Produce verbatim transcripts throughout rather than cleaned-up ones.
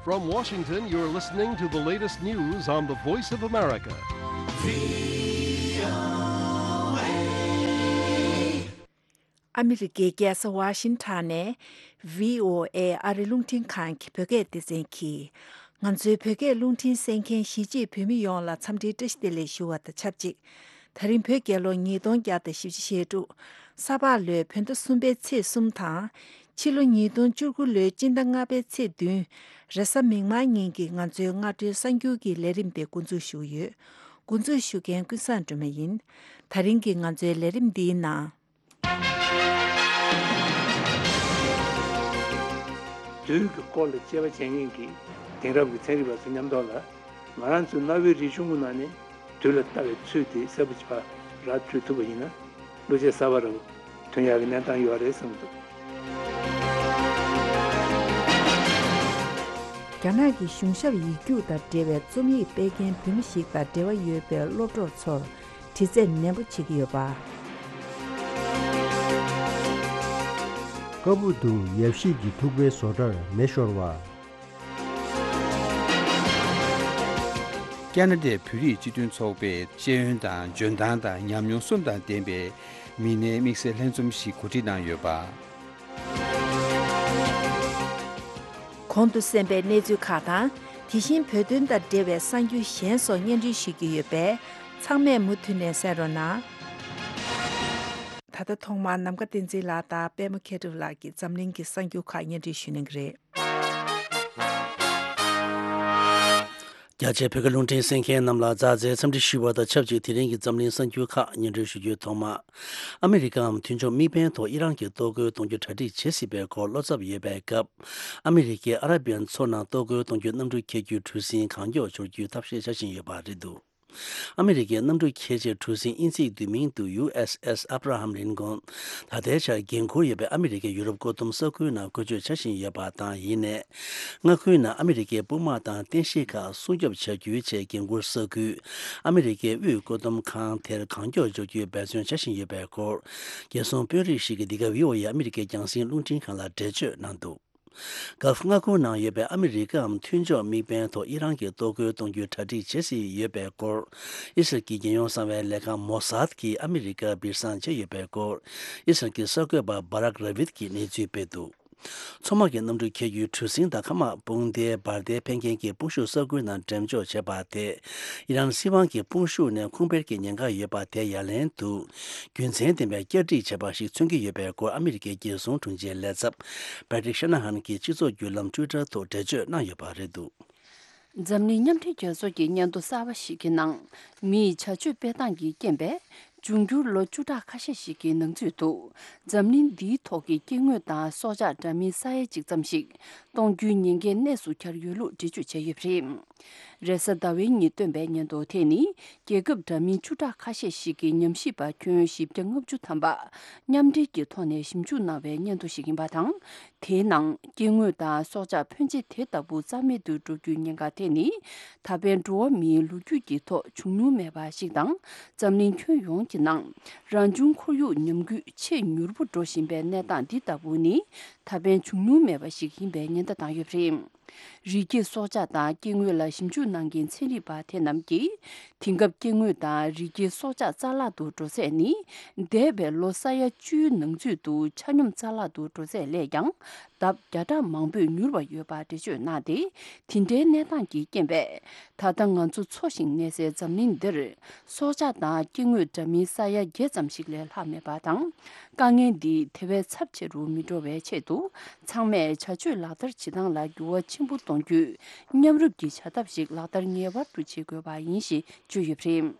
From Washington, you're listening to the latest news on the Voice of America. ཨ་མི་རི་ཀའི་རྒྱལ་ས་ཝ་ཤིང་ཊོན་ནས་བྷི་ཨོ་ཨེ་ཨ་རི་རླུང་འཕྲིན་ཁང་གི་བོད་སྐད་སྡེ་ཚན་གྱིས། ང་ཚོའི་བོད་སྐད་རླུང་འཕྲིན་གསན་མཁན་གཞིས་བྱེས་བོད་མི་ཡོངས་ལ་འཚམས་འདྲིའི་བཀྲ་ཤིས་བདེ་ལེགས་ཞུ་བ་དང་ཆབས་ཅིག་ད་རིང་བོད་རྒྱལ་ལོ་ཉིས་སྟོང་བརྒྱ་དང་བཞི་བཅུ་ཞེ་དྲུག་ས་ཕག་ལོའི་བོད་ཟླ་གསུམ་པའི་ཚེས་གསུམ་དང་། ཕྱི་ལོ་ཉིས་སྟོང་བཅུ་དགུ་ལོའི་སྤྱི་ཟླ་ལྔ་པའི་ཚེས་བདུན། རེས་གཟའ་མིག་དམར་ཉིན་གྱི་ང་ཚོའི་སྔ་དྲོའི་གསར་འགྱུར་གྱི་ལས་རིམ་དེ་འགོ་འཛུགས་ཞུ་གི་ཡོད། འགོ་འཛུགས་ཞུ་མཁན་ཀུན་བཟང་སྒྲོལ་མ་ཡིན། ད་རིང་གི་ང་ཚོའི་ལས་རིམ་འདིའི་ནང་། དུས་ཀྱི་སྐོར་ལ་དཔྱད་པ་བྱེད་མཁན་གྱི་དེང་རབས་ཀྱི་ཚན་རིག་པ་ཚོ་མཉམ་དུ་ལ། ང་རང་ཚོའི་གནའ་བོའི་རིག་གཞུང་གི་ནང་ནས་དུས་ལ་ལྟ་བའི་ཚུལ་དེ་གསལ་པོ་ཅིག་ཕར་ར་འཕྲོད་ཐུབ་པ་ཡིན་ན། བློ་སྐྱེད་གསར་པ་རང་ཐོན་ཡག་གི་གནས་སྟངས་ཡོད་རེད་བསམ་གྱི་འདུག་རྒྱ་ནག་གི་གཞུང་ཞབས་ཡིག་རྒྱུགས་དང་འབྲེལ་བའི་རྩོམ་ཡིག་སྤེལ་མཁན་བོད་མི་ཞིག་དང་འབྲེལ་བ་ཡོད་པའི་སློབ་གྲོགས་ཚོར་དྲི་རྩད་ནན་པོ་བྱེད་ཀྱི་ཡོད་པ། ཀ་བུ་དུང་ཡབ་གཞིས་ཀྱི་ཐུག་པའི་བཟོ་གྲྭར་མེ་ཤོར་བ། ཁ་ན་ཌའི་བོད་རིགས་སྤྱི་མཐུན་ཚོགས་པས་ཤེས་ཡོན་དང་འཇོན་ཐང་དང་ཉམས་མྱོང་གསུམ་དང་ལྡན་པའི་མི་སྣའི་དམིགས་བསལ་ལྷན་འཛོམས་ཤིག་གོ་སྒྲིག་གནང་ཡོད་པ། གོང་དུ་གསན་པའི་གནས་ཚུལ་ཁག་དང་། དེ་བཞིན་བོད་དོན་དང་འབྲེལ་བའི་གསར་འགྱུར་གཞན་སོགས་སྙན་སྒྲོན་ཞུ་རྒྱུ་ཡོད་པས། ཚང་མས་མུ་མཐུད་ནས་གསན་རོགས་གནང་། ད་ལྟ་ཐོག་མར་ནམ་མཁའ་བསྟན་འཛིན་ལགས་དང་པད་མ་མཁས་གྲུབ་ལགས་ཀྱིས་འཛམ་གླིང་གི་གསར་འགྱུར་ཁག་སྙན་སྒྲོན་ཞུ་གནང་གི་རེད། རྒྱ་ཆེའི་བོད་སྐད་རླུང་འཕྲིན་གསན་མཁན་རྣམས་ལ་མཛའ་བརྩེའི་འཚམས་འདྲི་ཞུ་བ་དང་ཆབས་ཅིག་དེ་རིང་གི་འཛམ་གླིང་གསར་འགྱུར་ཁག་སྙན་སྒྲོན་ཞུ་རྒྱུའི་ཐོག་མ། ཨ་མི་རི་ཀའམ་མཐུན་ཕྱོགས་དམིགས་འབེན་ཐོག་ཨི་རན་གྱིས་གཏོར་རྒོལ་གཏོང་རྒྱུ་གྲ་སྒྲིག་བྱེད་སྲིད་པའི་སྐོར་བློ་འཚབ་ཡོད་པའི་སྐབས། ཨ་མི་རི་ཀས་ཨ་ར་བི་ཡན་མཚོ་ནང་གཏོར་རྒོལ་གཏོང་རྒྱུའི་གནམ་གྲུ་འཁྱེར་རྒྱུའི་གྲུ་གཟིངས་གང་མགྱོགས་འབྱོར་རྒྱུའི་ཐབས་ཤེས་བྱ་བཞིན་ཡོད་པ་རེད་འདུག་ཨ་མི་རི་ཀའི་གནམ་གྲུ་འཁྱེར་བྱེད་གྲུ་གཟིངས་དབྱིན་ཚིག་བསྡུས་མིང་དུ་ཡུ་ཨེས་ཨེས་ཨབ་ར་ཧམ་ལིན་ཀོན། ད་ལྟའི་ཆར་འགན་འཁུར་ཡོད་པའི་ཨ་མི་རི་ཀའི་ཡུ་རོབ་བཀོད་འདོམས་ས་ཁུལ་ནང་བཀོལ་སྤྱོད་བྱ་བཞིན་ཡོད་པ་དང་། ཡིན་ནའི། མངའ་ཁུལ་ནང་ཨ་མི་རི་ཀའི་དཔུང་དམག་དང་རྟེན་གཞི་ཁག་སྲུང་སྐྱོབ་བྱ་རྒྱུའི་ཆེད་འགན་འཁུར་ས་ཁུལ། ཨ་མི་རི་ཀའི་དབུས་བཀོད་འདོམས་ཁང་དེར་གང་མགྱོགས་འབྱོར་རྒྱུའི་འབད་བརྩོན་བྱ་བཞིན་ཡོད་པའི་སྐོར། རྒྱལ་སྲུང་དཔོན་རིགས་ཤིག་གིས་འདི་ག་བྷི་ཨོ་ཨེ་ཨ་མི་རི་ཀའི་རྒྱང་སྲིང་རླུང་འཕྲིན་ཁང་ལ་འགྲེལ་བརྗོད་གནང་འདུག་གྷལཕ་མངའ་ཁོངས་ནང་ཡོད་པའི་ཨ་མི་རི་ཀའམ་མཐུན་ཕྱོགས་དམིགས་འབེན་ཐོག་ཨི་རན་གྱིས་གཏོར་རྒོལ་གཏོང་རྒྱུའི་གྲ་སྒྲིག་བྱེད་སྲིད་ཡོད་པའི་སྐོར། ཨི་སི་རལ་གྱི་རྒྱལ་ཡོངས་གསང་བའི་ལས་ཁང་མོ་སཱད་ཀྱིས་ཨ་མི་རི་ཀར་སྦིར་གསང་བྱས་ཡོད་པའི་སྐོར། ཨི་སི་རལ་གྱི་གསར་འགོད་པ་བྷ་རག་ར་བིད་ཀྱིས་གནས་ཚུལ་སྤེལ་འདུག་མཚོ་དམག་གི་གནམ་གྲུ་འཁྱེར་རྒྱུའི་གྲུ་གཟིངས་དང་མཁའ་དམག་དཔུང་སྡེའི་འབར་མདེལ་འཕེན་མཁན་གྱི་དཔུང་ཤུགས་ས་ཁུལ་ནང་འགྲེམས་འཇོག་བྱས་པ་དེས། ཨི་རན་སྲིད་དབང་གི་དཔུང་ཤུགས་ནས་ཁུངས་སྤེལ་གྱི་ཉེན་ཁ་ཡོད་པ་དེ་ཡ་ལན་དུ། རྒྱུ་མཚན་ལྡན་པའི་བསྐྱར་སྒྲིག་བྱས་པ་ཞིག་མཚོན་གྱི་ཡོད་པའི་སྐོར་ཨ་མི་རི་ཀའི་རྒྱལ་སྲུང་དྲུང་ཆེའི་ལས་ཚབ་Patrick Shanahan གྱིས་སྤྱི་ཚོགས་བརྒྱུད་ལམ་Twitter ཐོག་འགྲེལ་བརྗོད་གནང་ཡོད་པ་རེད་འདུག་འཛམ་གླིང་མཉམ་འབྲེལ་རྒྱལ་ཚོགས་ཀྱི་སྙན་ཐོ་གསར་པ་ཞིག་གི་ནང་། མིའི་བྱ་སྤྱོད་སྤེལ་སྟངས་ཀྱི་རྐྱེན་པས། འབྱུང་འགྱུར་ལོ་བཅུ་ཕྲག་ཁ་ཤས་ཤིག་གི་ནང་ཚུད་དུ། འཛམ་གླིང་འདིའི་ཐོག་གི་སྐྱེ་དངོས་དང་སྲོག་ཆགས་འདྲ་མིན་ས་ཡ་གཅིག་ཙམ་ཞིག་གཏོང་རྒྱུའི་ཉེན་ཁའི་གནས་སུ་གྱར་ཡོད་ལུགས་འགྲེལ་བརྗོད་བྱས་ཡོད་པ་རེད། རེས་གཟའ་ཟླ་བའི་ཉིན་བཏོན་པའི་སྙན་ཐོ་དེ་ནི། རྒྱལ་ཁབ་འདྲ་མིན་བཅུ་ཕྲག་ཁ་ཤས་ཤིག་གི་ཉམས་ཞིབ་པ་ཁྱོན་བཞི་བརྒྱ་ལྔ་བཅུ་ཐམ་པ། མཉམ་འབྲེལ་གྱི་ཐོག་ནས་ཞིབ་འཇུག་གནང་བའི་སྙན་ཐོ་ཞིག་ཡིན་པ་དང་། དེའི་ནང་སྐྱེ་དངོས་དང་སྲོག་ཆགས་ཕོན་ཆེ་དེ་ལྟ་བུ་རྩ་མེད་དུ་འགྲོ་རྒྱུའི་ཉེན་ཁ་དེ་ནི། ད་ཕན་འགྲོ་བ་མིའི་ལོ་རྒྱུས་ཀྱི་ཐོག་བྱུང་མྱོང་མེད་པ་ཞིག་དང་། འཛམ་གླིང་ཁྱོན་ཡོངས་ཀྱི་ནང་། རང་བྱུང་ཁོར་ཡུག་ཉམས་རྒུད་ཆེས་མྱུར་པོ་འགྲོ་བཞིན་པའི་གནས་སྟངས་འདི་ལྟ་བུ་ནི། ད་ཕན་བྱུང་མྱོང་མེད་པ་ཞིག་ཡིན་པའི་ཉེན་བརྡ་བཏང་ཡོད་པ་རེད། རི་སྐྱེས་སྲོག་ཆགས་དང་སྐྱེ་དངོས་ལ་ཞིབ་འཇུག་གནང་མཁན་ཚན་རིག་པ་དེ་རྣམས་ཀྱིས། དེང་སྐབས་སྐྱེ་དངོས་དང་རི་སྐྱེས་སྲོག་ཆགས་རྩ་བརླག་ཏུ་འགྲོ་ཚད་ནི། འདས་པའི་ལོ་ས་ཡ་བཅུའི་ནང་ཚུད་དུ་ཆ་སྙོམས་རྩ་བརླག་ཏུ་འགྲོ་ཚད་ལས་ཀྱང་། ལྡབ་བརྒྱ་ཕྲག་མང་པོས་མྱུར་བ་ཡོད་པ་འགྲེལ་བརྗོད་གནང་སྟེ། དེ་འདྲའི་གནས་སྟངས་ཀྱི་རྐྱེན་པས། ད་ལྟ་ང་ཚོ་འཚོ་ཞིང་གནས་སའི་འཛམ་གླིང་འདིར། སྲོག་ཆགས་དང་སྐྱེ་དངོས་འདྲ་མིན་ས་ཡ་བརྒྱད་ཙམ་ཞིག་ལས་ལྷག་མེད་པ་དང་། དཀའ་ངལ་འདི་དེ་བས་ཚབས་ཆེ་རུ་མི་འགྲོ་བའི་ཆེད་དུ། ཚང་མས་བྱ་སྤྱོད་ལག་བསྟར་བྱེད་སྟངས་ལ་འགྱུར་བ་ཆེན་པོ་གཏོང་རྒྱུའི་མཉམ་རུབ་ཀྱི་བྱ་ཐབས་ཤིག་ལག་བསྟར་ངེས་པར་དུ་བྱེད་དགོས་པ་ཡིན་ཞེས་བརྗོད་ཡོད་པ་རེད།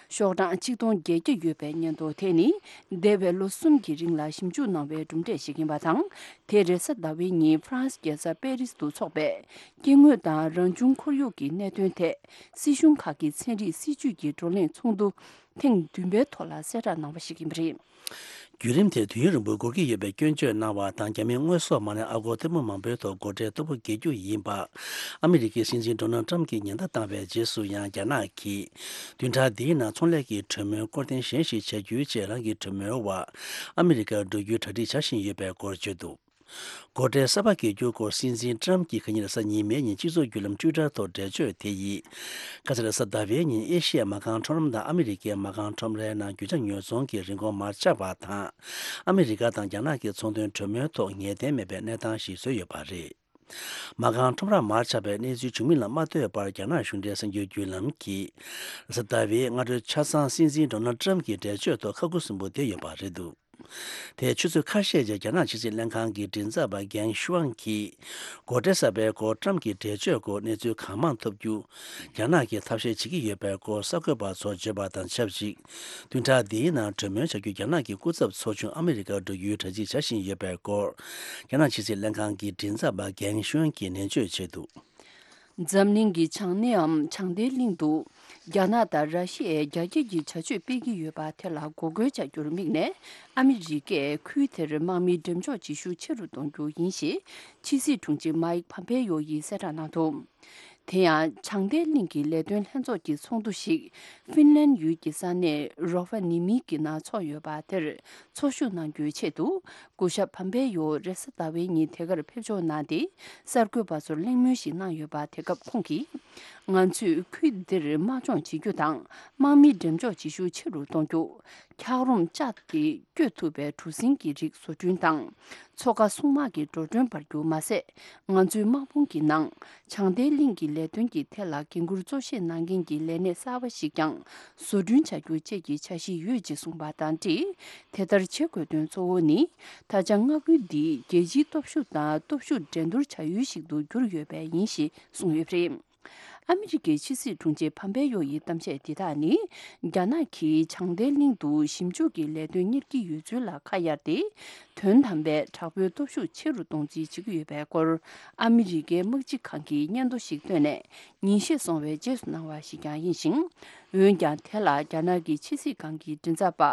ཤོག་གྲངས་ཆིག་སྟོང་བརྒྱད་བརྒྱ་ཡོད་པའི་སྙན་ཐོ་དེ་ནི། འདས་པའི་ལོ་གསུམ་གྱི་རིང་ལ་ཞིབ་འཇུག་གནང་བའི་གྲུབ་འབྲས་ཤིག་ཡིན་པ་དང་། དེ་རེས་གཟའ་ཟླ་བའི་ཉིན་ཧྥ་རན་སི་རྒྱལ་ས་པེ་རིས་དུ་འཚོགས་པའི། སྐྱེ་དངོས་དང་རང་བྱུང་ཁོར་ཡུག་གི་གནད་དོན་ཐད། སྲིད་གཞུང་ཁག་གི་ཚན་རིག་སྲིད་ཇུས་ཀྱི་བགྲོ་གླེང་ཚོགས་འདུ། ཐེངས་བདུན་པའི་ཐོག་ལ་གསལ་བསྒྲགས་གནང་བ་ཞིག་ཡིན་པ་རེད། བརྒྱུད་རིམ་དེ་དུས་ཡུན་རིང་པོ་འགོར་གྱི་ཡོད་པའི་སྐྱོན་བརྗོད་གནང་བ་དང་། རྒྱ་མིའི་དངོས་ཟོག་མ་ལེན་ཨ་སྒོར་ཐེར་འབུམ་མང་པོའི་ཐོག་སྒོ་ཁྲལ་མཐོ་པོ་འགེལ་རྒྱུ་ཡིན་པ། ཨ་མི་རི་ཀའི་སྲིད་འཛིན་ཌོ་ནལ་ཊམ་གྱིས་ཉེན་བརྡ་བཏང་བའི་རྗེས་སུ་ཡང་རྒྱ་ནག་གིས། བདུན་ཕྲག་འདིའི་ནང་ཚོང་ལས་ཀྱི་གྲོས་མོལ་སྐོར་ཐེངས་གཞན་ཞིག་བྱ་རྒྱུའི་ཆེད་རང་གི་གྲོས་མོལ་བ། ཨ་མི་རི་ཀར་འགྲོ་རྒྱུའི་གྲ་སྒྲིག་བྱ་བཞིན་ཡོད་པའི་སྐོར་བརྗོད་འདུག་སྒོ་ཁྲལ་གསར་པ་འགེལ་རྒྱུ་སྐོར་སྲིད་འཛིན་ཏྲམ་གྱིས་ཁ་ཉིན་རེས་གཟའ་ཉི་མའི་ཉིན་སྤྱི་ཚོགས་བརྒྱུད་ལམ་ཊུའི་ཊར་ཐོག་འགྲེལ་བརྗོད་དེ་ཡིས། ཁ་སང་རེས་གཟའ་ཟླ་བའི་ཉིན་ཨེ་ཤི་ཡའི་མ་རྐང་ཁྲོམ་ར་དང་ཨ་མི་རི་ཀའི་མ་རྐང་ཁྲོམ་རའི་ནང་རྒྱུ་ཆ་ཉོ་ཚོང་གི་རིན་གོང་མར་ཆག་པ་དང་། ཨ་མི་རི་ཀ་དང་རྒྱ་ནག་གི་ཚོང་དོན་གྲོས་མོལ་ཐོག་ངེས་གཏན་མེད་པའི་གནས་སྟངས་ཤིག་བཟོས་ཡོད་པ་རེད། མ་རྐང་ཁྲོམ་ར་མར་ཆག་པའི་གནས་ཚུལ་བྱུང་མིན་ལ་མ་ལྟོས་པར། རྒྱ་ནག་གཞུང་འབྲེལ་གསར་འགྱུར་བརྒྱུད་ལམ་གྱིས་གཟའ་ཟླ་བའི་སྔ་དྲོའི་ཆ་ཚང་སྲིད་འཛིན་ཌོ་ནལ་ཊམ་གྱི་འགྲེལ་བརྗོད་ཐོག་ཁ་ཁུ་སིམ་པོ་བསྡད་ཡོད་པ་རེད་འདུག་དེའི་ཆུ་ཚོད་ཁ་ཤས་རྗེས་རྒྱ་ནག་ཕྱི་སྲིད་ལྷན་ཁང་གི་མགྲིན་ཚབ་པ་གྷེང་ཤུའང་གིས། སྒོ་ཁྲལ་གསར་པའི་སྐོར་ཊམ་གྱི་འགྲེལ་བརྗོད་སྐོར་གནས་ཚུལ་གང་མང་ཐོབ་རྒྱུ། རྒྱ་ནག་གིས་ཐབས་ཤེས་བྱེད་ཀྱི་ཡོད་པའི་སྐོར་གསར་འགོད་པ་ཚོར་བརྗོད་པ་དང་ཆབས་ཅིག་བདུན་ཕྲག་འདིའི་ནང་གྲོས་མོལ་བྱ་རྒྱུ་རྒྱ་ནག་གི་སྐུ་ཚབ་ཚོགས་ཆུང་ཨ་མི་རི་ཀར་འགྲོ་རྒྱུའི་གྲ་སྒྲིག་བྱ་བཞིན་ཡོད་པའི་སྐོར། རྒྱ་ནག་ཕྱི་སྲིད་ལྷན་ཁང་གི་མགྲིན་ཚབ་པ་གྷེང་ཤུའང་གིས་ནན་བརྗོད་བྱས་འདུག་འཛམ་གླིང་གི་བྱང་སྣེའམ་བྱང་མཐའི་གླིང་དུ། རྒྱ་ནག་དང་ར་ཤི་ཡས་རྒྱ་སྐྱེད་ཀྱི་བྱ་སྤྱོད་སྤེལ་གྱི་ཡོད་པ་དེ་ལ་འགོག་རྒོལ་བྱ་རྒྱུར་དམིགས་ནས། ཨ་མི་རི་ཀས་ཁུལ་དེར་དམག་མིའི་འགྲེམས་འཇོག་བྱེད་ཤུགས་ཆེ་རུ་གཏོང་རྒྱུ་ཡིན་ཞེས། ཕྱི་སྲིད་དྲུང་ཆེ་མའིག་ཕམ་པེ་ཡོ་ཡིས་གསལ་བསྒྲགས་གནང་འདུག་དེ་ཡང་། བྱང་མཐའི་གླིང་གི་ལས་དོན་ལྷན་ཚོགས་ཀྱི་ཚོགས་འདུ་ཞིག་ཧྥིན་ལན་ཡུལ་གྱི་ས་གནས་རོ་ཧྥ་ནི་མི་གི་ནང་འཚོགས་ཡོད་པ་དེར་ཚོགས་ཞུགས་གནང་རྒྱུའི་ཆེད་དུ། སྐུ་ཞབས་ཕམ་པེ་ཡོ་རེས་གཟའ་ཟླ་བའི་ཉིན་དེ་གར་ཕེབས་འབྱོར་གནང་སྟེ། གསར་འགོད་པ་ཚོར་གླེང་མོལ་ཞིག་གནང་ཡོད་པ། དེ་སྐབས་ཁོང་གིས། ང་ཚོས་ཁུལ་འདིར་དམག་སྦྱོང་བྱེད་རྒྱུ་དང་། དམག་མིའི་འགྲེམས་འཇོག་བྱེད་ཤུགས་ཆེ་རུ་གཏོང་རྒྱུ། འཁྱགས་རོམ་ལྕགས་ཀྱིས་བསྐྱོད་ཐུབ་པའི་གྲུ་གཟིངས་ཀྱི་རིགས་བཟོ་སྐྲུན་དང་། མཚོ་ཁ་སྲུང་དམག་གི་འགྲོ་གྲོན་སྤར་རྒྱུ་མ་ཟད། ང་ཚོའི་དམག་དཔུང་གི་ནང་། བྱང་མཐའི་གླིང་གི་ལས་དོན་གྱི་ཐད་ལ་འགན་འཁུར་གཙོ་ཆེ་གནང་མཁན་གྱི་ལས་སྣེ་གསར་པ་ཞིག་ཀྱང་བཟོ་སྐྲུན་བྱ་རྒྱུ་བཅས་ཀྱི་འཆར་གཞི་ཡོད་ཅེས་གསུངས་པ་དང་འབྲེལ། དེ་ལྟར་བྱེད་དགོས་དོན་གཙོ་བོ་ནི། ད་ཆ་མངའ་ཁུལ་འདི་རྒྱལ་སྤྱིའི་སྟོབས་ཤུགས་དང་སྟོབས་ཤུགས་འགྲན་བསྡུར་བྱ་ཡུལ་ཞིག་ཏུ་གྱུར་ཡོད་པས་ཡིན་ཞེས་གསུངས་ཡོད་པ་རེད། ཨ་མི་རི་ཀའི་ཕྱི་སྲིད་དྲུང་ཆེ་ཕམ་པེ་ཡོ་ཡི་གཏམ་བཤད་འདི་དག་ནི། རྒྱ་ནག་གིས་བྱང་མཐའི་གླིང་དུ་ཞིབ་འཇུག་གི་ལས་དོན་གཉེར་གྱི་ཡོད་ཚུལ་ལ་ཁ་གཡར་ཏེ། དོན་དམ་པའི་དྲག་པོའི་སྟོབས་ཤུགས་ཆེ་རུ་གཏོང་རྩིས་བྱེད་ཀྱི་ཡོད་པའི་སྐོར། ཨ་མི་རི་ཀའི་དམག་སྤྱི་ཁང་གིས་སྙན་ཐོ་ཞིག་བཏོན་ནས། ཉིན་ཤས་སོང་བའི་རྗེས་སུ་གནང་བ་ཞིག་ཀྱང་ཡིན་ཞིང་། འོན་ཀྱང་། དེ་ལ་རྒྱ་ནག་གི་ཕྱི་སྲིད་ཁང་གི་མགྲིན་ཚབ་པ་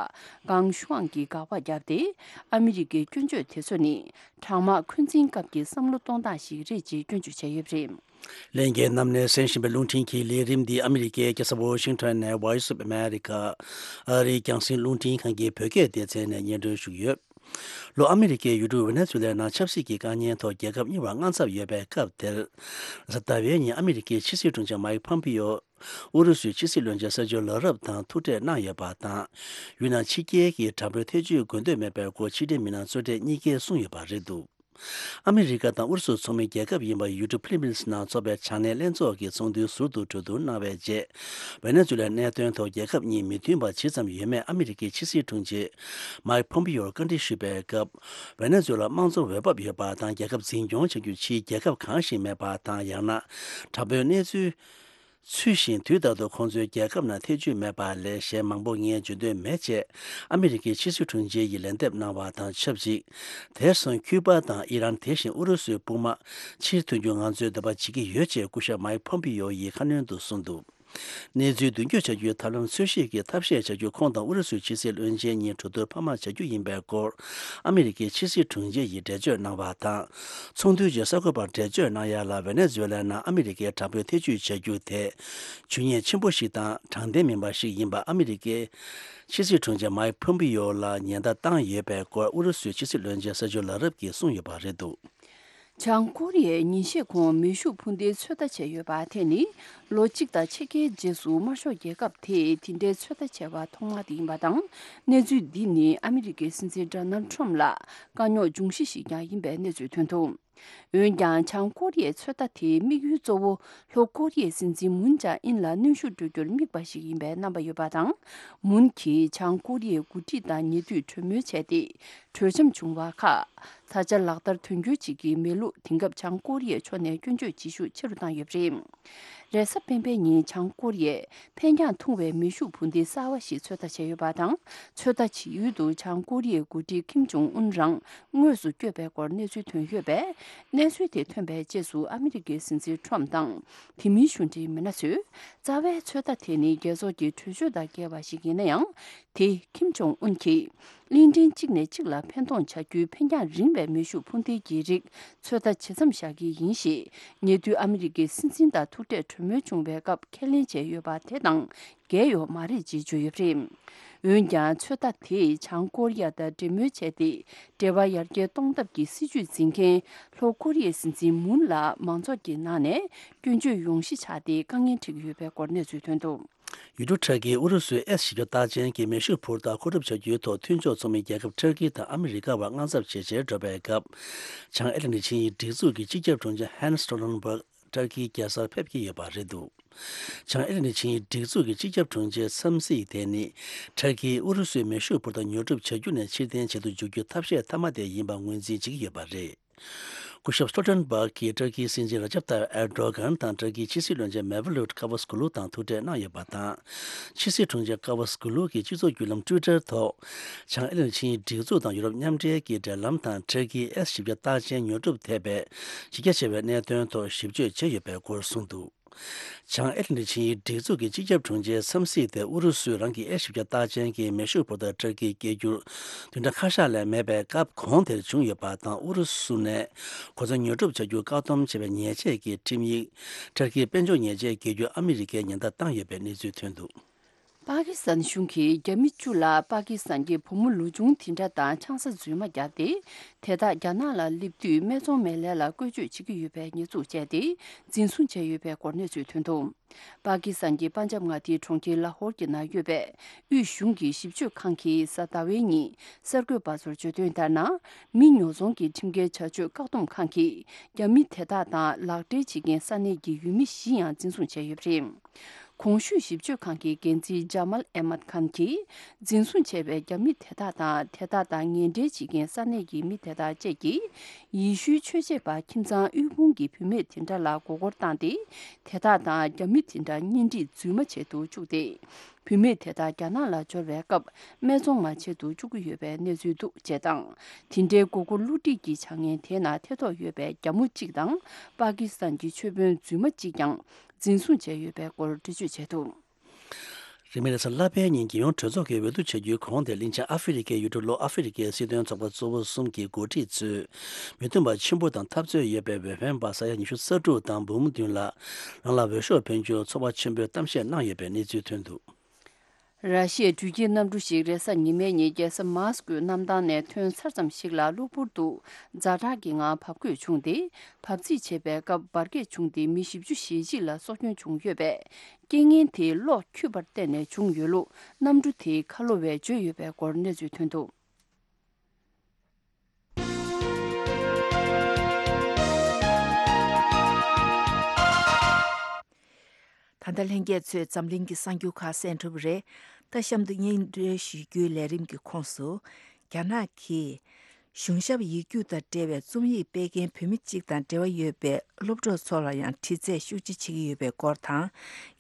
གྷེང་ཤུའང་གིས་དགག་པ་བརྒྱབ་སྟེ། ཨ་མི་རི་ཀའི་སྐྱོན་བརྗོད་དེ་ཚོ་ནི། གྲང་དམག་འཁོན་འཛིན་སྐབས་ཀྱི་བསམ་བློ་གཏོང་སྟངས་ཤིག་རེད་ཅེས་སྐྱོན་བརྗོད་བྱས་ཡོད་པ་རེད། ལྷན་རྒྱས་རྣམས་ནས་གསན་བཞིན་པའི་རླུང་འཕྲིན་གྱི་ལས་རིམ་འདི་ཨ་མི་རི་ཀའི་རྒྱལ་ས་ཝོ་ཤིང་ཊོན་ནས་Voice of America ཨ་རིའི་རྒྱང་སྲིང་རླུང་འཕྲིན་ཁང་གི་བོད་སྐད་སྡེ་ཚན་ནས་སྙན་སྒྲོན་ཞུས་ཡོད། ལྷོ་ཨ་མི་རི་ཀའི་ཡུལ་གྲུ་ཝེ་ནེ་ཛུ་ལའི་ནང་ཆབ་སྲིད་ཀྱི་དཀའ་ཉེན་ཐོག་རྒྱལ་ཁབ་གཉིས་བར་དངངས་འཚབ་ཡོད་པའི་སྐབས་དེར། གཟའ་ཟླ་བའི་ཉིན་ཨ་མི་རི་ཀའི་ཕྱི་སྲིད་དྲུང་ཆེ་མའིག་ཕོམ་པིའོ། ཨུ་རུ་སུའི་ཕྱི་སྲིད་བློན་ཆེན་སར་ཇོ་ལ་རབ་དང་ཐུག་འཕྲད་གནང་ཡོད་པ་དང་། ཡུལ་ནང་ཕྱི་རྒྱལ་གྱི་དྲག་པོའི་ཐེ་བྱུས་དགོས་འདོད་མེད་པའི་སྐོར་ཕྱི་འབྲེལ་མི་སྣ་གཙོ་གྲས་གཉིས་ཀས་གསུངས་ཡོད་པ་རེད་འདུག་ཨ་མི་རི་ཀ་དང་ཨུ་རུ་སུ་ཚོགས་མི་རྒྱལ་ཁབ་ཡིན་པ་ཡུལ་གྲུ་ཕི་ལི་པིན་སི་ནང་འཚོགས་པའི་བྱང་སྣེའི་ལྷན་ཚོགས་ཀྱི་ཚོགས་འདུའི་ཟུར་དུ་གྲོས་བསྡུར་གནང་བའི་རྗེས། ཝེ་ནེ་ཛུ་ལའི་གནད་དོན་ཐོག་རྒྱལ་ཁབ་གཉིས་མི་མཐུན་པ་ཇི་ཙམ་ཡོད་མེད་ཨ་མི་རི་ཀའི་ཕྱི་སྲིད་དྲུང་ཆེ་མའིག་ཕོམ་པིའོར་བཀའ་འདྲི་ཞུས་པའི་སྐབས། ཝེ་ནེ་ཛུ་ལ་དམངས་གཙོ་འོས་བབ་ཡོད་པ་དང་རྒྱལ་ཁབ་འཛིན་སྐྱོང་བྱ་རྒྱུ་ཕྱིའི་རྒྱལ་ཁབ་གང་ཞིག་མེད་པ་དང་། ཡང་ན་དྲག་པོའི་གནས་ཚུལ། ཚུལ་བཞིན་དུས་ལྟར་དུ་ཁོང་ཚོའི་རྒྱལ་ཁབ་ནང་ཐེ་བྱུས་མེད་པ་ལས་གཞན་མང་པོ་ངས་བརྗོད་འདོད་མེད་ཅེས་ཨ་མི་རི་ཀའི་ཕྱི་སྲིད་དྲུང་ཆེ་ཡིས་ལན་འདེབས་གནང་བ་དང་ཆབས་ཅིག་དེར་སོང་ཁྱུ་པ་དང་ཨི་རན། དེ་བཞིན་ཨུ་རུ་སུའི་དཔུང་དམག་ཕྱིར་ཐོན་རྒྱུ་ང་ཚོས་འདོད་པ་བྱེད་ཀྱི་ཡོད་ཅེས་སྐུ་ཞབས་མའིག་ཕོམ་པི་ཡོ་ཡིས་ཁ་སྣོན་དུ་གསུངས་འདུག་གནས་ཚུལ་མདུན་སྐྱོད་བྱ་རྒྱུའི་ཐབས་ལམ་འཚོལ་ཞིབ་ཀྱི་ཐབས་ཤེས་བྱ་རྒྱུ་ཁོང་དང་ཨུ་རུ་སུའི་ཕྱི་སྲིད་བློན་ཆེན་གཉིས་གྲོས་བསྡུར་འཕར་མ་བྱ་རྒྱུ་ཡིན་པའི་སྐོར་ཨ་མི་རི་ཀའི་ཕྱི་སྲིད་དྲུང་ཆེ་ཡིས་འགྲེལ་བརྗོད་གནང་བ་དང་། ཚོགས་འདུའི་རྗེས་གསར་འགོད་པར་འགྲེལ་བརྗོད་གནང་ཡ་ལ། ཝེ་ནེ་ཛུ་ལའི་ནང་ཨ་མི་རི་ཀའི་དྲག་པོའི་ཐེ་བྱུས་བྱ་རྒྱུ་དེ་ཇུས་ཉེས་ཆེན་པོ་ཞིག་དང་དྲང་བདེན་མིན་པ་ཞིག་ཡིན་པ་ཨ་མི་རི་ཀའི་ཕྱི་སྲིད་དྲུང་ཆེ་མའིག་ཕོམ་པི་ཡོ་ལ་ཉེན་བརྡ་བཏང་ཡོད་པའི་སྐོར་ཨུ་རུ་སུའི་ཕྱི་སྲིད་བློན་ཆེན་སར་ཇོ་ལ་རབ་ཀྱིས་གསུངས་ཡོད་པ་རེད་འདུག་བྱང་ཀོ་རི་ཡས་ཉིན་ཤས་གོང་མེ་ཤུགས་འཕུར་མདེལ་ཚོད་ལྟ་བྱས་ཡོད་པ་དེ་ནི་ལོ་གཅིག་དང་ཕྱེད་ཀའི་རྗེས་སུ་དམར་ཤོག་རྒྱལ་ཁབ་དེས་དེ་འདྲའི་ཚོད་ལྟ་བྱས་པ་ཐོག་མ་དེ་ཡིན་པ་དང་། གནས་ཚུལ་འདི་ནི་ཨ་མི་རི་ཀའི་སྲིད་འཛིན་ཌོ་ནལ་ཁྲོམ་ལ་དཀའ་རྙོག་འབྱུང་གཞི་ཞིག་ཀྱང་ཡིན་པའི་གནས་ཚུལ་ཐོན་འདུག་འོན་ཀྱང་། བྱང་ཀོ་རི་ཡའི་ཚོད་ལྟ་དེའི་དམིགས་ཡུལ་གཙོ་བོ་ལྷོ་ཀོ་རི་ཡའི་སྲིད་འཛིན་མུན་ཇཱ་ཨིན་ལ་གནོན་ཤུགས་སྤྲོད་རྒྱུར་དམིགས་པ་ཞིག་ཡིན་པའི་རྣམ་པ་ཡོད་པ་དང་། མུན་གྱིས་བྱང་ཀོ་རི་ཡའི་འགོ་ཁྲིད་དང་ཉེ་དུས་གྲོས་མོལ་བྱས་ཏེ། གྲོས་འཆམ་བྱུང་བ་ཁག་ད་ཆ་ལག་བསྟར་དོན་འཁྱོལ་བྱེད་ཀྱི་མེད་ལུགས། དེང་སྐབས་བྱང་ཀོ་རི་ཡའི་ཕྱོགས་ནས་སྐྱོན་བརྗོད་བྱེད་ཤུགས་ཆེ་རུ་བཏང་ཡོད་པ་རེད། རེས་གཟའ་སྤེན་པའི་ཉིན་བྱང་ཀོ་རི་ཡས་འཕེན་རྒྱང་ཐུང་བའི་མེ་ཤུགས་འཕུར་མདེལ་གསར་བ་ཞིག་ཚོད་ལྟ་བྱས་ཡོད་པ་དང་། ཚོད་ལྟ་བྱེད་ཡུལ་དུ་བྱང་ཀོ་རི་ཡའི་འགོ་ཁྲིད་ཁིམ་ཇོང་ཨུན་རང་དངོས་སུ་བསྐྱོད་པའི་སྐོར་གནས་ཚུལ་ཐོན་ཡོད་པས། གནས་ཚུལ་དེ་ཐོན་པའི་རྗེས་སུ་ཨ་མི་རི་ཀའི་སྲིད་འཛིན་ཁྲོམ་དང་། དེ་མིན་གཞུང་འབྲེལ་མི་སྣ་ཚོས། རྩ་བའི་ཚོད་ལྟ་དེ་ནི་རྒྱལ་ཚོགས་ཀྱི་གྲོས་ཆོད་དང་འགལ་བ་ཞིག་ཡིན་ན་ཡང་། དེ་ཁིམ་ཇོང་ཨུན་གྱིས། གླིང་ཕྲན་གཅིག་ནས་གཅིག་ལ་འཕེན་གཏོང་བྱ་རྒྱུའི་འཕེན་རྒྱང་རིང་བའི་མེ་ཤུགས་འཕུར་མདེལ་གྱི་རིགས་ཚོད་ལྟ་ཇི་ཙམ་བཞག་གི་ཡིན་ཞེས། ཉེ་དུས་ཨ་མི་རི་ཀའི་སྲིད་འཛིན་དང་ཐུག་འཕྲད་གྲོས་མོལ་བྱུང་བའི་སྐབས་ཁས་ལེན་བྱས་ཡོད་པ་དེ་དང་འགལ་ཡོད་མ་རེད་ཅེས་བརྗོད་ཡོད་པ་རེད། འོན་ཀྱང་ཚོད་ལྟ་དེས་བྱང་ཀོ་རི་ཡ་དང་འབྲེལ་མོལ་བྱས་ཏེ། འབྲེལ་བ་ཡར་རྒྱས་གཏོང་ཐབས་ཀྱི་སྲིད་ཇུས་འཛིན་མཁན་ལྷོ་ཀོ་རི་ཡའི་སྲིད་འཛིན་མུན་ལ་མང་ཚོགས་ཀྱི་ནང་ནས་སྐྱོན་བརྗོད་ཡོང་གཞི་ཆགས་ཏེ་དཀའ་ངལ་འཕྲད་ཀྱི་ཡོད་པའི་སྐོར་གནས་ཚུལ་ཐོན་འདུག། ཡུལ་གྲུ་ཁྲ་ཀིས་ཨུ་རུ་སུའི་ཨེས་བཞི་བརྒྱ་རྟགས་ཅན་གྱི་མེ་ཤུགས་འཕུར་མདའ་མཁོ་སྒྲུབ་བྱ་རྒྱུའི་ཐོག་མཐུན་ཕྱོགས་ཚོགས་མི་རྒྱལ་ཁབ་ཏུར་ཀི་དང་ཨ་མི་རི་ཀ་བར་དངངས་འཚབ་ཇེ་ཆེར་འགྲོ་བའི་སྐབས། བྱང་ཨེ་ལན་ཌི་ཆིངས་ཡིག་སྒྲིག་འཛུགས་ཀྱི་སྤྱི་ཁྱབ་དྲུང་ཆེ་ཧན་སི་སྟོལ་ཊན་སྦག་ཏུར་ཀིའི་རྒྱལ་སར་ཕེབས་ཀྱི་ཡོད་པ་རེད་འདུག། བྱང་ཨེ་ལན་ཌི་ཆིངས་ཡིག་སྒྲིག་འཛུགས་ཀྱི་སྤྱི་ཁྱབ་དྲུང་ཆེའི་འཚམས་གཟིགས་དེ་ནི། ཏུར་ཀིས་ཨུ་རུ་སུའི་མེ་ཤུགས་འཕུར་མདའ་ཉོ་སྒྲུབ་བྱ་རྒྱུ་ནས་ཕྱིར་འཐེན་བྱེད་དུ་འཇུག་རྒྱུ་ཐབས་ཤེས་མཐའ་མ་དེ་ཡིན་པ་ངོས་འཛིན་བྱེད་ཀྱི་ཡོད་པ་རེད། སྐུ་ཞབས་སྟོལ་ཊན་སྦག་གིས་ཏུར་ཀིའི་སྲིད་འཛིན་ར་ཇབ་ཏཱ་ཡིབ་ཨེར་ཌོ་གྷན་དང་ཏུར་ཀིའི་ཕྱི་སྲིད་བློན་ཆེན་མེ་ཝ་ལུད་ཀ་ཝུ་སྒུ་ལུ་དང་ཐུག་འཕྲད་གནང་ཡོད་པ་དང་། ཕྱི་སྲིད་དྲུང་ཆེ་ཀ་ཝུ་སྒུ་ལུ་གིས་སྤྱི་ཚོགས་བརྒྱུད་ལམ་ཊུའི་ཊར་ཐོག། བྱང་ཨེ་ལན་ཌི་ཆིངས་ཡིག་སྒྲིག་འཛུགས་དང་ཡུ་རོབ་མཉམ་འབྲེལ་གྱི་འབྲེལ་ལམ་དང་ཏུར་ཀིའི་ཨེས་བཞི་བརྒྱ་རྟགས་ཅན་ཉོ་སྒྲུབ་ཐེབས་པའི་གཞི་རྒྱ་ཆེ་བའི་གནད་དོན་ཐོག་ཞིབ་དཔྱོད་བྱས་ཡོད་པའི་སྐོར་གསུངས་འདུག། བྱང་ཨེ་ལན་ཌི་ཆིངས་ཡིག་སྒྲིག་འཛུགས་ཀྱི་སྤྱི་ཁྱབ་དྲུང་ཆེའི་འཚམས་གཟིགས་དེ་ཨུ་རུ་སུས་རང་གི་ཨེ་བཞི་བརྒྱ་རྟགས་ཅན་གྱི་མེ་ཤུགས་འཕུར་མདའ་ཏུར་ཀིར་སྐྱེལ་རྒྱུར་བདུན་ཕྲག་ཁ་ཤས་ལས་མེད་པའི་སྐབས་གོང་དེར་བྱུང་ཡོད་པ་དང་། ཨུ་རུ་སུ་ནས་གོ་མཚོན་ཉོ་སྒྲུབ་བྱ་རྒྱུར་བཀག་སྡོམ་བྱས་པའི་ཉེས་ཆད་ཀྱི་ཁྲིམས་ཡིག་ཏུར་ཀིའི་དཔལ་འབྱོར་ཉེས་ཆད་འགེལ་རྒྱུར་ཨ་མི་རི་ཀས་ཉེན་བརྡ་བཏང་ཡོད་པའི་གནས་ཚུལ་ཐོན་འདུག། པ་ཀི་སི་ཐན་གཞུང་གིས་རྒྱ་མི་བཅུ་ལ་པ་ཀི་སི་ཐན་གྱི་བུ་མོ་ལོ་ཆུང་དེ་འདྲ་དང་ཆང་ས་རྫུན་མ་བརྒྱབ་སྟེ། དེ་དག་རྒྱ་ནག་ལ་སླེབས་དུས་སྨད་འཚོང་མའི་ལས་ལ་བཀོལ་སྤྱོད་བྱེད་ཀྱི་ཡོད་པའི་ཉེས་འཛུགས་བྱས་ཏེ། འཛིན་བཟུང་བྱས་ཡོད་པའི་སྐོར་གནས་ཚུལ་ཐོན་འདུག། པ་ཀི་སི་ཐན་གྱི་པན་ཇབ་མངའ་སྡེའི་གྲོང་ཁྱེར་ལ་ཧོར་གྱི་ནང་ཡོད་པའི་དབུས་གཞུང་གི་ཞིབ་དཔྱོད་ཁང་གིས་གཟའ་ཟླ་བའི་ཉིན་གསར་འགོད་པ་ཚོར་བརྗོད་དོན་ལྟར་ན། མི་ཉོ་ཚོང་གི་ཁྲིམས་འགལ་བྱ་སྤྱོད་བཀག་སྡོམ་ཁང་གིས་རྒྱ་མི་དེ་དག་དང་ལག་འབྲེལ་བྱེད་མཁན་ས་གནས་ཀྱི་ཡུལ་མི་བཞི་ཡང་འཛིན་བཟུང་བྱས་ཡོད་པ་རེད། གོང་ཞུས་ཞིབ་དཔྱོད་ཁང་གི་འགན་འཛིན་ཇ་མལ་ཨེ་མད་ཁཱན་གྱིས། འཛིན་བཟུང་བྱས་པའི་རྒྱ་མི་དེ་དག་དང་། དེ་དག་དང་ངན་འབྲེལ་བྱེད་མཁན་ས་གནས་ཀྱི་མི་དེ་དག་བཅས་ཀྱིས། ཡེ་ཤུའི་ཆོས་བྱེད་པ་ཁྱིམ་ཚང་དབུལ་ཕོངས་ཀྱི་བུད་མེད་དེ་འདྲ་ལ་མགོ་སྐོར་བཏང་སྟེ། དེ་དག་དང་རྒྱ་མི་དེ་འདྲ་གཉེན་སྒྲིག་རྫུན་མ་བྱེད་དུ་བཅུག་སྟེ། བུད་མེད་དེ་དག་རྒྱ་ནག་ལ་འབྱོར་བའི་སྐབས། སྨད་འཚོང་མ་བྱེད་དུ་བཅུག་གི་ཡོད་པའི་གནས་ཚུལ་འདུག་ཅེས་དང་། དེ་འདྲའི་མགོ་སྐོར་བསླུ་བྲིད་ཀྱི་བྱ་ངན་དེ་ནང་ཐེ་གཏོགས་ཡོད་པའི་རྒྱ་མོ་གཅིག་དང་། པ་ཀི་སི་ཐན་གྱི་ཆོས་དཔོན་རྫུན་མ་གཅིག་ཀྱང་འཛིན་བཟུང་བྱས་ཡོད་པའི་སྐོར་འགྲེལ་བརྗོད་བྱས་འདུག། རིང་མིན་རེས་གཟའ་ལྷག་པའི་ཉིན་རྒྱལ་ཡོངས་གྲོས་ཚོགས་ཀྱི་འོས་བསྡུ་བྱ་རྒྱུའི་གོང་དེར་གླིང་ཆེན་ཨ་ཧྥེ་རི་ཁའི་ཡུལ་གྲུ་ལྷོ་ཨ་ཧྥེ་རི་ཁའི་སྲིད་དོན་ཚོགས་པ་གཙོ་བོ་གསུམ་གྱི་འགོ་ཁྲིད་ཚོས། མི་མཐུན་པ་ཆེན་པོ་དང་འཐབ་རྩོད་ཡོད་པའི་འོས་འཕེན་པ་ས་ཡ་ཉི་ཤུ་རྩ་དྲུག་དང་འབུམ་བདུན་ལ་རང་ལ་འོས་ཤོག་འཕེན་རྒྱུར་ཚོར་བ་ཆེན་པོས་གཏམ་བཤད་གནང་ཡོད་པའི་གནས་ཚུལ་ཐོན་འདུག། ར་ཤི་ཡའི་འགྲུལ་སྐྱེལ་གནམ་གྲུ་ཞིག་རེས་གཟའ་ཉི་མའི་ཉིན་རྒྱལ་ས་མཱ་སི་ཀོའི་གནམ་ཐང་ནས་ཐོན་ཚར་ཙམ་ཞིག་ལ་གློ་བུར་དུ་ཛ་དྲག་གི་ངང་བབས་འགོས་བྱུང་སྟེ། བབས་རྩིས་བྱེད་པའི་སྐབས་འབར་གས་བྱུང་སྟེ་མི་བཞི་བཅུ་ཞེ་གཅིག་ལ་སྲོག་སྐྱོན་བྱུང་ཡོད་པས། རྐྱེན་ངན་དེ་གློག་འཁྱུད་པར་བརྟེན་ནས་བྱུང་ཡོད་ལུགས་གནམ་གྲུ་དེའི་ཁ་ལོ་བས་བརྗོད་ཡོད་པའི་སྐོར་གནས་ཚུལ་ཐོན་འདུག། ད་ལྟ་ལྷན་རྒྱས་ཚོས་འཛམ་གླིང་གི་གསར་འགྱུར་ཁག་གསན་གྲུབ་པ་རེད། ད་གཤམ་དུ་སྙན་སྒྲོན་ཞུ་རྒྱུའི་ལས་རིམ་གྱི་ཁོངས་སུ། རྒྱ་ནག་གིས་གཞུང་ཞབས་ཡིག་རྒྱུགས་དང་འབྲེལ་བའི་རྩོམ་ཡིག་སྤེལ་མཁན་བུད་མེད་ཅིག་དང་འབྲེལ་བ་ཡོད་པའི་སློབ་གྲོགས་ཚོ་ལ་ཡང་དྲི་རྩད་ཤུགས་ཆེ་བྱེད་ཀྱི་ཡོད་པའི་སྐོར་དང་།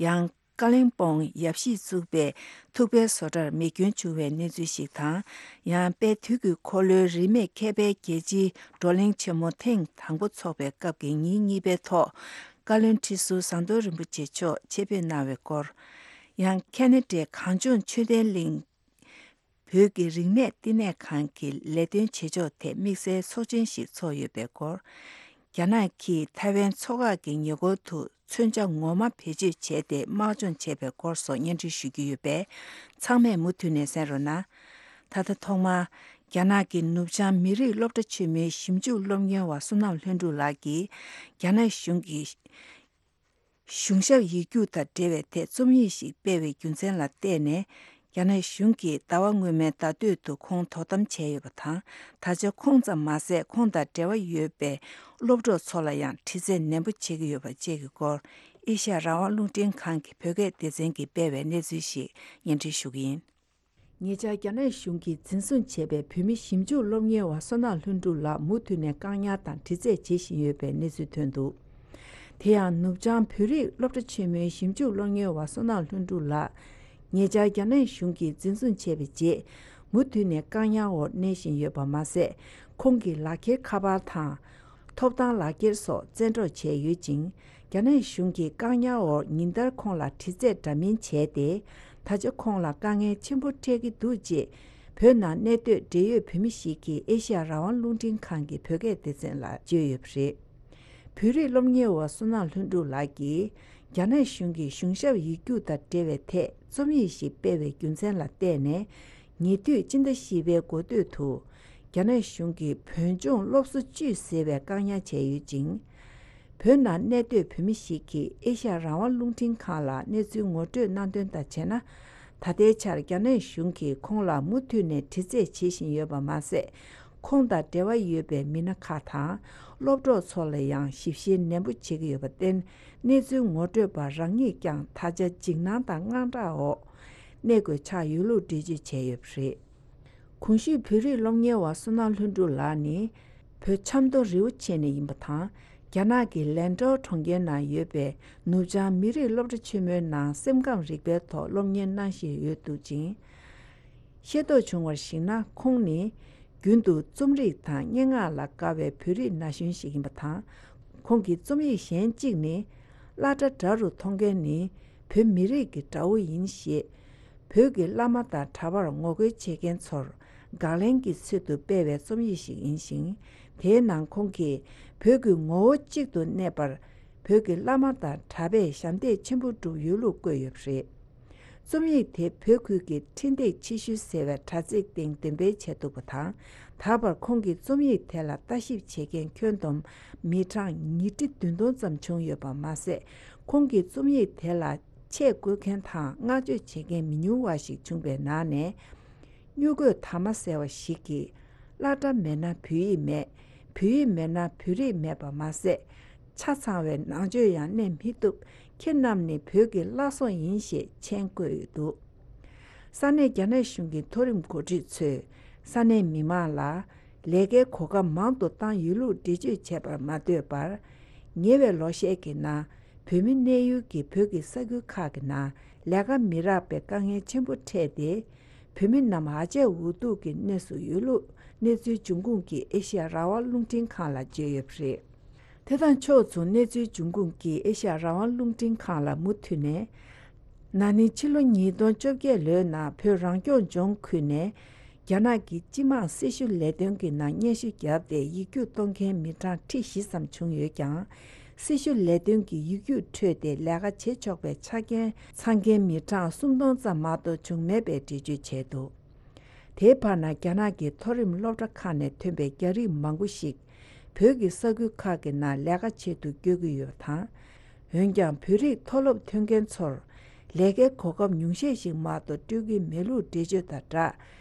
ཡང་། ཀ་ལིང་པོང་ཡབ་གཞིས་བཙུགས་པའི་ཐུག་པའི་བཟོ་གྲྭར་མེ་སྐྱོན་བྱུང་བའི་གནས་ཚུལ་ཞིག་དང་། ཡང་དཔལ་དུས་ཀྱི་འཁོར་ལོའི་རིས་མེད་མཁས་པའི་རྒྱལ་སྤྱིའི་བགྲོ་གླེང་ཆེན་མོ་ཐེངས་དང་པོ་འཚོགས་པའི་སྐབས་ཀྱི་ཉིན་གཉིས་པའི་ཐོག་བཀའ་བློན་ཁྲི་ཟུར་ཟམ་གདོང་རིན་པོ་ཆེ་མཆོག་ཆེད་ཕེབས་གནང་བའི་སྐོར། ཡང་ཁེ་ན་ཌའི་གངས་ལྗོངས་ཆོས་ལྡན་གླིང་། བོད་ཀྱི་རིག་གནས་བསྟི་གནས་ཁང་གི་ལས་དོན་བྱེད་ཕྱོགས་ཐད་དམིགས་བསལ་ཚོགས་ཆེན་ཞིག་འཚོགས་ཡོད་པའི་སྐོར། རྒྱ་ནག་གིས་ཐའེ་ཝན་མཚོ་འགག་གི་ཉེ་འཁོར་དུ་མཚོན་ཆ་ངོ་མ་བེད་སྤྱོད་བྱས་ཏེ་དམག་སྦྱོང་བྱས་པའི་སྐོར་སོགས་སྙན་སྒྲོན་ཞུ་རྒྱུ་ཡོད་པས། ཚང་མས་མུ་མཐུད་ནས་གསན་རོགས་གནང་། ད་ལྟ་ཐོག་མར། རྒྱ་ནག་གི་ནུབ་བྱང་མི་རིགས་སློབ་གྲྭ་ཆེན་མོའི་ཞིབ་འཇུག་སློབ་གཉེར་བ་བསོད་ནམས་ལྷུན་གྲུབ་ལགས་ཀྱིས། རྒྱ་ནག་གཞུང་གིས། གཞུང་ཞབས་ཡིག་རྒྱུགས་དང་འབྲེལ་བའི་ཐད་རྩོམ་ཡིག་ཞིག་སྤེལ་བའི་རྒྱུ་མཚན་ལ་བལྟས་ནས། རྒྱ་ནག་གཞུང་གིས་ཟླ་བ་སྔོན་མའི་ཟླ་སྟོད་དུ་ཁོང་དོ་དམ་བྱས་ཡོད་པ་དང་། ད་ཆ་ཁོང་ཙམ་མ་ཟད། ཁོང་དང་འབྲེལ་བ་ཡོད་པའི་སློབ་གྲོགས་ཚོ་ལ་ཡང་དྲི་རྩད་ནན་པོ་བྱེད་ཀྱི་ཡོད་པ་བཅས་ཀྱི་སྐོར། ཨེ་ཤ་ཡ་རང་དབང་རླུང་འཕྲིན་ཁང་གི་བོད་སྐད་སྡེ་ཚན་གྱིས་སྤེལ་བའི་གནས་ཚུལ་ཞིག་སྙན་སྒྲོན་ཞུ་གི་ཡིན། ཉེ་ཆར་རྒྱ་ནག་གཞུང་གིས་འཛིན་བཟུང་བྱས་པའི་བོད་མི་ཞིབ་འཇུག་སློབ་གཉེར་བ་བསོད་ནམས་ལྷུན་གྲུབ་ལགས་མུ་མཐུད་ནས་བཀག་ཉར་དང་དྲི་རྩད་བྱེད་བཞིན་ཡོད་པའི་གནས་ཚུལ་ཐོན་འདུག། དེ་ཡང་ནུབ་བྱང་བོད་རིགས་སློབ་གྲྭ་ཆེན་མོའི་ཞིབ་འཇུག་སློབ་གཉེར་བ་བསོད་ནམས་ལྷུན་གྲུབ་ལགས། ཉེ་ཆར་རྒྱ་ནག་གཞུང་གིས་འཛིན་བཟུང་བྱས་པའི་རྗེས། མུ་མཐུད་ནས་བཀག་ཉར་འོག་གནས་བཞིན་ཡོད་པ་མ་ཟད། ཁོང་གི་ལག་འཁྱེར་ཁ་པར་དང་། ཐོབ་ཐང་ལག་འཁྱེར་སོགས་བཙན་འཕྲོག་བྱས་ཡོད་ཅིང་། རྒྱ་ནག་གཞུང་གིས་བཀག་ཉར་འོག་ཉིན་ལྟར་ཁོང་ལ་དྲི་རྩད་འདྲ་མིན་བྱས་ཏེ། ད་ཆ་ཁོང་ལ་དཀའ་ངལ་ཆེན་པོ་འཕྲད་ཀྱི་འདུག་ཅེས། བོད་ནང་གནས་སྡོད་འབྲེལ་ཡོད་བོད་མི་ཞིག་གིས་ཨེ་ཤ་ཡ་རང་དབང་རླུང་འཕྲིན་ཁང་གི་བོད་སྐད་སྡེ་ཚན་ལ་བརྗོད་ཡོད་པ་རེད། བོད་རིགས་སློབ་གཉེར་བ་བསོད་ནམས་ལྷུན་གྲུབ་ལགས་ཀྱིས། རྒྱ་ནག་གཞུང་གིས་གཞུང་ཞབས་ཡིག་རྒྱུགས་དང་འབྲེལ་བའི་ཐད་རྩོམ་ཡིག་ཞིག་སྤེལ་བའི་རྒྱུ་མཚན་ལ་བལྟས་ནས། ཉེ་དུས་སྤྱི་ཟླ་བཞི་པའི་འགོ་སྟོད་དུ། རྒྱ་ནག་གཞུང་གིས་བོད་ལྗོངས་སློབ་གསོ་བཅུད་ཟེར་བའི་བཀག་ཉར་བྱས་ཡོད་ཅིང་། བོད་ནང་གནས་སྡོད་བོད་མི་ཞིག་གིས་ཨེ་ཤ་ཡ་རང་དབང་རླུང་འཕྲིན་ཁང་ལ་གནས་ཚུལ་ངོ་སྤྲོད་གནང་དོན་དང་བྱས་ན། ད་ལྟའི་ཆར་རྒྱ་ནག་གཞུང་གིས་ཁོང་ལ་མུ་མཐུད་ནས་དྲི་རྩད་བྱེད་བཞིན་ཡོད་པ་མ་ཟད། ཁོང་དང་འབྲེལ་བ་ཡོད་པའི་མི་སྣ་ཁག་དང་། སློབ་གྲོགས་ཚོ་ལ་ཡང་ཞིབ་བཤེར་ནན་པོ་བྱེད་ཀྱི་ཡོད་པར་བརྟེན། གནས་ཚུལ་ངོ་སྤྲོད་པ་རང་ཉིད་ཀྱང་ད་ཆ་འཇིགས་སྣང་དང་དངངས་སྐྲག་འོག་གནས་དགོས་ཆགས་ཡོད་ལུགས་འགྲེལ་བརྗོད་བྱས་ཡོད་པ་རེད། གོང་ཞུས་བོད་རིགས་སློབ་གཉེར་བ་བསོད་ནམས་ལྷུན་གྲུབ་ལགས་ནི། བོད་ཆབ་མདོ་རི་བོ་ཆེ་ནས་ཡིན་པ་དང་། རྒྱ་ནག་གི་ལན་ཀྲོའུ་གྲོང་ཁྱེར་ནང་ཡོད་པའི་ནུབ་བྱང་མི་རིགས་སློབ་གྲྭ་ཆེན་མོའི་ནང་སེམས་ཁམས་རིག་པའི་ཐོག་སློབ་གཉེར་གནང་བཞིན་ཡོད་འདུག་ཅིང་། ཤེས་རྟོགས་བྱུང་བར་གཞིགས་ན། ཁོང་ནི་རྒྱུན་དུ་རྩོམ་རིག་དང་སྙན་ངག་ལ་དགའ་བའི་བོད་རིགས་ན་གཞོན་ཞིག་ཡིན་པ་དང་། ཁོང་གི་རྩོམ་ཡིག་གཞན་གཅིག་ནི། བླ་གྲྭ་དགྲ་རུ་མཐོང་མཁན་ནི་བོད་མི་རིགས་ཀྱི་དགྲ་བོ་ཡིན་ཞེས། བོད་ཀྱི་བླ་མ་དང་གྲྭ་པར་ངོ་རྒོལ་བྱེད་མཁན་ཚོར་དགག་ལན་གྱི་ཚུལ་དུ་སྤེལ་བའི་རྩོམ་ཡིག་ཞིག་ཡིན་ཞིང་། དེའི་ནང་ཁོང་གིས་བོད་ཀྱི་ངོ་བོ་གཅིག་ཏུ་གནས་པར། བོད་ཀྱི་བླ་མ་དང་གྲྭ་པས་ཞབས་འདེགས་ཆེན་པོ་བསྒྲུབས་ཡོད་ལུགས་བཀོད་ཡོད་པ་རེད། རྩོམ་ཡིག་དེ་བོད་ཁུལ་གྱི་འཕྲིན་སྟེགས་ཕྱི་ཤུལ་ཟེར་བའི་དྲ་ཚིགས་སྟེང་འདོན་སྤེལ་བྱས་འདུག་པ་དང་། ད་བར་ཁོང་གི་རྩོམ་ཡིག་དེ་ལ་ལྟ་ཞིབ་བྱེད་མཁན་ཁྱོན་བསྡོམས་མི་གྲངས་ཉིས་ཁྲི་བདུན་སྟོང་ཙམ་བྱུང་ཡོད་པ་མ་ཟད། ཁོང་གི་རྩོམ་ཡིག་དེ་ལ་ཆས་བཀོལ་མཁན་དང་བསྔགས་བརྗོད་བྱེད་མཁན་མི་ཉུང་བ་ཞིག་བྱུང་བའི་ནང་ནས། སྨྱུ་རྒོད་དར་མ་ཟེར་བ་ཞིག་གིས། བླ་གྲྭ་མེད་ན་བོད་ཡིག་མེད། བོད་ཡིག་མེད་ན་བོད་རིགས་མེད་པ་མ་ཟད། ཆ་ཚང་བའི་ནང་ཆོས་ཡང་གནས་མི་ཐུབ། ཁྱེད་རྣམས་ནི་བོད་ཀྱི་བླ་སྲོག་ཡིན་ཞེས་མཆན་བཀོད་ཡོད་འདུག། ས་གནས་རྒྱ་ནག་གཞུང་གི་མཐོ་རིམ་འགོ་ཁྲིད་ཚོས་ས་གནས་མི་མང་ལ་ལས་ཀའི་གོ་སྐབས་མང་དུ་བཏང་ཡོད་ལུགས་འགྲེལ་བརྗོད་བྱས་པར་མ་ལྟོས་པར། ཉེ་བའི་ལོ་ཤས་ཀྱི་ནང་བོད་མི་གནས་ཡུལ་གྱི་བོད་ཀྱི་ས་ཁུལ་ཁག་གི་ནང་ལས་ཀ་མི་རག་པའི་དཀའ་ངལ་ཆེན་པོ་འཕྲད་དེ། བོད་མི་རྣམས་ཧ་ཅང་འུ་སྡུག་གི་གནས་སུ་ཡོད་ལུགས་གནས་ཚུལ་འབྱུང་ཁུངས་ཀྱིས་ཨེ་ཤ་ཡ་རང་དབང་རླུང་འཕྲིན་ཁང་ལ་བརྗོད་ཡོད་པ་རེད། དེ་དང་ཕྱོགས་མཚུངས་གནས་ཚུལ་འབྱུང་ཁུངས་ཀྱིས་ཨེ་ཤ་ཡ་རང་དབང་རླུང་འཕྲིན་ཁང་ལ་མུ་མཐུད་ནས། ན་ནིང་ཕྱི་ལོ་ཉིས་སྟོང་བཅོ་བརྒྱད་ལོའི་ནང་བོད་རང་སྐྱོང་ལྗོངས་ཁུལ་ནས་རྒྱ་ནག་གི་སྤྱི་དམངས་སྲི་ཞུ་ལས་དོན་གྱི་ནང་སྙན་ཞུ་བརྒྱབ་སྟེ་ཡིག་རྒྱུགས་གཏོང་མཁན་མི་གྲངས་ཁྲི་བཞི་ཙམ་བྱུང་ཡོད་ཀྱང་། སྲི་ཞུ་ལས་དོན་གྱི་ཡིག་རྒྱུགས་འཕྲོད་དེ་ལས་ཀ་བྱེད་ཆོག་པའི་ཆ་རྐྱེན་ཚང་མཁན་མི་གྲངས་སུམ་སྟོང་ཙམ་མ་གཏོགས་བྱུང་མེད་པའི་འགྲེལ་བརྗོད་བྱས་འདུག། དེའི་བར་ན་རྒྱ་ནག་གི་མཐོ་རིམ་སློབ་གྲྭ་ཁག་ནས་ཐོན་པའི་རྒྱ་རིགས་མང་པོ་ཞིག་བོད་ཀྱི་ས་ཁུལ་ཁག་གི་ནང་ལས་ཀ་བྱེད་དུ་བསྐྱོད་ཀྱི་ཡོད་པ་དང་། འོན་ཀྱང་བོད་རིགས་མཐོ་སློབ་ཐོན་མཁན་ཚོར་ལས་ཀའི་གོ་སྐབས་ཉུང་ཤས་ཤིག་མ་གཏོགས་སྤྲོད་ཀྱི་མེད་ལུགས་འགྲེལ་བརྗོད་དང་སྦྲགས།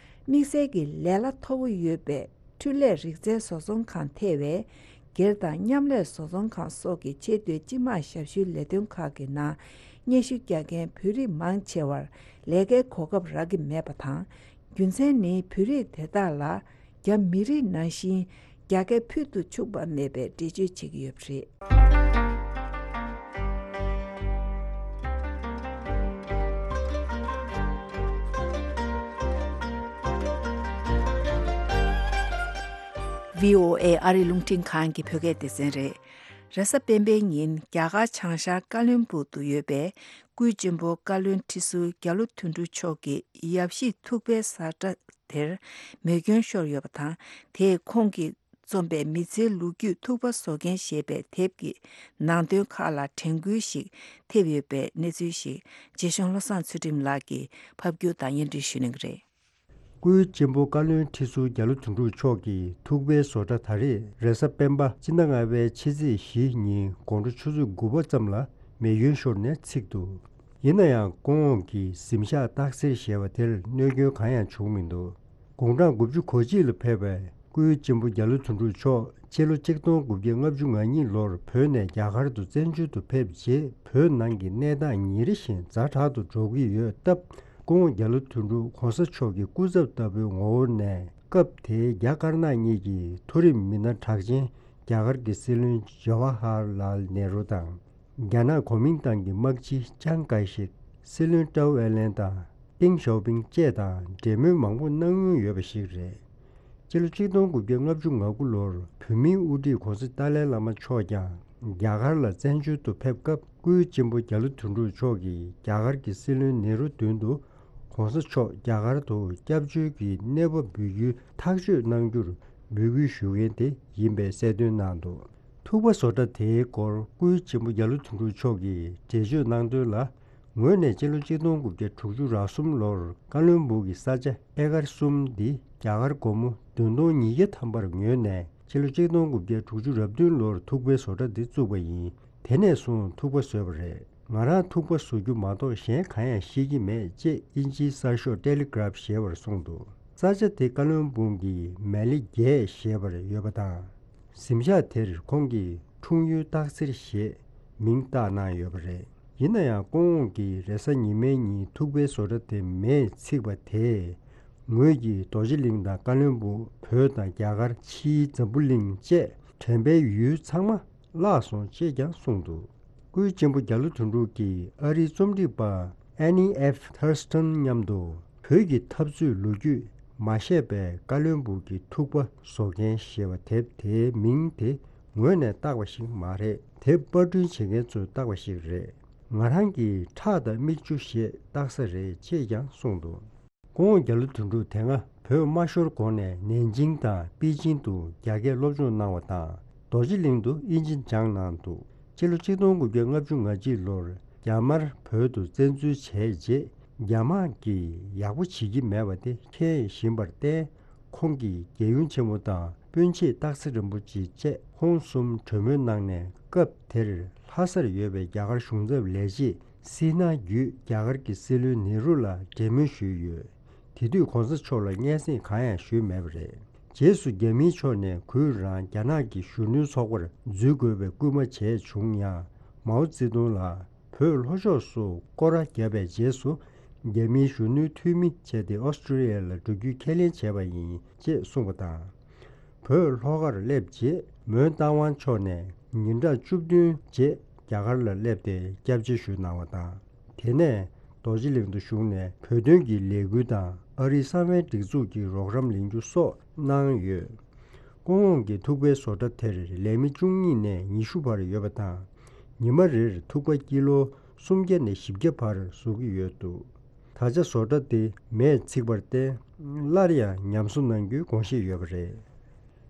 དམིགས་བསལ་གྱི་ལས་གླ་མཐོ་པོ་ཡོད་པའི་འཕྲུལ་ལས་རིག་རྩལ་བཟོ་ཚོང་ཁང་ཐེ་བའི་སྒེར་དང་མཉམ་ལས་བཟོ་ཚོང་ཁང་སོགས་ཀྱི་ཆེས་མཐོའི་སྤྱི་དམངས་ཞབས་ཞུའི་ལས་དོན་ཁག་གི་ནང་སྙན་ཞུ་རྒྱག་མཁན་བོད་རིགས་མང་ཆེ་བར་ལས་ཀའི་གོ་སྐབས་རག་གི་མེད་པ་དང་། རྒྱུ་མཚན་ནི་བོད་རིགས་དེ་དག་ལ་རྒྱ་མི་རིགས་ནང་བཞིན་རྒྱ་སྐད་ཕུལ་དུ་ཆུག་པ་མེད་པའི་འགྲེལ་བརྗོད་བྱེད་ཀྱི་ཡོད་པ་རེད། ཝི་ཨོ་ཨེ་ཨ་རི་རླུང་འཕྲིན་ཁང་གི་བོད་སྐད་སྡེ་ཚན་རེད། རེས་གཟའ་སྤེན་པའི་ཉིན་རྒྱ་གར་བྱང་ཤར་ཀ་ལོན་སྦུག་ཏུ་ཡོད་པའི་སྐུའི་གཅེན་པོ་བཀའ་བློན་ཁྲི་ཟུར་རྒྱ་ལོ་དོན་གྲུབ་མཆོག་གི་ཡབ་གཞིས་ཐུག་པའི་བཟའ་གྲྭ་དེར་མེ་སྐྱོན་ཤོར་ཡོད་པ་དང་། དེས་ཁོང་གིས་རྩོམ་པའི་མི་ཚེའི་ལོ་རྒྱུས་ཐུག་པ་བཟོ་མཁན་ཞེས་པའི་དེབ་ཀྱི་ནང་དོན་ཁག་ལ་དྲན་སྐུལ་ཞིག་ཐེབས་ཡོད་པའི་གནས་ཚུལ་ཞིག་རྗེ་གཞུང་བློ་བཟང་ཚུལ་ཁྲིམས་ལགས་ཀྱིས་ཕབ་སྒྱུར་དང་སྙན་སྒྲོན་ཞུ་གནང་གི་རེད། སྐུའི་གཅེན་པོ་བཀའ་བློན་ཁྲི་ཟུར་རྒྱ་ལོ་དོན་གྲུབ་མཆོག་གི་ཐུག་པའི་བཟོ་གྲྭ་ད་རེས་རེས་གཟའ་སྤེན་པ་སྤྱི་ཟླ་ལྔ་པའི་ཕྱི་ཚེས་བཞི་ཉིན་དགོང་དྲོ་ཆུ་ཚོད་དགུ་པ་ཙམ་ལ་མེ་སྐྱོན་ཤོར་ནས་ཚིག་འདུག། ཡིན་ན་ཡང་སྐུ་ངོ་གི་གཟིམ་ཤག་སྟག་སེར་ཞེས་པ་དེར་གནོད་སྐྱོན་གང་ཡང་བྱུང་མི་འདུག། དགུང་གྲངས་དགུ་བཅུ་གོ་གཅིག་ལ་ཕེབས་པའི་སྐུའི་གཅེན་པོ་རྒྱ་ལོ་དོན་གྲུབ་མཆོག་སྤྱི་ལོ་གཅིག་སྟོང་དགུ་བརྒྱ་ལྔ་བཅུ་ང་གཉིས་ལོར་བོད་ནས་རྒྱ་གར་དུ་བཙན་བྱོལ་དུ་ཕེབས་རྗེས་བོད་ནང་གི་གནས་སྟངས་ཉིན་རེ་བཞིན་ཛ་དྲག་ཏུ་འགྲོ་གི་ཡོད་སྟབས། སྐུ་ངོ་རྒྱ་ལོ་དོན་གྲུབ་གོང་ས་མཆོག་གི་སྐུ་ཚབ་ལྟ་བུའི་ངོ་བོ་ནས་སྐབས་དེའི་རྒྱ་དཀར་ནག་གཉིས་ཀྱི་མཐོ་རིམ་མི་སྣ་གྲགས་ཅན་རྒྱ་གར་གྱི་སྲིད་བློན་ཇ་ཝ་ཧར་ལཱལ་ནེ་རུ་དང་། རྒྱ་ནག་གོ་མིན་ཏང་གི་དམག་སྤྱི་ཅང་ཀའེ་ཤེག་སྲིད་བློན་ཀྲའུ་ཨེ་ལན་དང་ཏེང་ཞའོ་ཕིང་བཅས་དང་འབྲེལ་མོལ་མང་པོ་གནང་མྱོང་ཡོད་པ་ཞིག་རེད། སྤྱི་ལོ་གཅིག་སྟོང་དགུ་བརྒྱ་ལྔ་བཅུ་ང་དགུ་ལོར་བོད་མིའི་དབུ་ཁྲིད་གོང་ས་ཏཱ་ལའི་བླ་མ་མཆོག་ཀྱང་རྒྱ་གར་ལ་བཙན་བྱོལ་དུ་ཕེབས་སྐབས། སྐུའི་གཅེན་པོ་རྒྱ་ལོ་དོན་གྲུབ་མཆོག་གིས་རྒྱ་གར་གྱི་སྲིད་བློན་ནེ་རུ་མདུན་དུ། ༸གོང་ས་མཆོག་རྒྱ་གར་དུ་སྐྱབས་བཅོལ་གྱི་གནས་བབ་འབུལ་རྒྱུའི་ཐག་གཅོད་གནང་རྒྱུར་འབོད་སྐུལ་ཞུ་མཁན་དེ་ཡིན་པའི་གསལ་སྟོན་གནང་འདུག་ཐུག་པ་བཟོ་གྲྭ་དེའི་སྐོར་སྐུའི་གཅེན་པོ་རྒྱ་ལོ་དོན་གྲུབ་མཆོག་གིས་འགྲེལ་བརྗོད་གནང་དོན་ལ། ངོས་ནས་སྤྱི་ལོ་ཆིག་སྟོང་དགུ་བརྒྱ་དྲུག་ཅུ་རེ་གསུམ་ལོར་ཀ་ལོན་སྦུག་གི་ས་ཆ་ཨེ་ཀར་གསུམ་འདི་རྒྱ་གར་སྒོར་མོ་བདུན་སྟོང་ཉིས་བརྒྱ་ཐམ་པར་ཉོས་ནས་སྤྱི་ལོ་ཆིག་སྟོང་དགུ་བརྒྱ་དྲུག་ཅུ་རེ་བདུན་ལོར་ཐུག་པའི་བཟོ་གྲྭ་འདི་བཙུགས་པ་ཡིན། དེ་ནས་བཟུང་ཐུག་པ་བཟོས་པ་རེད། ང་རང་ཐུག་པ་བཟོ་རྒྱུ་མ་གཏོགས་གཞན་གང་ཡང་ཤེས་ཀྱི་མེད་ཅེས་དབྱིན་ཇིའི་གསར་ཤོག་ཏེ་ལི་གྷ་རབ་ཞེས་པར་གསུངས་འདུག་ས་ཆ་དེ་ཀ་ལོན་སྦུག་གི་མེ་ལི་བརྒྱད་ཞེས་པར་ཡོད་པ་དང་། གཟིམ་ཤག་དེར་ཁོང་གིས་འཁྲུངས་ཡུལ་སྟག་འཚེར་ཞེས་མིང་བཏགས་གནང་ཡོད་པ་རེད། ཡིན་ན་ཡང་སྐུ་ངོ་གིས་རེས་གཟའ་ཉི་མའི་ཉིན་ཐུག་པའི་བཟོ་གྲྭ་དེ་མེས་ཚིག་པ་དེས། ངོས་ཀྱིས་རྡོ་རྗེ་གླིང་དང་ཀ་ལོན་སྦུག་བོད་དང་རྒྱ་གར་ཕྱིའི་འཛམ་བུ་གླིང་བཅས་དྲན་པའི་ཡུལ་ཚང་མ་བརླགས་སོང་ཅེས་ཀྱང་གསུངས་འདུག་སྐུའི་གཅེན་པོ་རྒྱ་ལོ་དོན་གྲུབ་ཀྱིས་ཨ་རིའི་རྩོམ་སྒྲིག་པ་Annie F Thurston མཉམ་དུ་བོད་ཀྱི་འཐབ་རྩོད་ལོ་རྒྱུས་མ་བཤད་པའི་ཀ་ལོན་སྦུག་གི་ཐུག་པ་བཟོ་མཁན་ཞེས་པ་དེབ་དེའི་མིང་དེ་ངོས་ནས་བཏགས་པ་ཞིག་མ་རེད། དེབ་པར་སྐྲུན་བྱེད་མཁན་ཚོས་བཏགས་པ་ཞིག་རེད། ང་རང་གིས་ཁྲག་དང་མིག་ཆུ་ཞེས་བཏགས་ས་རེད་ཅེས་ཀྱང་གསུངས་འདུག་སྐུ་ངོ་རྒྱ་ལོ་དོན་གྲུབ་དེ་སྔ་བོད་མ་ཤོར་གོང་ནས་ནན་ཅིང་དང་པེ་ཅིང་དུ་རྒྱ་སྐད་སློབ་སྦྱོང་གནང་བ་དང་། རྡོ་རྗེ་གླིང་དུ་དབྱིན་ཇི་སྦྱངས་གནང་འདུག་སྤྱི་ལོ་ཆིག་སྟོང་དགུ་བརྒྱ་ལྔ་བཅུ་ང་གཅིག་ལོར་རྒྱ་དམར་བོད་དུ་བཙན་འཛུལ་བྱས་རྗེས། རྒྱ་དམག་གིས་ཡག་པོ་བྱེད་ཀྱི་མེད་པ་དེ་མཁྱེན་བཞིན་པར་བརྟེན། ཁོང་གིས་རྒྱལ་ཡུམ་ཆེན་མོ་དང་སྤུན་མཆེད་སྟག་འཚེར་རིན་པོ་ཆེ་བཅས་ཁོང་གསུམ་གྲོས་མོལ་གནང་ནས། སྐབས་དེར་ལྷ་སར་ཡོད་པའི་རྒྱ་གར་གཞུང་ཚབ་ལས་བྱེད་སི་ན་བརྒྱུད་རྒྱ་གར་གྱི་སྲིད་བློན་ནེ་རུ་ལ་འབྲེལ་མོལ་ཞུས་ཡོད། དེ་དུས་གོང་ས་མཆོག་ལ་སྙན་སེང་གང་ཡང་ཞུས་མེད་པ་རེད། རྗེས་སུ་རྒྱ་མིའི་ཕྱོགས་ནས་གུས་རང་རྒྱ་ནག་གི་གཞོན་ནུའི་ཚོགས་པར་འཛུལ་དགོས་པའི་སྐུལ་མ་བྱས་བྱུང་ཡང་། མའོ་ཙེ་ཏུང་ལ་བོད་ལྷོ་ཕྱོགས་སུ་སྐོར་ར་བརྒྱབ་པའི་རྗེས་སུ། རྒྱ་མིའི་གཞོན་ནུའི་འཐུས་མི་བྱས་ཏེ་ཨོ་སི་ཀྲི་ལི་ཡ་ལ་འགྲོ་རྒྱུའི་ཁས་ལེན་བྱས་པ་ཡིན་ཅེས་གསུངས་པ་དང་། བོད་ལྷོ་ཁར་སླེབས་རྗེས་མོན་རྟ་དབང་ཕྱོགས་ནས་ཉིན་གྲངས་བཅུ་བདུན་རྗེས་རྒྱ་གར་ལ་སླེབས་ཏེ་སྐྱབས་རྗེ་ཞུས་གནང་བ་དང་། དེ་ནས་རྡོ་རྗེ་གླིང་དུ་བཞུགས་ནས་བོད་དོན་གྱི་ལས་འགུལ་དང་ཨ་རིའི་གསང་བའི་སྒྲིག་འཛུགས་ཀྱི་རོགས་རམ་ལེན་རྒྱུ་སོགས་གནང་ཡོད། སྐུ་ངོ་གི་ཐུག་པའི་བཟོ་གྲྭ་དེར་ལས་མི་བཅུ་གཉིས་ནས་ཉི་ཤུ་བར་ཡོད་པ་དང་། ཉི་མ་རེར་ཐུག་པ་ཀི་ལོ་སུམ་བརྒྱ་ནས་བཞི་བརྒྱ་བར་བཟོ་གི་ཡོད་འདུག་ད་ཆ་བཟོ་གྲྭ་དེ་མེས་ཚིག་པར་བརྟེན། སླར་ཡང་ཉམས་གསོ་གནང་རྒྱུའི་དགོངས་བཞེས་ཡོད་པ་རེད།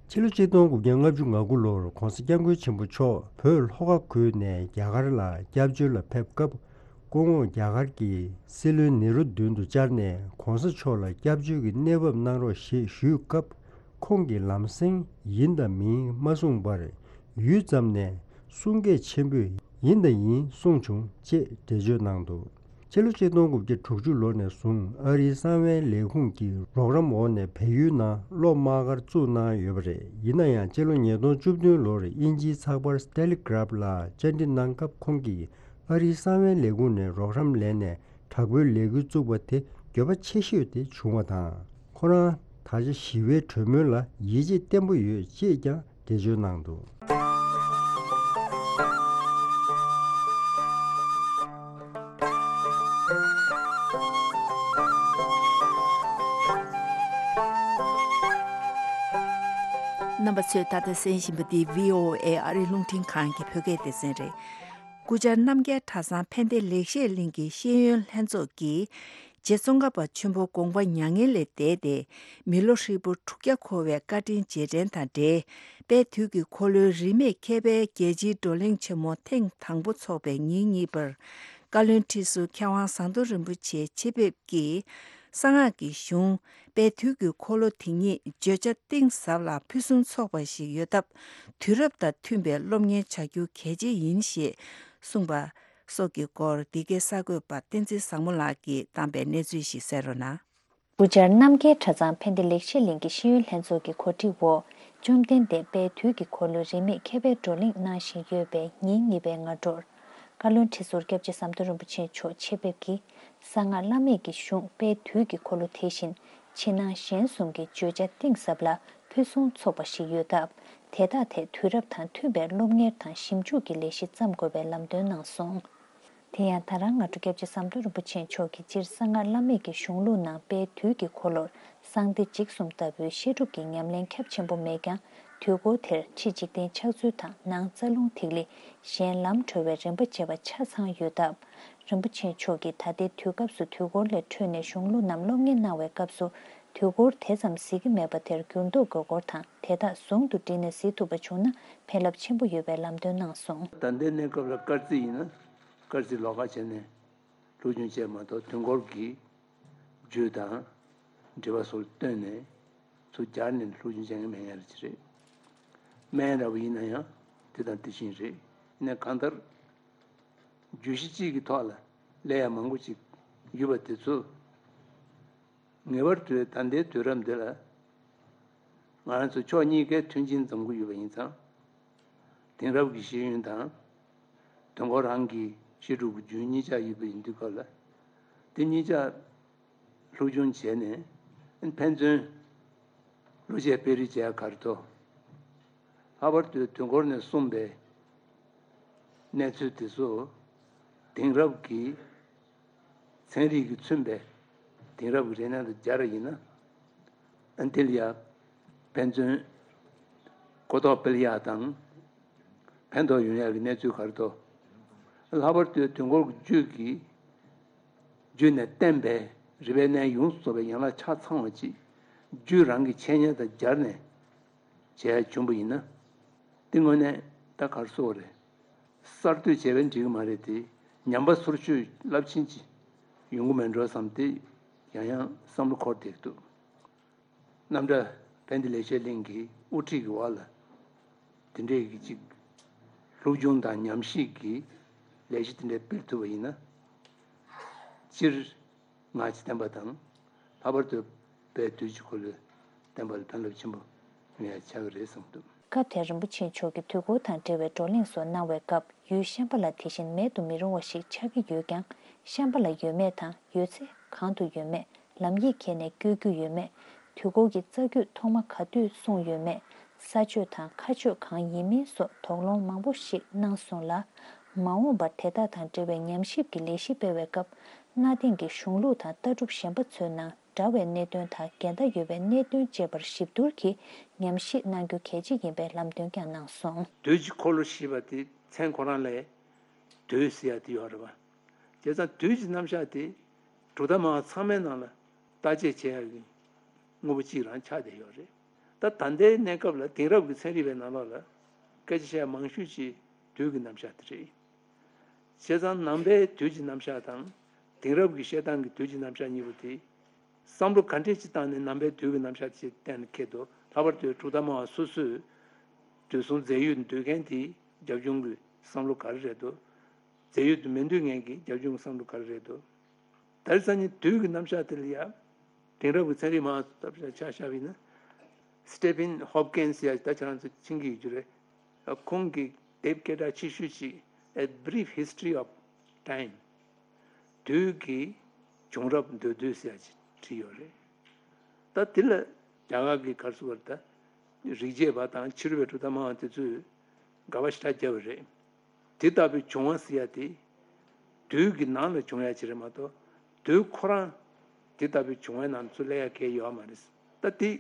ཕྱི་ལོ་ཆིག་སྟོང་དགུ་བརྒྱ་ལྔ་བཅུ་ང་དགུ་ལོར་༸གོང་ས་༸སྐྱབས་མགོན་ཆེན་པོ་མཆོག་བོད་ལྷོ་ཁ་ཁུལ་ནས་རྒྱ་གར་ལ་སྐྱབས་བཅོལ་ལ་ཕེབས་སྐབས། སྐུ་ངོ་རྒྱ་གར་གྱི་སྲིད་བློན་ནེ་རུ་མདུན་དུ་བཅར་ནས་༸གོང་ས་མཆོག་ལ་སྐྱབས་བཅོལ་གྱི་གནས་བབ་གནང་རོགས་ཞེས་ཞུས་སྐབས། ཁོང་གིས་ལམ་སེང་ཡིན་དང་མིན་མ་གསུངས་པར། ཡུད་ཙམ་ནས་གསུང་སྐད་ཆེན་པོས་ཡིན་དང་ཡིན་གསུངས་བྱུང་ཅེས་འགྲེལ་བརྗོད་གནང་འདུག་ཕྱི་ལོ་ཆིག་སྟོང་དགུ་བརྒྱ་དྲུག་ཅུ་ལོ་ནས་བཟུང་ཨ་རིའི་གསང་བའི་ལས་ཁུངས་ཀྱི་རོགས་རམ་འོག་ནས་བལ་ཡུལ་ནང་སློབ་མ་གར་བཙུགས་གནང་ཡོད་པ་རེད། ཡིན་ན་ཡང་ཕྱི་ལོ་ཉིས་སྟོང་བཅུ་བདུན་ལོར་དབྱིན་ཇིའི་ཚགས་པར་ཏེ་ལི་གྷ་རབ་ལ་བཅར་འདྲི་གནང་སྐབས་ཁོང་གིས་ཨ་རིའི་གསང་བའི་ལས་ཁུངས་ནས་རོགས་རམ་ལེན་ནས་དྲག་པོའི་ལས་འགུལ་བཙུགས་པ་དེ་འགྱོད་པ་ཆེ་ཤོས་དེ་བྱུང་བ་དང་། ཁོ་རང་ད་ཆ་ཞི་བའི་གྲོས་མོལ་ལ་ཡིད་ཆེས་བརྟན་པོ་ཡོད་ཅེས་ཀྱང་འགྲེལ་བརྗོད་གནང་འདུག་རྣམ་པ་ཚོས་ད་ལྟ་གསན་བཞིན་པ་འདི་བྷི་ཨོ་ཨེ་ཨ་རིའི་རླུང་འཕྲིན་ཁང་གི་བོད་སྐད་སྡེ་ཚན་རེད། སྐུ་བཅར་རྣམ་རྒྱལ་གྲྭ་ཚང་ཕན་བདེ་ལེགས་བཤད་གླིང་གི་ཤེས་ཡོན་ལྷན་ཚོགས་ཀྱིས། རྗེ་ཙོང་ཁ་པ་ཆེན་པོ་དགོངས་པ་མྱ་ངན་ལས་འདས་ཏེ། མི་ལོ་ཧྲིལ་པོ་དྲུག་བརྒྱ་འཁོར་བའི་བཀའ་དྲིན་རྗེས་དྲན་དང་འབྲེལ། དཔལ་དུས་ཀྱི་འཁོར་ལོའི་རིས་མེད་མཁས་པའི་རྒྱལ་སྤྱིའི་བགྲོ་གླེང་ཆེན་མོ་ཐེངས་དང་པོ་འཚོགས་པའི་ཉིན་གཉིས་པར། བཀའ་བློན་ཁྲི་ཟུར་མཁས་དབང་ཟམ་གདོང་རིན་པོ་ཆེ་ཆེད་ཕེབས་ཀྱིས། གསང་སྔགས་ཀྱི་གཞུང་དཔལ་དུས་ཀྱི་འཁོར་ལོ་དེ་ཉིད་བརྗོད་བྱ་གཏིང་ཟབ་ལ་ཕུན་སུམ་ཚོགས་པ་ཞིག་ཡོད་སྟབས། དུས་རབས་དང་མཐུན་པའི་སློབ་གཉེར་བྱ་རྒྱུ་གལ་ཆེ་ཡིན་ཞེས་གསུངས་པ་སོགས་ཀྱི་སྐོར། འདི་གའི་གསར་འགོད་པ་བསྟན་འཛིན་བཟང་མོ་ལགས་ཀྱིས་བཏང་པའི་གནས་ཚུལ་ཞིག་གསན་རོགས་གནང་། སྐུ་བཅར་རྣམ་རྒྱལ་གྲྭ་ཚང་ཕན་བདེ་ལེགས་བཤད་གླིང་གི་ཤེས་ཡོན་ལྷན་ཚོགས་ཀྱི་གོ་སྒྲིག་འོག་བཅོམ་ལྡན་འདས་དཔལ་དུས་ཀྱི་འཁོར་ལོའི་རིས་མེད་མཁས་པའི་བགྲོ་གླེང་གནང་བཞིན་ཡོད་པའི་ཉིན་གཉིས་པའི་སྔ་དྲོར། བཀའ་བློན་ཁྲི་ཟུར་སྐྱབས་རྗེ་ཟམ་གདོང་རིན་པོ་ཆེ་མཆོག་ཆེད་ཕེབས་ཀྱིས། གསང་སྔགས་བླ་མེད་ཀྱི་གཞུང་དཔལ་དུས་ཀྱི་འཁོར་ལོ་དེ་བཞིན་ཕྱི་ནང་གཞན་གསུམ་གྱི་བརྗོད་བྱ་གཏིང་ཟབ་ལ་ཕུན་སུམ་ཚོགས་པ་ཞིག་ཡོད་སྟབས། དེ་དག་ཐད་དུས་རབས་དང་མཐུན་པའི་སློབ་གཉེར་དང་ཞིབ་འཇུག་གི་ལས་གཞི་བརྩམ་དགོས་པའི་ལམ་སྟོན་གནང་སོང་། དེ་ཡང་ད་རང་སྔ་དྲོ་སྐྱབས་རྗེ་ཟམ་གདོང་རིན་པོ་ཆེ་མཆོག་གིས་སྤྱིར་གསང་སྔགས་བླ་མེད་ཀྱི་གཞུང་ལུགས་ནང་དཔལ་དུས་ཀྱི་འཁོར་ལོར་གསང་བདེ་འཇིགས་གསུམ་ལྟ་བུའི་བཤད་སྒྲུབ་ཀྱི་ཉམས་ལེན་ཁྱབ་ཆེན་པོ་མེད་ཀྱང་། དུས་འཁོར་དེར་ཕྱི་འཇིག་རྟེན་ཆགས་ཚུལ་དང་ནང་རྩ་རླུང་ཐིག་ལེ། གཞན་ལམ་གྲོལ་བའི་རིམ་པ་བཅས་པ་ཆ་ཚང་ཡོད་སྟབས། རིན་པོ་ཆེ་མཆོག་གིས་ད་ལྟའི་དུས་སྐབས་སུ་དུས་འཁོར་ལས་འཕྲོས་ནས་གཞུང་ལུགས་ནམ་སློབ་གཉེར་གནང་བའི་སྐབས་སུ་དུས་འཁོར་དེ་ཙམ་གཟིགས་ཀྱི་མེད་པ་དེར་འགྱུར་ལྡོག་དགོས་སྐོར་དང་དེ་དག་ཟུང་དུ་སྦྲེལ་ནས་གཟིགས་ཐུབ་པ་བྱུང་ན་ཕན་རླབས་ཆེན་པོ་ཡོད་པའི་ལམ་སྟོན་གནང་སོང་། ད་ལྟའི་གནས་སྐབས་ལ་སྐར་རྩིས་ཡིན་ན་སྐར་རྩིས་ལོགས་ཀ་བྱས་ནས་སློབ་སྦྱོང་བྱས་མ་གཏོགས་དུས་འཁོར་གྱི་རྒྱུ་དང་འབྲེལ་བ་སོགས་བཏོན་ནས་ཚུར་སྦྱར་ནས་སློབ་སྦྱོང་བྱེད་མཁན་མེད་མཁན་རེད་ཅེས་རེད། སྨན་འདྲ་བོ་ཡིན་ན་ཡང་དེ་དང་དེ་བཞིན་རེད། ཡིན་ན་གང་ལྟར་བརྗོད་གཞི་གཅིག་གི་ཐོག་ལ་ལས་ཡ་མང་པོ་ཅིག་ཡོད་པ་དེ་ཚོ་ངེས་པར་དུ་ད་ལྟའི་དུས་རབས་འདི་ལ་ང་རང་ཚོ་ཕྱོགས་གཉིས་ཀའི་མཐུན་རྐྱེན་འཛོམས་ཀྱི་ཡོད་པ་ཡིན་ཙང་། དེང་རབས་ཀྱི་ཤེས་ཡོན་དང་དུས་འཁོར་རང་གི་བཤད་སྒྲུབ་ཀྱི་རྒྱུན་གཉིས་ཆ་ཡོད་པ་ཡིན་དུས་སྐབས་ལ་དེ་གཉིས་ཆ་སློབ་སྦྱོང་བྱས་ནས་ཕན་ཚུན་བློ་འབྱེད་སྤེལ་རེས་བྱས་གར་ཐོག་ལྷག་པར་དུ་དུས་འཁོར་ནས་གསུངས་པའི་གནས་ཚུལ་དེ་ཚོ་དེང་རབས་ཀྱི་ཚན་རིག་གིས་མཚོན་པའི་དེང་རབས་ཀྱི་རིག་གནས་དང་སྦྱར་ཡིན་ན་ཨ་འདི་ལ་ཡ་ཕན་ཚུན་གོ་རྟོགས་སྤེལ་ཡག་དང་ཕན་ཐོགས་ཡོང་ཡག་གི་གནས་ཚུལ་ག་རེ་འདུག་ལྷག་པར་དུ་དུས་འཁོར་གྱི་རྒྱུད་ཀྱི་རྒྱུད་ནས་བསྟན་པའི་རིག་པའི་གནས་ཡོངས་སུ་རྫོགས་པའི་ཡན་ལག་ཆ་ཚང་བ་ཅིག་རྒྱུད་རང་གི་འཆད་ཉན་དང་སྦྱར་ནས་བྱས་བྱུང་པ་ཡིན་ན། དེ་དངོས་གནས་ད་ག་རེ་ཟེར་དགོས་རེད། གསར་གཏོད་བྱས་པས་འགྲིག་གི་མ་རེད་དེ། ཉམས་པ་སོར་ཆུད་རླབས་ཆེན་ཅིག་ཡོང་གི་མེད་འགྲོ་བསམ་སྟེ་ཡང་ཡང་བསམ་བློ་འཁོར་བསྡད་འདུག་རྣམ་གྲྭ་བན་དེ་ལེགས་བཤད་གླིང་གི་དབུ་ཁྲིད་ཀྱི་འོག་ལ་དེ་འདྲས་ཀྱི་ཅིག་སློབ་སྦྱོང་དང་ཉམས་ཞིབ་ཀྱི་ལས་གཞི་དེ་འདྲས་སྤེལ་ཐུབ་པ་ཡིན་ན། སྤྱིར་སྔགས་ཀྱི་བསྟན་པ་དང་། ལྷག་པར་དུ་བོད་དུས་ཀྱི་འཁོར་ལོའི་བསྟན་པ་ལ་ཕན་རླབས་ཆེན་པོ་ཡོང་ཡ་ཆགས་ཀྱི་རེད་བསམ་འདུག་སྐབས་དེར་རིན་པོ་ཆེ་མཆོག་གིས་དུས་འཁོར་དང་འབྲེལ་བའི་བགྲོ་གླེང་སོགས་གནང་བའི་སྐབས། ཡུལ་གཤམ་པ་ལ་དེ་བཞིན་མེད་དུ་མི་རུང་བ་ཞིག་ཆགས་ཀྱི་ཡོད་ཀྱང་། གཤམ་པ་ལ་ཡོད་མེད་དང་ཡོད་ཚད་གང་དུ་ཡོད་མེད། ལམ་ཡིག་ཁྱེར་ནས་བསྐྱོད་རྒྱུ་ཡོད་མེད། དུས་འཁོར་གྱི་རྩ་རྒྱུད་ཐོག་མ་ག་དུས་གསུངས་ཡོད་མེད། ས་ཆོས་དང་ཁ་ཆོས་གང་ཡིན་མིན་སོགས་དོགས་སློང་མང་པོ་ཞིག་གནང་སོང་ལ། མ་འོངས་པར་དེ་དག་དང་འབྲེལ་བའི་ཉམས་ཞིབ་ཀྱི་ལས་གཞི་སྤེལ་བའི་སྐབས། གནའ་དེང་གི་གཞུང་ལུགས་དང་ལྟ་གྲུབ་གཞན་པ་ཚོའི་ནང་འདྲ་བའི་གནད་དོན་དང་འགལ་ཟླ་ཡོད་པའི་གནད་དོན་བཅས་པར་ཞིབ་བསྡུར་གྱིས་ཉམས་ཞིབ་གནང་རྒྱུ་གལ་ཆེ་ཡིན་པའི་ལམ་སྟོན་ཀྱང་གནང་སོང་། དུས་ཀྱི་འཁོར་ལོ་ཞེས་པ་དེ་མཚན་ཁོ་རང་ལས་དུས་ཟེར་ཡ་དེ་ཡོད་རེད་པ། བྱས་ཙང་དུས་ཀྱི་རྣམ་གཞག་དེ་གྲུབ་མཐའ་སྨྲ་བ་ཚང་མའི་ནང་ལ་བརྟག་དཔྱད་བྱེད་ཡག་གི་དངོས་པོ་གཅིག་རང་ཆགས་བསྡད་ཡོད་རེད། ད་ད་ལྟའི་གནས་སྐབས་ལ་དེང་རབས་ཀྱི་ཚན་རིག་པའི་ནང་ལོགས་ལ་སྐད་ཆ་བཤད་མང་ཤོས་ཅིག་དུས་ཀྱི་རྣམ་གཞག་དེ་རེད། བྱས་ཙང་ནང་པའི་དུས་ཀྱི་རྣམ་གཞག་དང་དེང་རབས་ཀྱི་བཤད་སྟངས་ཀྱི་དུས་ཀྱི་རྣམ་གཞག་གཉིས་པོ་དེ། བསམ་བློ་ག་འདྲས་ཅིག་བཏང་ནས་ནང་པའི་དུས་ཀྱི་རྣམ་གཞག་ཅིག་གཏན་ལ་འཁེལ་འདུག་ལྷག་པར་དུ་གྲུབ་མཐའ་སྨྲ་བ་སོ་སོས་དུས་གསུམ་རྫས་ཡོད་འདོད་མཁན་དེའི་རྒྱབ་ལྗོངས་ཀྱི་བསམ་བློ་ག་རེ་རེད་འདུག་རྫས་ཡོད་དུ་མི་འདོད་མཁན་གྱི་རྒྱབ་ལྗོངས་ཀྱི་བསམ་བློ་ག་རེ་རེད་འདུག་ད་རེས་སང་ཉིན་དུས་ཀྱི་རྣམ་གཞག་དེ་ལ་ཡ། དེང་རབས་ཀྱི་ཚན་རིག་མང་ཚོགས་ཆ་བཞག་པ་ཡིན་ན། Stephen Hopkins ཡ་ད་ཁྱེད་རང་ཚོ་མཁྱེན་གྱི་ཡོད་རྒྱུ་རེད། ཁོང་གིས་དེབ་སྐད་གྲགས་ཆེ་ཤོས་ཅིག A Brief History of Time། དུས་ཀྱི་བྱུང་རབས་མདོར་བསྡུས་ཟེར་ཡ་ཅིག་བྲིས་ཡོད་རེད། ད་དེ་ལ་རྒྱ་གར་གྱི་ག་རེ་ཟེར་དགོས་རེད་ད། རིག་བྱེད་པ་དང་ཕྱི་རོལ་པའི་གྲུབ་མཐའ་སྨྲ་བ་དེ་ཚོས་དགག་པ་ཞེ་དྲག་བརྒྱབ་པ་རེད། དེ་ལྟ་བུའི་བྱུང་བ་ཟེར་ཡ་དེ། དུས་ཀྱི་ནང་ལ་བྱུང་ཡ་ཅིག་རེད་མ་གཏོགས། དུས་ཁོ་རང་དེ་ལྟ་བུའི་བྱུང་བའི་ནང་ཚུར་སླེབས་ཡ་གང་ཡང་ཡོད་མ་རེད། ད་དེ་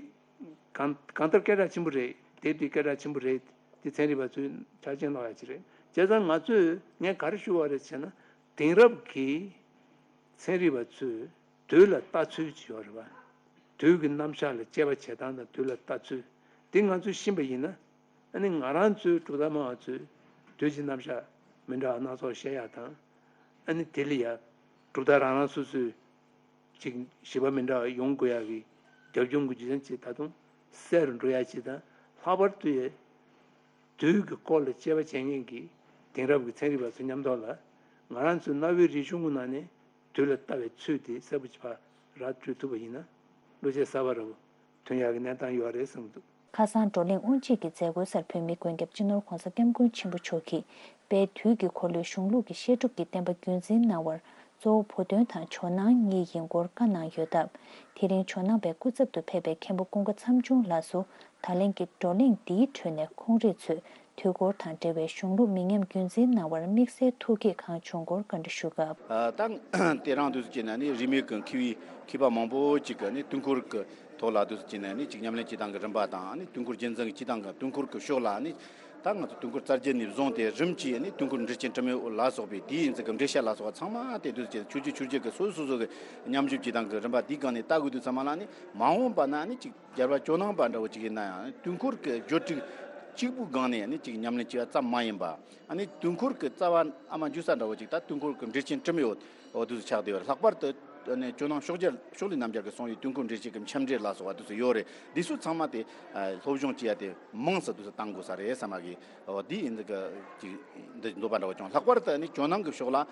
གང་གང་ལྟར་སྐད་གྲགས་ཆེན་པོ་རེད། དེབ་དེ་སྐད་གྲགས་ཆེན་པོ་རེད། དེ་ཚན་རིག་པ་ཚོས་ཆ་རྐྱེན་ལོག་ཡ་ཅིག་རེད། བྱས་ཙང་ང་ཚོས་ངས་ག་རེ་ཞུ་བ་རེད་ཟེར་ན། དེང་རབས་ཀྱི་ཚན་རིག་པ་ཚོས་དུས་ལ་ལྟ་ཚུལ་ཅིག་ཡོད་རེད་པ། དུས་ཀྱི་རྣམ་གཞག་ལ་དཔྱད་པ་བྱེད་སྟངས་དང་དུས་ལ་ལྟ་ཚུལ་དེ་ང་ཚོས་ཤེས་པ་ཡིན་ན། ཨ་ནི་ང་རང་ཚོའི་གྲུབ་མཐའ་སྨྲ་བ་ཚོས་དུས་ཀྱི་རྣམ་གཞག་མི་འདྲ་བ་སྣ་ཚོགས་བཤད་ཡག་དང་། ཨ་ནི་དེ་ལ་ཡ་གྲུབ་མཐའ་རང་རང་སོ་སོའི་ཅིག་ཞིབ་པ་མི་འདྲ་བ་ཡོང་དགོས་ཡག་གི་རྒྱབ་ལྗོངས་ཀྱི་རྒྱུ་མཚན་ཅིག་ད་དུང་གསལ་རུ་འགྲོ་ཡག་ཅིག་དང་། ལྷག་པར་དུ་ཡ་དུས་ཀྱི་སྐོར་ལ་དཔྱད་པ་བྱེད་མཁན་གྱི་དེང་རབས་ཀྱི་ཚན་རིག་པ་ཚོ་མཉམ་དུ་ལ་ང་རང་ཚོའི་གནའ་བོའི་རིག་གཞུང་གི་ནང་ནས་དུས་ལ་ལྟ་བའི་ཚུལ་དེ་གསལ་པོ་ཅིག་ཕར་ར་སྤྲོད་ཐུབ་པ་ཡིན་ན། བློ་སྐྱེད་གསར་པ་འདྲ་བོ་ཐོན་ཡག་གི་གནས་སྟངས་ཡོད་རེད་བསམ་གྱི་འདུག་ཁ་སང་བགྲོ་གླེང་དབུ་འབྱེད་ཀྱི་མཛད་སྒོའི་སར་བོད་མིའི་མགོན་སྐྱབས་སྤྱི་ནོར་༧གོང་ས་༧སྐྱབས་མགོན་ཆེན་པོ་མཆོག་གིས་དཔལ་དུས་ཀྱི་འཁོར་ལོའི་གཞུང་ལུགས་ཀྱི་བཤད་སྒྲུབ་ཀྱི་བསྟན་པ་རྒྱུན་འཛིན་གནང་བར་གཙོ་བོ་བུ་སྟོན་དང་ཇོ་ནང་གཉིས་ཡིན་སྐོར་བཀའ་གནང་ཡོད་སྟབས། དེ་རིང་ཇོ་ནང་པའི་སྐུ་ཚབ་ཏུ་ཕེབས་པའི་མཁན་པོ་ཀུན་དགའ་མཚམས་ཆུང་ལགས་སུ་ད་ལན་གྱི་བགྲོ་གླེང་འདིའི་ཁྲོད་ནས་ཁོང་རེ་ཚོས་དུས་འཁོར་དང་འབྲེལ་བའི་གཞུང་ལུགས་མི་ཉམས་རྒྱུན་འཛིན་གནང་བར་དམིགས་བསལ་ཐུགས་དགྱེས་གང་བྱུང་སྐོར་བཀའ་འདྲི་ཞུ་སྐབས། ཨ། ད་དེ་རིང་དུས་ཚོད་ཀྱི་ནང་ནས་རིས་མེད་ཀྱི་མཁས་པའི་མཁས་པ་མང་པོ་ཅིག་གིས་ནི་དུས་འཁོར་གྱི་ ཐོག་ལ་དུས་སུ་བྱས་ནས་ནི་གཅིག་ཉམས་ལེན་བྱེད་སྟངས་ཀྱི་རིམ་པ་དང་ནི་དུས་འཁོར་རྒྱུན་འཛིན་གྱི་བྱེད་སྟངས་ཀྱི་དུས་འཁོར་གྱི་ཕྱོགས་ལ་ནི་ད་ང་ཚོ་དུས་འཁོར་རྩ་རྒྱུད་ནས་བཟུང་སྟེ་རིམ་གྱིས་ནི་དུས་འཁོར་འགྲེལ་ཆེན་དྲི་མེད་ལ་སོགས་པའི་དེའི་ཡིན་ཚུལ་གྱི་འགྲེལ་བཤད་ལ་སོགས་པ་ཚང་མ་དེ་དུས་སུ་བྱས་ཆོས་བརྒྱུད་ཆོས་བརྒྱུད་ཀྱི་སོ་སོ་སོ་སོ་གི་ཉམས་ཞིབ་བྱེད་སྟངས་ཀྱི་རིམ་པ་དེའི་སྒང་ནས་ལྟ་དགོས་དུས་ཚང་མ་ལ་ནི་མ་འོངས་པ་ན་ནི་གཅིག་རྒྱལ་བ་ཇོ་ནང་པ་འདྲ་བོ་གཅིག་ཡིན་ན་ཡང་དུས་འཁོར་གྱི་བརྗོད་བྱ་གཅིག་པུའི་སྒང་ནས་ནི་གཅིག་ཉམས་ལེན་བྱེད་པ་ཙམ་མ་ཡིན་པ། ཨ་ནི་དུས་འཁོར་གྱི་རྩ་བ་ཨ་མ་འཇུ་ས་འདྲ་བོ་ཅིག་ད་དུས་འཁོར་གྱི་འགྲེལ་ཆེན་དྲི་མེད་འོ་འོ་དུས་སུ་ཆགས་བསྡད་ཡོད་རེད། ལྷག་པར་དུ་ཨ་ནི་ཇོ་ནང་ཕྱོགས་རྒྱལ་ཕྱོགས་ལས་རྣམ་རྒྱལ་གྱིས་གསུངས་པའི་དུས་འཁོར་འགྲེལ་ཆེན་གྱི་མཆན་འགྲེལ་ལ་སོགས་པ་དུས་སུ་ཡོད་རེད། འདི་ཚོ་ཚང་མ་དེ་ཨ་སློབ་སྦྱོང་བྱེད་ཡ་དེ་མང་ཙམ་དུས་སུ་བཏང་དགོས་ས་རེད་བསམ་མ་གི་འོ་འདི་ཡིན་འདི་ག་ཅིག་འདི་འདོད་པ་འདྲ་བོ་བྱུང་། ལྷག་པར་དུ་ཨ་ནི་ཇོ་ནང་གི་ཕྱོགས་ལ་ཨ་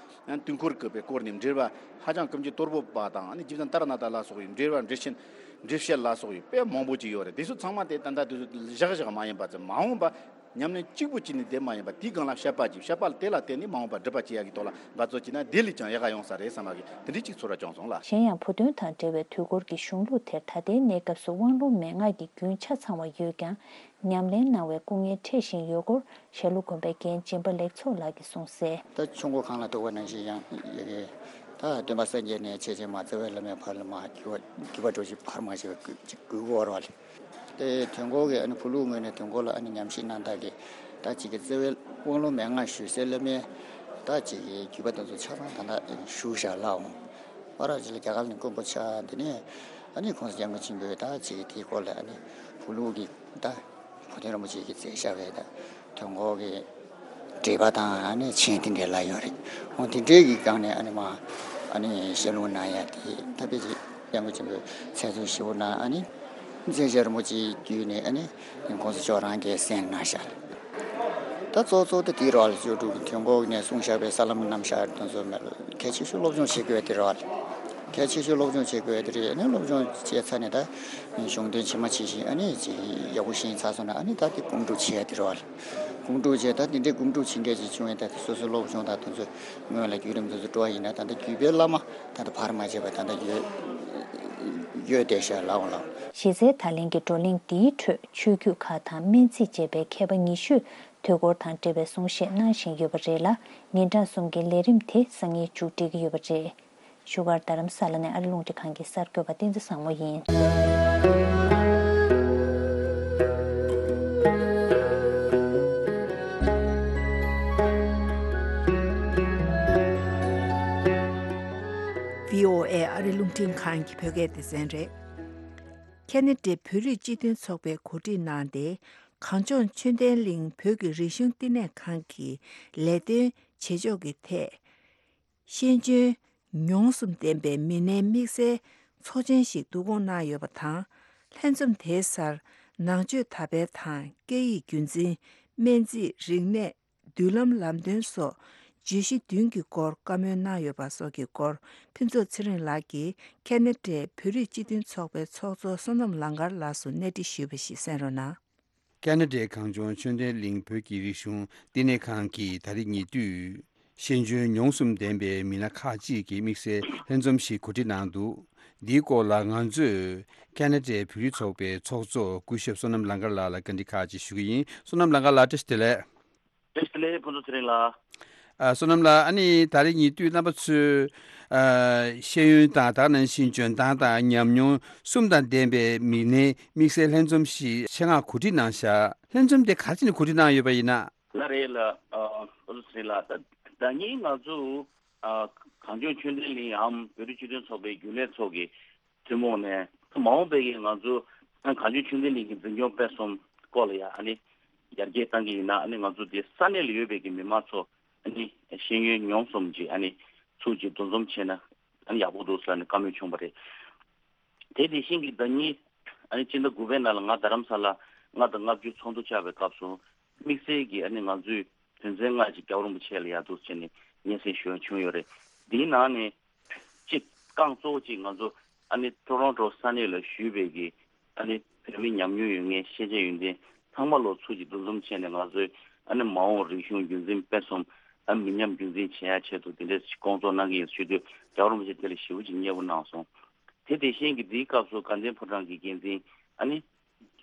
དུས་འཁོར་གྱི་སྐོར་ནས་འགྲེལ་པ་ཧ་ཅང་ཀུན་མཁྱེན་གཏོར་ཕོད་པ་དང་ཨ་ནི་རྗེ་བཙུན་ཏཱ་ར་ནཱ་ཐ་ལ་སོགས་པའི་འགྲེལ་པ་འགྲེལ་ཆེན་འགྲེལ་བཤད་ལ་སོགས་པའི་དཔེ་མང་པོ་ཅིག་ཡོད་རེད། འདི་ཚོ་ཚང་མ་དེ་ད་ལྟ་དུས་སུ་བཞག་བཞག་མ་ཡིན་པ་ཙམ་མ་འོངས་པ། ཉམས་ལེན་གཅིག་པུ་བྱས་ནས་བསྡད་མ་ཡིན་པར་དེའི་སྒང་ལ་དཔྱད་པ་བྱས། དཔྱད་པ་དེ་ལ་བརྟེན་ནས་མ་འོངས་པར་སྒྲུབ་པ་བྱེད་ཡག་གི་ཐོག་ལ་འབད་རྩོལ་བྱས་ན་དེ་ལས་ཀྱང་ཡག་ག་ཡོང་ས་རེད་བསམ་པ་གི་དེ་འདྲའི་གཅིག་ཚོར་བ་བྱུང་སོང་ལགས། གཞན་ཡང་བོད་དོན་དང་འབྲེལ་བའི་དུས་འཁོར་གྱི་གཞུང་ལུགས་དེར་ད་ལྟའི་གནས་སྐབས་སུ་དབང་ལུང་མན་ངག་གི་རྒྱུན་ཆ་ཚང་བ་ཡོད་ཀྱང་ཉམས་ལེན་གནང་བའི་སྐུ་ངལ་འཕྲད་བཞིན་ཡོད་སྐོར་ཞྭ་ལུ་དགོན་པའི་རྒན་སྦྱིན་པ་ལེགས་ཚོགས་ལགས་ཀྱིས་གསུངས་གསལ། ད་ཆུ་མགོ་གངས་ལ་གཏུགས་པ་ནང་བཞིན་ཡང་ཡོད་ཀྱི། ད་སྟོན་པ་སངས་རྒྱས་ནས་འཆད་ཅིང་མ་རྩེ་བའི་བླ་མའི་བར་ལ་མ་བརྒྱུད་པ་བརྒྱུད་པ་འགྲོ་ཞིང་བར་མ་ཆད་པའི་གུས་གུས་བཀུར་བ་རེད། དེ་དོན་འཁོར་གྱི་ཨ་ནི་བུ་ལུགས་ངོས་ནས་དོན་འཁོར་ལ་ཨ་ནི་ཉམས་ཞིབ་གནང་སྟངས་ཀྱི་ད་ཅིག་གི་རྩེ་བའི་དབང་ལུང་མན་ངག་ཞུ་སའི་བླ་མའི་ད་ཅིག་གི་བརྒྱུད་པ་དེ་ཚོ་ཆ་ཚང་ད་ལྟ་བཞུགས་བཞག་ལ་འོང་། བར་ཅིག་ལ་རྒྱ་གར་ནས་མགོན་པོ་ཆགས། དེ་ནས་ཨ་ནི་གོང་ས་སྐྱབས་མགོན་ཆེན་པོས་ད་ཅིག་གི་དེའི་སྐོར་ལ་ཨ་ནི་བུ་ལུགས་ཀྱི་ད་གོ་སྟོན་རིན་པོ་ཆེ་གིས་མཛད་བཞག་པའི་ད་དོན་འཁོར་གྱི་འགྲེལ་པ་དང་ཨ་ནི་མཆན་དེ་འདྲའི་ལ་ཡོད་རེད། འོ་དེ་འདྲའི་གི་སྒང་ནས་ཨ་ནི་མ་ཨ་ནི་ཞལ་ལུང་གནང་ཡ་དེ་ད་དཔེ་ཅིག་སྐྱབས་མགོན་ཆེན་པོས་མཛད་ཚུལ་ཞིབ་པོ་གནང་། ཨ་ནི་མཛད་བྱ་རིན་པོ་ཆེའི་བརྒྱུད་ནས་ཨ་ནི་གོང་ས་མཆོག་རང་གིས་གསན་གནང་ཤག། ད་གཙོ་གཙོ་ད་དེའི་རོགས་ལ་སྤྱོད་སྒྲུབ་ཀྱི་དོན་འཁོར་ནས་གསུངས་བཞག་པའི་ས་ལམ་རྣམ་གཞག་དེ་ཚོ་མེད་ལ་གལ་ཆེ་ཤོས་སློབ་སྦྱོང་བྱེད་དགོས་དེ་རོགས་ལ། གལ་ཆེ་ཤོས་སློབ་སྦྱོང་བྱེད་དགོས་དེ་རེད། ཨ་ནི་སློབ་སྦྱོང་བྱས་ཚར་ནས་ད་གཞུང་དོན་ཇི་མ་ཇི་བཞིན་ཨ་ནི་ཅིག་ཡག་པོ་ཤེས་ཚར་སོང་ན་ཨ་ནི་ད་དེ་སྒོམ་སྒྲུབ་བྱེད་ཡ་དེ་རེད་བ། སྒོམ་སྒྲུབ་བྱས་ད་དེ་འདྲའི་སྒོམ་སྒྲུབ་བྱེད་མཁན་ཅིག་བྱུང་ཡིན་ད་དེ་སོ་སོའི་སློབ་སྦྱོང་དང་དེ་ཚོ་སྔོན་ལ་བརྒྱུད་རིམ་དེ་ཚོ་འགྲོ་བ་ཡིན་ན་ད་ལྟ་བརྒྱུད་པའི་བླ་མ་ད་ལྟ་བར་མ་ཆད་པ་ད་ལྟ་ཡོད་ཡོད་བསྡད་ཤག་ལའོ་ལའོ། གཞི་རྩའི་ད་ལན་གྱི་བགྲོ་གླེང་འདིའི་ཁྲོད་ཆོས་བརྒྱུད་ཁག་དང་སྨན་རྩིས་བཅས་པའི་མཁས་པ་ཉི་ཤུས་དུས་འཁོར་དང་འབྲེལ་བའི་གསུང་བཤད་གནང་བཞིན་ཡོད་པ་རེད་ལ། ཉིན་གྲངས་གསུམ་གྱི་ལས་རིམ་དེ་སང་ཉིན་མཇུག་སྒྲིལ་གྱི་ཡོད་པ་རེད། བཞུགས་སྒར་རྡ་རམ་ས་ལ་ནས་ཨ་རི་རླུང་འཕྲིན་ཁང་གི་གསར་འགོད་པ་བསྟན་འཛིན་བཟང་མོ་ཡིན། བྷི་ཨོ་ཨེ་ཨ་རི་རླུང་འཕྲིན་ཁང་གི་བོད་སྐད་སྡེ་ཚན་རེད། ཁེ་ན་ཌའི་བོད་རིགས་སྤྱི་མཐུན་ཚོགས་པས་གོ་སྒྲིག་གནང་སྟེ། གངས་ལྗོངས་ཆོས་ལྡན་གླིང་བོད་ཀྱི་རིག་གཞུང་བསྟི་གནས་ཁང་གི་ལས་དོན་བྱེད་ཕྱོགས་ཀྱི་ཐད། ཤེས་འཇོན་མྱོང་གསུམ་ལྡན་པའི་མི་སྣའི་དམིགས་བསལ་ཚོགས་ཆེན་ཞིག་བསྡུ་སྐོང་གནང་ཡོད་པ་དང་། ལྷན་འཛོམས་དེའི་སར་ནང་ཆོས་དར་སྤེལ་དང་སྐད་ཡིག་རྒྱུན་འཛིན། སྨན་རྩིས། རིག་གནས། མདུན་ལམ་ལམ་སྟོན་སོགས་བརྗོད་གཞི་བདུན་གྱི་སྐོར་བཀའ་མོལ་གནང་ཡོད་པ་སོགས་ཀྱི་སྐོར་ཕུན་ཚོགས་ཚེ་རིང་ལགས་ཀྱིས་ཁེ་ན་ཌའི་བོད་རིགས་སྤྱི་མཐུན་ཚོགས་པའི་ཚོགས་གཙོ་བསོད་ནམས་ལང་དཀར་ལགས་སུ་གནས་འདྲི་ཞུས་པ་ཞིག་གསན་རོགས་གནང་། ཁེ་ན་ཌའི་གངས་ལྗོངས་ཆོས་ལྡན་གླིང་བོད་ཀྱི་རིག་གཞུང་བསྟི་གནས་ཁང་གིས་ད་རེས་ཉེ་དུས། ཤེས་འཇོན་མྱོང་གསུམ་ལྡན་པའི་མི་སྣ་ཁག་ཅིག་གི་དམིགས་བསལ་ལྷན་འཛོམས་ཤིག་གོ་སྒྲིག་གནང་འདུག། འདིའི་སྐོར་ལ་ང་ཚོས་ཁེ་ན་ཌའི་བོད་རིགས་ཚོགས་པའི་ཚོགས་གཙོ་སྐུ་ཞབས་བསོད་ནམས་ལང་དཀར་ལགས་ལ་བཀའ་འདྲི་ཁག་ཅིག་ཞུ་གི་ཡིན། བསོད་ནམས་ལང་དཀར་ལགས་བཀྲ་ཤིས་བདེ་ལེགས། བཀྲ་ཤིས་བདེ་ལེགས་ཕུན་ཚོགས་ཚེ་རིང་ལགས། ཨ། བསོད་ནམས་ལགས། ཨ་ནི་ད་རེས་ཉེ་དུས་རྣམ་པ་ཚོས་ཨ་ཤེས་ཡོན་དང་དེ་ནང་བཞིན་འཇོན་ཐང་དང་ཉམས་མྱོང་གསུམ་དང་ལྡན་པའི་མི་སྣའི་དམིགས་བསལ་ལྷན་འཛོམས་ཤིག་ཆེད་མངགས་གོ་སྒྲིག་གནང་བཞག། ལྷན་འཛོམས་དེ་ག་རེ་བྱས་ནས་གོ་སྒྲིག་གནང་ཡོད་པ་ཡིན་ན། ལགས་རེད་ལགས། ཨ་ཨ་ལོ་ཚེ་རིང་ལགས། ད་ཟླ་ཉིན་ང་ཚོ་ཨ་གངས་ལྗོངས་ཆོས་ལྡན་གླིང་འམ་བོད་རིགས་སྤྱི་མཐུན་ཚོགས་པའི་རྒྱུན་ལས་ཚོགས་ཀྱི་ཐུན་མོང་ནས་མ་འོངས་པའི་གི་ང་ཚོ་ཨ་གངས་ལྗོངས་ཆོས་ལྡན་གླིང་གི་འཛིན་སྐྱོང་སྤེལ་གསུམ་སྐོར་ལ་ཡ་ཨ་ནི་ཡར་རྒྱས་གཏང་གི་ཡིན་ན་ཨ་ནི་ང་ཚོ་དེ་ས་གནས་ལ་ཡོད་པའི་གི་མི་མང་ཚོ་ཨ་ནི་ཤེས་ཡོན་མྱོང་གསུམ་གྱི་ཨ་ནི་ཚུགས་ཀྱི་འདུ་འཛོམས་བྱས་ན་ཨ་ནི་ཡག་པོ་འདུག་ཟེར་ནས་བཀའ་མོལ་བྱུང་བ་རེད། དེ་དེ་བཞིན་གྱི་ཟླ་ཉིན་ཨ་ནི་སྤྱི་ཟླ་དགུ་པའི་ནང་ལ་ང་རྡ་རམ་ས་ལ་ལྔ་དང་ལྔ་བཅུ་ཚོགས་འདུ་བཅར་བའི་སྐབས་སུ་དམིགས་བསལ་གྱི་ཨ་ནི་ང་ཚོས་དོན་ཚན་ལྔ་ཅིག་རྒྱལ་བ་རིན་པོ་ཆེ་ལ་ཡར་འདུག་བྱས་ནས་སྙན་སེང་ཞུ་ཡ་བྱུང་ཡོད་རེད། འདིའི་ནང་ནས་གཅིག་རྐང་གཙོ་བོ་གཅིག་ང་ཚོ་ཨ་ནི་ཊོ་རོན་ཊོ་ས་གནས་ལ་བཞུགས་པའི་གི་ཨ་ནི་བོད་མི་ཉམས་མྱོང་ཡོད་མཁན་ཤེས་བྱ་ཡོན་ཏན་ཚང་མ་ལོ་ཚུགས་ཀྱི་འདུ་འཛོམས་བྱས་ནས་ང་ཚོས་ཨ་ནི་མ་འོངས་རིག་གཞུང་རྒྱུན་འཛིན་སྤེལ་གསུམ་ཨ་མི་ཉམས་རྒྱུན་འཛིན་བྱེད་ཡ་ཆེད་དུ་དེ་འདྲའི་སྐོང་ཚོགས་གནང་གི་ཡིན་ཞུས་དུས་རྒྱལ་བ་རིན་པོ་ཆེ་དེ་ལ་ཞེ་པོ་ཅིག་མཉེས་པོ་གནང་སོང་། དེ་དེ་བཞིན་གྱི་འདིའི་སྐབས་སུ་དགའ་ལྡན་ཕོ་བྲང་གི་འགན་འཛིན་ཨ་ནི་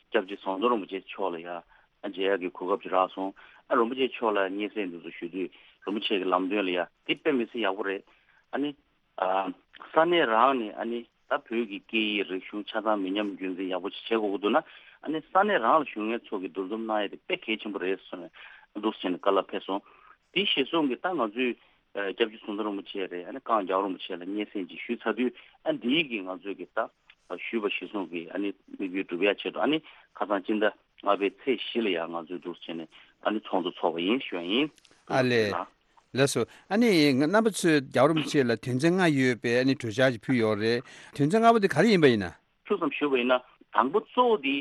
སྐྱབས་རྗེ་ཟམ་གདོང་རིན་པོ་ཆེ་མཆོག་ལ་ཡ་ཨ་མཇལ་ཡག་གི་གོ་སྐབས་ཅིག་རག་སོང་། ཨ་རིན་པོ་ཆེ་མཆོག་ལ་སྙན་སེང་འདི་ཚོ་ཞུ་དུས་རིན་པོ་ཆེ་གི་ལམ་སྟོན་ལ་ཡ་དེ་དཔེ་མི་སྲིད་ཡག་པོ་རེད། ཨ་ནི་ཨ་ས་གནས་རང་ནས་ཨ་ནི་ ད་བོད་ཀྱི་སྐད་ཡིག་རིག་གཞུང་ཆ་ཚང་མི་ཉམས་རྒྱུན་འཛིན་ཡག་པོ་ཅིག་བྱེད་དགོས་ཀྱི་འདུག་ན། ཨ་ནི་ས་གནས་རང་ལ་བཞུགས་མཁན་ཚོ་གིས་འདུ་འཛོམས་གནང་ཡ་དེ་དཔེ་གལ་ཆེན་པོ་རེད་ཟེར་ནས་འདུག་སེ་བྱས་ནས་བཀའ་སློབ་ཕེབས་སོང་། དེ་གཞིར་བཟུང་གིས་ད་ང་ཚོས་ཨ་སྐྱབས་རྗེ་ཟམ་གདོང་རིན་པོ་ཆེ་རེད། ཨ་ནི་ཀང་རྒྱལ་བ་རིན་པོ་ཆེ་ལ་སྙན་སེང་ཅིག་ཞུས་ཚར་དུས། ཨ་འདིའི་གི་ང་ཚོས་གི་ད་ཞུས་པ་གཞིར་བཟུང་གི་ཨ་ནི་དམིགས་ཡུལ་འགྲུབ་ཡ་ཆེད་དུ། ཨ་ནི་ཁ་སང་སྤྱི་ཟླ་ལྔ་པའི་ཚེས་བཞི་ལ་ཡང་ང་ཚོས་འདུག་སེ་བྱས་ནས་ཨ་ནི་ཚོགས་འདུ་ཚོགས་པ་ཡིན་ཞུ་ཡ་ཡིན། ཨ་ལས། ལགས་སོ། ཨ་ནི་རྣམ་པ་ཚོས་རྒྱལ་བ་རིན་པོ་ཆེ་ལ་དོན་ཚན་ལྔ་ཡོད་པའི་ཨ་ནི་གྲོས་འཆར་ཞིག་ཕུལ་ཡོད་རེད། དོན་ཚན་ལྔ་པ་དེ་ག་རེ་ཡིན་པ་ཡིན་ན། ཐུགས་བསམ་ཞུས་པ་ཡིན་ན། དང་པོ་གཙོ་བོ་དེ་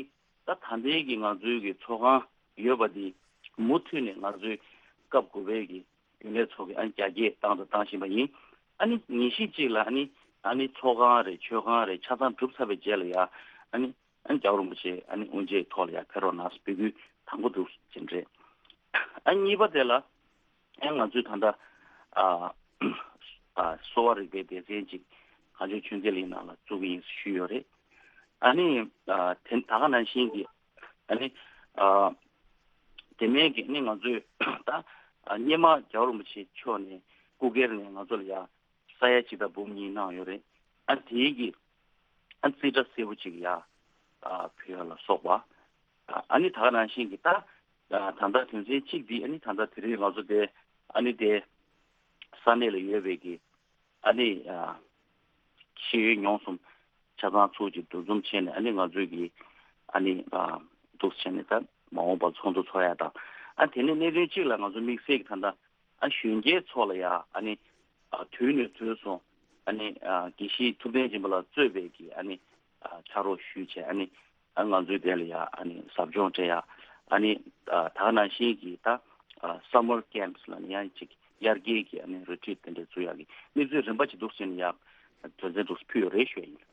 ད་ད་ལྟའི་གི་ང་ཚོའི་གི་ཚོགས་ཁང་ཡོད་པ་དེ་མུ་མཐུད་ནས་ང་ཚོའི་སྐབས་དགུ་པའི་གི་རྒྱུན་ལས་ཚོགས་ཀྱི་ཨ་ནི་རྒྱ་སྐྱེད་བཏང་དང་བཏང་བཞིན་པ་ཡིན། ཨ་ནི་ཉིན་ཤས་གཅིག་ལ་ཨ་ནི་ཨ་ནི་ཚོགས་ཁང་རེད། མཆོད་ཁང་རེད། ཆ་ཚང་གྲུབ་ཚར་བའི་རྗེས་ལ་ཡ་ཨ་ནི་ཨ་ནི་རྒྱལ་བ་རིན་པོ་ཆེ་ཨ་ནི་དབུ་འབྱེད་ཐོག་ལ་ཡ་ཕེབས་རོགས་གནང་ཟེར་འབོད་སྐུལ་དང་པོ་འདུག་ཅེས་རེད། ཨ་གཉིས་པ་དེ་ལ་ཨ་ང་ཚོས་ད་ལྟ་ཨ་ཨ་གསོ་བ་རིག་པའི་སྡེ་ཚན་ཅིག་གངས་ལྗོངས་ཆོས་ལྡན་གླིང་ནང་ལ་བཙུགས་ཀྱི་ཡིན་ཞུས་ཡོད་རེད། ཨ་ནི་ཨ་དེ་ད་ག་ནང་བཞིན་གྱི་ཨ་ནི་ཨ་དེ་མིན་གྱི་ཨ་ནི་ང་ཚོས་ད་ཨ་སྔོན་མ་རྒྱལ་བ་རིན་པོ་ཆེ་མཆོག་ནས་སྐུ་སྒེར་ནས་ང་ཚོ་ལ་ཡ་ས་ཡ་གཅིག་དང་འབུམ་གཉིས་གནང་ཡོད་རེད། ཨ་དེའི་གི་ཨ་རྩིས་ཁྲ་གསལ་པོ་ཅིག་ཡ་ཨ་ཕུལ་ཡ་ལ་སོགས་པ། ཨ་ནི་ད་ག་ནང་བཞིན་གྱི་ད་ད་ལྟ་དོན་ཚན་གཅིག་འདི་ཨ་ནི་ད་ལྟ་དེ་རིང་ང་ཚོ་དེ་ཨ་ནི་དེ་ས་གནས་ལ་ཡོད་པའི་གི་ཨ་ནི་ཤེས་ཡོན་ཉུང་གསུམ་ཆ་ཚང་ཚུར་གཅིག་འདུ་འཛོམས་བྱས་ནས། ཨ་ནི་ང་ཚོའི་གི་ཨ་ནི་འདུག་བྱས་ནས་ད་མ་འོངས་པར་ཚོགས་འདུ་ཚོགས་ཡ་དང་། ཨ་དེ་ནས་གནད་དོན་གཅིག་ལ་ང་ཚོ་དམིགས་བསལ་གྱི་ད་ལྟ་ཨ་གཞོན་སྐྱེས་ཚོ་ལ་ཡ་ཨ་ནི་ཨ་དུས་ནས་དུས་སུ་ཨ་ནི་ཨ་དགེ་བཤེས་ཐུབ་བསྟན་སྦྱིན་པ་ལགས་གཙོས་པའི་གི་ཨ་ནི་ཨ་ཕྱག་རོགས་ཞུས་བྱས། ཨ་ནི་ཨ་ང་ཚོའི་དེ་ལ་ཡ་ཨ་ནི་ཟབ་སྦྱོང་སྤྲད་ཡ། ཨ་ནི་ཨ་ད་ག་ནང་བཞིན་གྱི་ད་ཨ་summer camps་ལ་ནི་ཡང་ཅིག་དབྱར་ཁའི་གི་ཨ་ནི་retreat་དེ་འདྲ་བཙུགས་ཡ་གི་གནས་ཚུལ་རིམ་པ་ཅིག་འདུག་ཟེར་ནས་ཡ་དོན་ཚན་འདུག་ཕུལ་ཡོད་རེད་ཞུ་ཡ་ཡིན།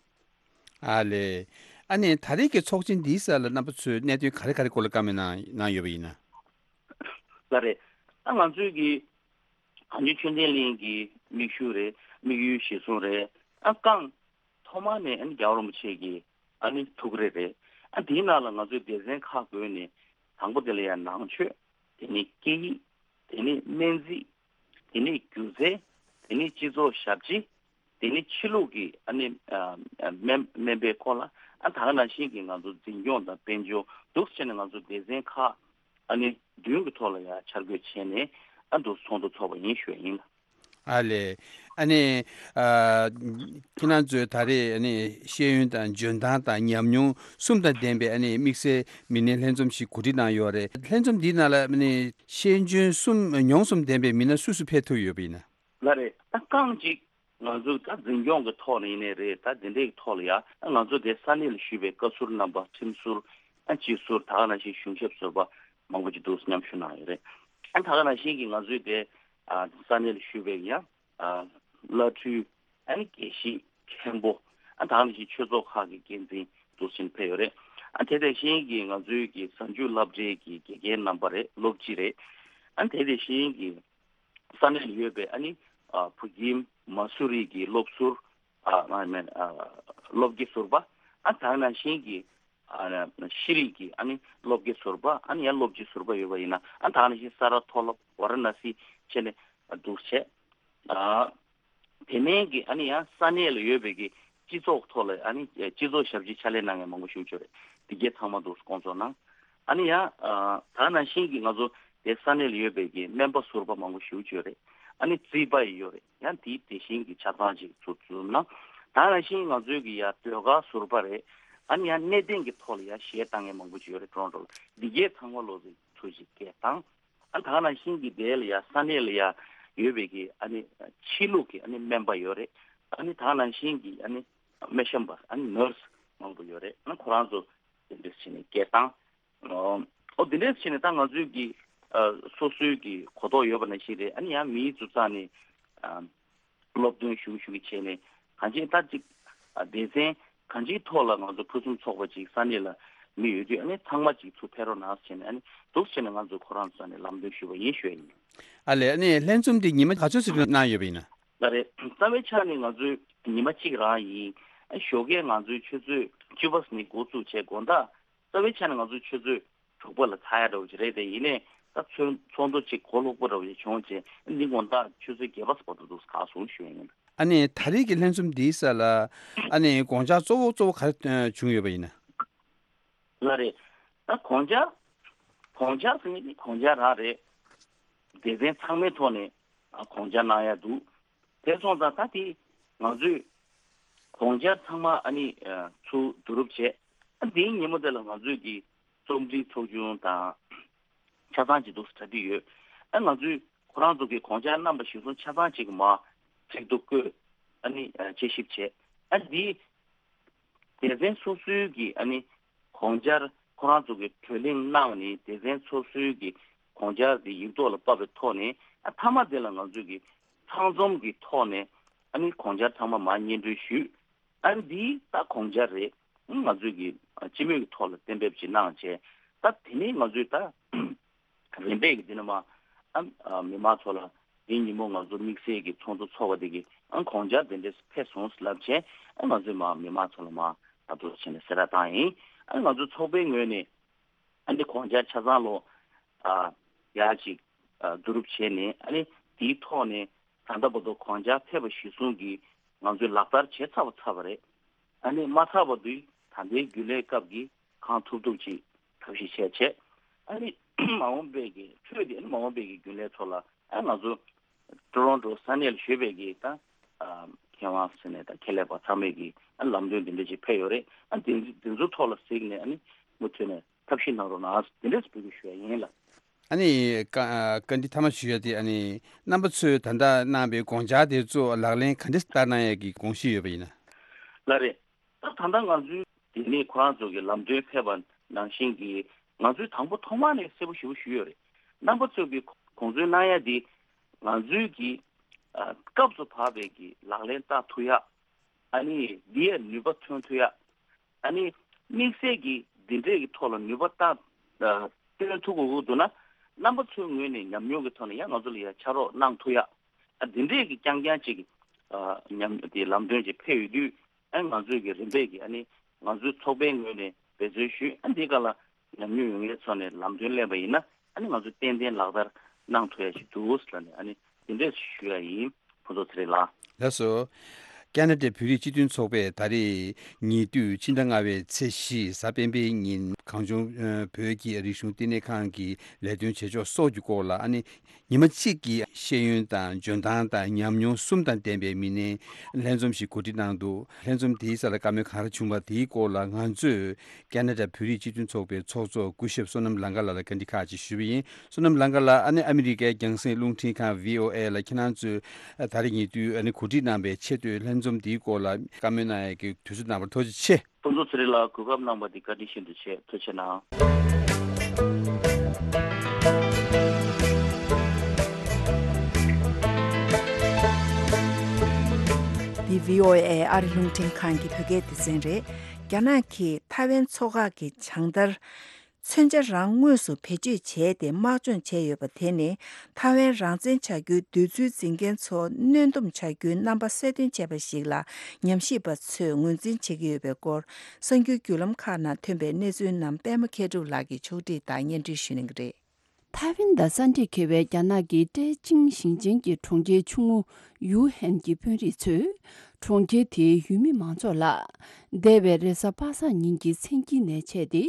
ཨ་ལས། ཨ་ནི་ད་རེས་ཀྱི་ཚོགས་ཆེན་འདིའི་སར་ལ་རྣམ་པ་ཚོས་གནད་དོན་ག་རེ་ག་རེ་སྐོར་ལ་བཀའ་མོལ་གནང་གནང་ཡོད་པ་ཡིན་ན། ལགས་རེད། ཨ་ང་ཚོའི་གི་གངས་ལྗོངས་ཆོས་ལྡན་གླིང་གི་མིག་ཤུགས་རེད། དམིགས་ཡུལ་གཞིར་བཟུང་རེད། ཨ་རྐང་ཐོག་མ་ནས་ཨ་ནི་རྒྱལ་བ་རིན་པོ་ཆེ་གི་ཨ་ནི་ཐུགས་རེ་རེད། ཨ་དེའི་ནང་ལ་ང་ཚོའི་སྡེ་ཚན་ཁག་བགོས་ནས། དང་པོ་དེ་ལ་ཡང་ནང་ཆོས། དེ་ནས་སྐད་ཡིག། དེ་ནས་སྨན་རྩིས། དེ་ནས་སྒྱུ་རྩལ། དེ་ནས་སྤྱི་ཚོགས་ཞབས་ཕྱི། དེ་ནས་ཕྱི་ལུགས་ཀྱི་ཨ་ནི་ཨ་སྨན་སྨན་པའི་སྐོར་ལ། ཨ་ད་ག་ནང་བཞིན་གྱི་ང་ཚོ་འཛིན་སྐྱོང་དང་དཔལ་འབྱོར་འདུག་སེ་བྱས་ནས་ང་ཚོ་སྡེ་ཚན་ཁག་ཨ་ནི་བདུན་གྱི་ཐོག་ལ་ཡང་འཆར་འགོད་བྱས་ནས་ཨ་འདུག་ཚོགས་འདུ་ཚོགས་པ་ཡིན་ཞུ་ཡ་ཡིན། ཨ་ལས། ཨ་ནི་ཨ་ཁྱེད་རང་ཚོས་ད་རེས་ཨ་ནི་ཤེས་ཡོན་དང་འཇོན་ཐང་དང་ཉམས་མྱོང་གསུམ་དང་ལྡན་པའི་ཨ་ནི་དམིགས་བསལ་མི་སྣའི་ལྷན་འཛོམས་ཤིག་གོ་སྒྲིག་གནང་ཡོད་རེད། ལྷན་འཛོམས་འདིའི་ནང་ལ་ཨ་ནི་ཤེས་འཇོན་གསུམ་མྱོང་གསུམ་ལྡན་པའི་མི་སྣ་སུ་སུ་ཕེབས་ཐུབ་ཡོད་པ་ཡིན་ན། ལགས་རེད། ད་རྐང་གཅིག་ང་ཚོ་ད་འཛིན་སྐྱོང་གི་ཐོག་ནས་ཡིན་ནའི་རེད། ད་འདི་འདྲའི་ཐོག་ལ་ཡ་ང་ཚོ་དེ་ས་གནས་ལ་བཞུགས་པའི་བཀའ་ཟུར་རྣམ་པ། ཁྲིམས་ཟུར། ཨ་སྤྱི་ཟུར། ད་ག་ནང་བཞིན་གཞུང་ཞབས་ཟུར་པ་མང་པོ་ཅིག་འདུག་མཉམ་ཞུགས་གནང་ཡོད་རེད། ཨ་ད་ག་ནང་བཞིན་གྱི་ང་ཚོའི་དེ་ཨ་ས་གནས་ལ་བཞུགས་པའི་ཡང་ཨ་བླ་སྤྲུལ། ཨ་ནི་དགེ་བཤེས་མཁན་པོ། ཨ་ད་ག་ནང་བཞིན་ཆོས་ཚོགས་ཁག་གི་འགན་འཛིན་འདུག་ཕྱིན་ཕེབས་ཡོད་རེད། ཨ་དེ་དེ་བཞིན་གྱི་ང་ཚོའི་གི་གཟའ་མཇུག་སློབ་གྲྭའི་གི་དགེ་རྒན་རྣམ་པ་རེད། སློབ་སྤྱི་རེད། ཨ་དེ་དེ་བཞིན་གྱི་ས་གནས་ལ་ཡོད་པའི་ཨ་ནི་ཨ་བོད་ཁྱིམ་མ་སུ་རི་གི་སློབ་ཟུར། ཨ་ང་མེད་ཨ་སློབ་དགེ་ཟུར་པ། ཨ་ད་ག་ནང་བཞིན་གྱི་ཨ་ཤེས་རིག་གི་ཨ་ནི་སློབ་དགེ་ཟུར་པ། ཨ་ནི་ཡང་སློབ་སྤྱི་ཟུར་པ་ཡོད་པ་ཡིན་ན། ཨ་ད་ག་ནང་བཞིན་ས་རཱ་མཐོ་སློབ། ཝཱ་ར་ཎ་སི་བྱས་ནས་འདུག་བྱས། ཨ་དེ་མིན་གྱི་ཨ་ནི་ཡང་ས་གནས་ལ་ཡོད་པའི་གི་སྤྱི་ཚོགས་ཐོག་ལ་ཨ་ནི་སྤྱི་ཚོགས་ཞབས་ཕྱི་ཕྱག་ལས་གནང་མཁན་མང་པོ་ཞིག་ཡོད་རེད། འདི་གའི་ཚང་མ་འདུག་སྐོང་ཚོགས་གནང་། ཨ་ནི་ཡང་ཨ་ད་ག་ནང་བཞིན་གྱི་ང་ཚོ་དེ་ས་གནས་ལ་ཡོད་པའི་གི་སྨན་པ་ཟུར་པ་མང་པོ་ཞིག་ཡོད་རེད། ཨ་ནི་རྩིས་པ་ཡི་ཡོད་རེད། ཡང་དེའི་དེ་བཞིན་གྱི་ཆ་ཚང་ཅིག་ཚུར་འཛོམས་གནང་། ད་ག་ནང་བཞིན་ང་ཚོའི་གི་ཡ་ཟློས་གར་ཟུར་པ་རེད། ཨ་ནི་ཡང་གནས་བརྟན་གྱི་ཐོག་ལ་ཡ་གཞས་བཏང་མཁན་མང་པོ་ཅིག་ཡོད་རེད། ཀྲོན་ཀྲོ་ལ། འདི་གའི་ཚང་མ་ལོ་ཚོ་ཚུར་ཅིག་སྐད་བཏང་། ཨ་ད་ག་ནང་བཞིན་གྱི་དེ་ལ་ཡ་ས་གནས་ལ་ཡ་ཡོད་པའི་གི་ཨ་ནི་ཕྱི་ལུགས་ཀྱི་ཨ་ནི་སྨན་པ་ཡོད་རེད། ཨ་ནི་ད་ག་ནང་བཞིན་གྱི་ཨ་ནི་སྨན་ཞབས་པ། ཨ་ནི་ནར་སི་མང་པོ་ཡོད་རེད། ཨ་ནི་ཁོ་རང་ཚོ་དེ་འདྲ་བྱས་ནས་སྐད་བཏང་། ཨོ་དེ་འདྲ་བྱས་ནས་ད་ང་ཚོའི་གི་ཨ་སོ་སོའི་གི་གོ་རྟོགས་ཡོད་པ་ནང་བཞིན་རེད། ཨ་ནི་ཡང་མིའི་ཚོ་རྩ་ནས་ཨ་སློབ་སྟོན་ཞུ་ཞུ་གི་བྱས་ནས་གང་ཅི་ད་ཅིག་ཨ་སྡེ་ཚན་གང་ཅིའི་ཐོག་ལ་ང་ཚོ་ཕུན་སུམ་ཚོགས་པ་ཅིག་ས་གནས་ལ་མི་ཡོད་དུས། ཨ་ནི་ཚང་མ་ཅིག་ཚུར་ཕེབས་རོགས་གནང་ཟེར་ནས། ཨ་ནི་འདུག་བྱས་ནས་ང་ཚོ་ཁོ་རང་ཚོ་ནས་ལམ་སྟོན་ཞུས་པ་ཡིན་ཞུ་ཡ་ཡིན། ཨ་ལས། ཨ་ནི་ལྷན་འཛོམས་འདི་ཉི་མ་ག་ཚོད་ཙམ་གནང་ཡོད་པ་ཡིན་ན། ལགས་རེད། རྩ་བའི་ཆ་ནས་ང་ཚོའི་ཉི་མ་གཅིག་རང་ཡིན། ཨ་ཞོགས་ཀས་ང་ཚོའི་ཆུ་ཚོད་བཅུ་པ་ནས་འགོ་བཙུགས་བྱས། དགོང་དག་རྩ་བའི་ཆ་ནས་ང་ཚོའི་ཆུ་ཚོད་དྲུག་པ་ལ་ཚར་ཡ་འདྲ་བོ་ཅིག་རེད་དེ། ཡིན་ནའི་ད་ཚོགས་ཚོགས་འདུ་ཅིག་གོ་ལོག་པོ་འདྲ་བོ་ཅིག་བྱུང་བྱས། འདི་དགོང་དག་ཆུ་ཚོད་བརྒྱད་པ་བར་དུ་འདུག་ག་སོང་ཞུ་ཡ་ཡིན། ཨ་ནི་ད་རེས་ཀྱི་ལྷན་འཛོམས་འདིའི་སར་ལ་ཨ་ནི་དགོངས་འཆར་གཙོ་བོ་གཙོ་བོ་ག་རེ་བྱུང་ཡོད་པ་ཡིན་ན། ལགས་རེད། ད་དགོངས་འཆར་དགོངས་འཆར་ཟེར་མཁན་དེ་དགོངས་འཆར་རང་རེད། སྡེ་ཚན་ཚང་མའི་ཐོག་ནས་ཨ་དགོངས་འཆར་གནང་ཡ་འདུག་དེ་སོང་ཙང་ད་དེ་ང་ཚོས་དགོངས་འཆར་ཚང་མ་ཨ་ནི་ཨ་ཚུར་བསྡུ་རུབ་བྱས། ཨ་དེའི་ཉིན་མོ་དེ་ལ་ང་ཚོས་ཀྱི་རྩོམ་སྒྲིག་ཚོགས་ཆུང་དང་ཆ་ཚང་ཅིག་འདུག་སེ་གྲ་སྒྲིག་ཡོད། ཨ་ང་ཚོས་ཁོ་རང་ཚོ་གི་དགོངས་འཆར་རྣམ་པ་གཞིར་བཟུང་ཆ་ཚང་ཅིག་གི་མར་ཚིག་ཐོ་བཀོད། ཨ་ནི་ཨ་དཔྱད་ཞིབ་བྱས། ཨ་དེ་སྡེ་ཚན་སོ་སོའི་གི་ཨ་ནི་དགོངས་འཆར་ཁོ་རང་ཚོ་གི་གྲོས་གླེང་གནང་ནས་སྡེ་ཚན་སོ་སོའི་གི་དགོངས་འཆར་དེ་ཡིག་ཐོག་ལ་ཕབ་པའི་ཐོག་ནས། ཨ་མཐའ་མ་དེ་ལ་ང་ཚོས་ཀྱི་ཚང་འཛོམས་ཀྱི་ཐོག་ནས་ཨ་ནི་དགོངས་འཆར་ཚང་མ་མར་སྙན་སྒྲོན་ཞུས། ཨ་ནི་འདི་ད་དགོངས་འཆར་རེད། ང་ཚོས་ཀྱི་ཨ་སྤྱི་མོས་ཀྱི་ཐོག་ལ་གཏན་འབེབས་ཅིག་གནང་བྱས། ད་དེ་ནས་ང་ཚོས་ད་རིམ་པས་ཀྱི་འདི་ནས་མར་ཨ་ཨ་མི་མང་ཚོ་ལ་འདིའི་ཉིན་མོ་ང་ཚོ་དམིགས་བསལ་གྱི་ཚོགས་འདུ་ཚོགས་པ་དེ་གི་ཨ་དགོངས་འཆར་དེ་འདྲས་ཕེབས་སོང་ལབ་བྱས། ཨ་ང་ཚོས་མར་མི་མང་ཚོ་ལ་མར་ད་དུ་བྱས་ནས་གསལ་བསྒྲགས་བཏང་ཡིན། ཨ་ང་ཚོ་ཚོགས་པའི་ངོས་ནས་ཨ་འདི་དགོངས་འཆར་ཆ་ཚང་ལོ་ཨ་ཡར་ཅིག་ཨ་བསྡུ་རུབ་བྱས་ནས། ཨ་ནི་དེའི་ཐོག་ནས་ད་ལྟ་བར་དུ་དགོངས་འཆར་ཕེབས་པ་གཞིར་བཟུང་གིས་ང་ཚོས་ལག་བསྟར་བྱས་ཚར་བ་ཚར་བ་རེད། ཨ་ནི་མ་ཚར་བར་དུ་ད་ལྟའི་རྒྱུན་ལས་སྐབས་ཀྱི་གང་ཐུབ་ཐུབ་ཅིག་ཐབས་ཤེས་བྱས་བྱས། ཨ་ནི་མ་འོངས་པའི་གི་འཕྲོས་དེ། ཨ་ནི་མ་འོངས་པའི་གི་རྒྱུན་ལས་ཚོ་ལ་ཨ་ང་ཚོ་ཊོ་རོན་ཊོ་ས་གནས་ལ་བཞུགས་པའི་གི་ད་ཨ་མཁས་དབང་ཟེར་ནས་ད་ཁྱད་ལས་པ་ཚང་མས་གི་ཨ་ལམ་སྟོན་དེ་འདྲ་ཅིག་ཕེབས་ཡོད་རེད། ཨ་དེ་དེ་ཚོ་ཐོག་ལ་གཟིགས་ནས་ཨ་ནི་མུ་མཐུད་ནས་ཐབས་ཤེས་གནང་རོགས་གནང་། དེ་འདྲས་འབོད་སྐུལ་ཞུ་ཡ་ཡིན་ལགས། ཨ་ནི་བཀའ་ཨ་བཀའ་འདྲི་མཐའ་མ་ཞུ་ཡ་དེ། ཨ་ནི་རྣམ་པ་ཚོས་ད་ལྟ་གནང་པའི་དགོངས་འཆར་དེ་ཚོ་ལག་ལེན་ག་འདྲས་བསྟར་གནང་ཡ་གི་དགོངས་གཞི་ཡོད་པ་ཡིན་ན། ལགས་རེད། ད་ད་ལྟ་ང་ཚོའི་དེ་ནས་ཁོ་རང་ཚོ་གི་ལམ་སྟོན་ཕེབས་པ་ནང་བཞིན་གྱི་ང་ཚོས་དང་པོ་ཐོག་མ་ནས་གསལ་པོ་ཞེ་པོ་ཞུས་ཡོད་རེད། རྣམ་པ་ཚོས་ཀྱི་དགོངས་ཚུལ་གནང་ཡ་དེ་ང་ཚོའི་གི་ཨ་སྐབས་སུ་བབས་པའི་གི་ལག་ལེན་བསྟར་ཐུབ་ཡ། ཨ་ནི་འདི་ཡ་ནུས་པ་ཐོན་ཐུབ་ཡ། ཨ་ནི་དམིགས་བསལ་གྱི་འདི་འདྲས་ཀྱི་ཐོག་ལ་ནུས་པ་བཏང་ཨ་བཏོན་ཐུབ་དགོས་ཀྱི་འདུག་ན། རྣམ་པ་ཚོའི་ངོས་ནས་ཉམས་མྱོང་གི་ཐོག་ནས་ཡང་ང་ཚོ་ལ་ཡང་ཕྱག་རོགས་གནང་ཐུབ་ཡ། ཨ་འདི་འདྲས་ཀྱི་རྐྱང་རྐྱང་ཅིག་ཨ་ཉམས་དེ་ལམ་སྟོན་ཅིག་ཕེབས་ཡོད་དུས། ཨ་ང་ཚོས་ཀྱི་རིམ་པས་ཀྱི་ཨ་ནི་ང་ཚོའི་ཚོགས་པའི་ངོས་ནས་འབད་བརྩོན་ཞུས། ཨ་འདི་ག་ལ་ཉམས་མྱོང་ཡོད་མཁན་ཚོ་ནས་ལམ་སྟོན་ལེན་པ་ཡིན་ན། ཨ་ནི་ང་ཚོས་ཏན་ཏན་ལག་བསྟར་གནང་ཐུབ་ཡ་ཞིག་འདུག་ཟེར་ནས། ཨ་ནི་དེ་འདྲས་ཞུ་ཡ་ཡིན། ཕུན་ཚོགས་ཚེ་རིང་ལགས། ལགས་སོ། ཁ་ན་ཌའི་བོད་རིགས་སྤྱི་མཐུན་ཚོགས་པས་ད་རེས་ཉེ་དུས་ཕྱི་ཟླ་ལྔ་པའི་ཚེས་བཞི་གཟའ་སྤེན་པའི་ཉིན་གངས་ལྗོངས་ཨ་བོད་ཀྱི་རིག་གཞུང་བསྟི་གནས་ཁང་གི་ལས་དོན་བྱེད་ཕྱོགས་སོགས་ཀྱི་སྐོར་ལ། ཨ་ནི་ཉི་མ་གཅིག་གི་ཤེས་ཡོན་དང་འཇོན་ཐང་དང་ཉམས་མྱོང་གསུམ་དང་ལྡན་པའི་མི་སྣའི་ལྷན་འཛོམས་ཤིག་གོ་སྒྲིག་གནང་འདུག་ལྷན་འཛོམས་དེའི་སར་ལ་བཀའ་མོལ་ག་རེ་བྱུང་བ་དེའི་སྐོར་ལ་ང་ཚོས་ཁ་ན་ཌ་བོད་རིགས་སྤྱི་མཐུན་ཚོགས་པའི་ཚོགས་གཙོ་སྐུ་ཞབས་བསོད་ནམས་ལང་ཀ་ལགས་ལ་བཀའ་འདྲི་ཁག་ཅིག་ཞུས་པ་ཡིན། བསོད་ནམས་ལང་ཀ་ལགས། ཨ་ནི་ཨ་མི་རི་ཀའི་རྒྱང་སྲིང་རླུང་འཕྲིན་ཁང་བྷི་ཨོ་ཨེ་ལ་ཁྱེད་རང་ཚོས་ཨ་ད་རེས་ཉེ་དུས་ཨ་ནི་གོ་སྒྲིག་གནང་བའི་ཆེས་མཐོའི་ལྷན་འཛོམས་འདིའི་སྐོར་ལ་བཀའ་མོལ་གནང་ཡས་ཀྱི་དུས་ཚོད་གནང་བར་ཐུགས་རྗེ་ཆེ། ཕུན་ཚོགས་ཚེ་རིང་ལགས། གོ་སྐབས་གནང་བ་འདི་བཀའ་དྲིན་ཤིན་ཏུ་ཆེ། ཐུགས་རྗེ་གནང་། འདི་བྷི་ཨོ་ཨེ་ཨ་རི་རླུང་འཕྲིན་ཁང་གི་བོད་སྐད་སྡེ་ཚན་རེད། རྒྱ་ནག་གིས་ཐའེ་ཝན་མཚོ་འགག་གི་བྱང་མཐར་མཚོན་ཆ་རང་དངོས་སུ་བེད་སྤྱོད་བྱས་ཏེ་དམག་སྦྱོང་བྱས་ཡོད་པ་དེ་ནི་ཐའེ་ཝན་རང་བཙན་བྱ་རྒྱུའི་འདོད་ཚུལ་འཛིན་མཁན་ཚོ་གནོན་སྡོམ་བྱ་རྒྱུའི་རྣམ་པ་གསལ་སྟོན་བྱས་པ་ཞིག་ལ་ཉམས་ཞིབ་པ་ཚོས་ངོས་འཛིན་བྱེད་ཀྱི་ཡོད་པའི་སྐོར། གསར་འགྱུར་བརྒྱུད་ལམ་ཁག་ནང་ཐོན་པའི་གནས་ཚུལ་རྣམས་པད་མ་མཁས་གྲུབ་ལགས་ཀྱིས་ཕྱོགས་སྒྲིག་དང་སྙན་སྒྲོན་ཞུ་གནང་གི་རེད། ཐའེ་ཝན་དང་ས་འདྲེས་འཁེལ་བའི་རྒྱ་ནག་གི་ཀྲེ་ཅིང་ཞིང་ཆེན་གྱི་གྲོང་ཁྱེར་ཆུང་ངུ་ཡུའུ་ཧན་གྱི་དཔོན་རིགས་ཚོས་གྲོང་ཁྱེར་དེའི་ཡུལ་མི་མང་ཚོགས་ལ། འདས་པའི་རེས་གཟའ་པ་སངས་ཉིན་གྱི་མཚན་དཀྱིལ་ནས་བྱས་ཏེ།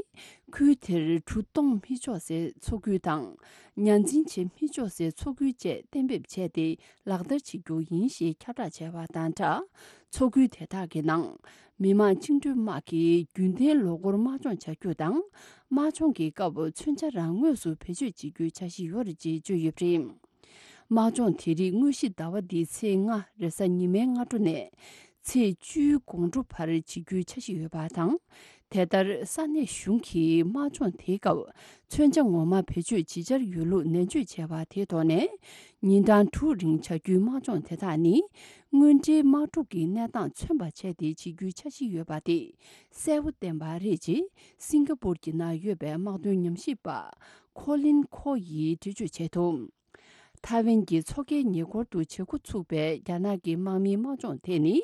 ཁུལ་དེར་གྲུ་གཏོང་མི་ཆོག་སའི་འཚོ་ཁུལ་དང་། ཉ་འཛིན་བྱེད་མི་ཆོག་སའི་འཚོ་ཁུལ་བཅས་གཏན་འབེབས་བྱས་ཏེ། ལག་བསྟར་བྱེད་རྒྱུ་ཡིན་ཞེས་ཁྱབ་བསྒྲགས་བྱས་པ་དང་སྦྲགས། མཚོ་ཁུལ་དེ་དག་གི་ནང་མི་དམངས་བཅིངས་འགྲོལ་དམག་གིས་རྒྱུན་ལྡན་ལོ་འཁོར་དམག་སྦྱོང་བྱ་རྒྱུ་དང་། དམག་སྦྱོང་གི་སྐབས་མཚོན་ཆ་རང་དངོས་སུ་བེད་སྤྱོད་བྱེད་རྒྱུའི་འཆར་གཞི་ཡོད་རེད་ཅེས་བརྗོད་ཡོད་པ་རེད། དམག་སྦྱོང་དེ་རིགས་དངོས་གཞི་ཟླ་བ་འདིའི་ཚེས་ལྔ་རེས་གཟའ་ཉི་མའི་སྔ་དྲོ་ནས་ཚེས་བཅུའི་དགོང་དྲོ་བར་བྱེད་རྒྱུའི་འཆར་གཞི་ཡོད་པ་དང་། དེ་ལྟར་ས་གནས་གཞུང་གིས་དམག་སྦྱོང་དེའི་སྐབས་མཚོན་ཆ་ངོ་མ་བེད་སྤྱོད་ཇི་བྱར་ཡོད་ལུགས་ནན་བརྗོད་བྱས་པ་དེའི་ཐོག་ནས། ཉིན་གྲངས་དྲུག་རིང་བྱ་རྒྱུའི་དམག་སྦྱོང་དེ་དག་ནི་དངོས་འབྲེལ་དམག་འཁྲུག་གི་གནས་སྟངས་མཚོན་པ་བྱས་ཏེ་བྱེད་རྒྱུའི་འཆར་གཞི་ཡོད་པ་དེ་གསལ་པོ་བསྟན་པ་རེད་ཅེས་སིང་ག་པུར་གྱི་ནང་ཡོད་པའི་དམག་དོན་ཉམས་ཞིབ་པ་ཁོ་ལིན་ཁོ་ཡིས་འགྲེལ་བརྗོད་བྱས་འདུག་ཐའེ་ཝན་གྱི་མཚོ་ཁའི་ཉེ་འཁོར་དུ་བྱེད་འགོ་ཚུགས་པའི་རྒྱ་ནག་གི་དམག་མིའི་དམག་སྦྱོང་དེ་ནི།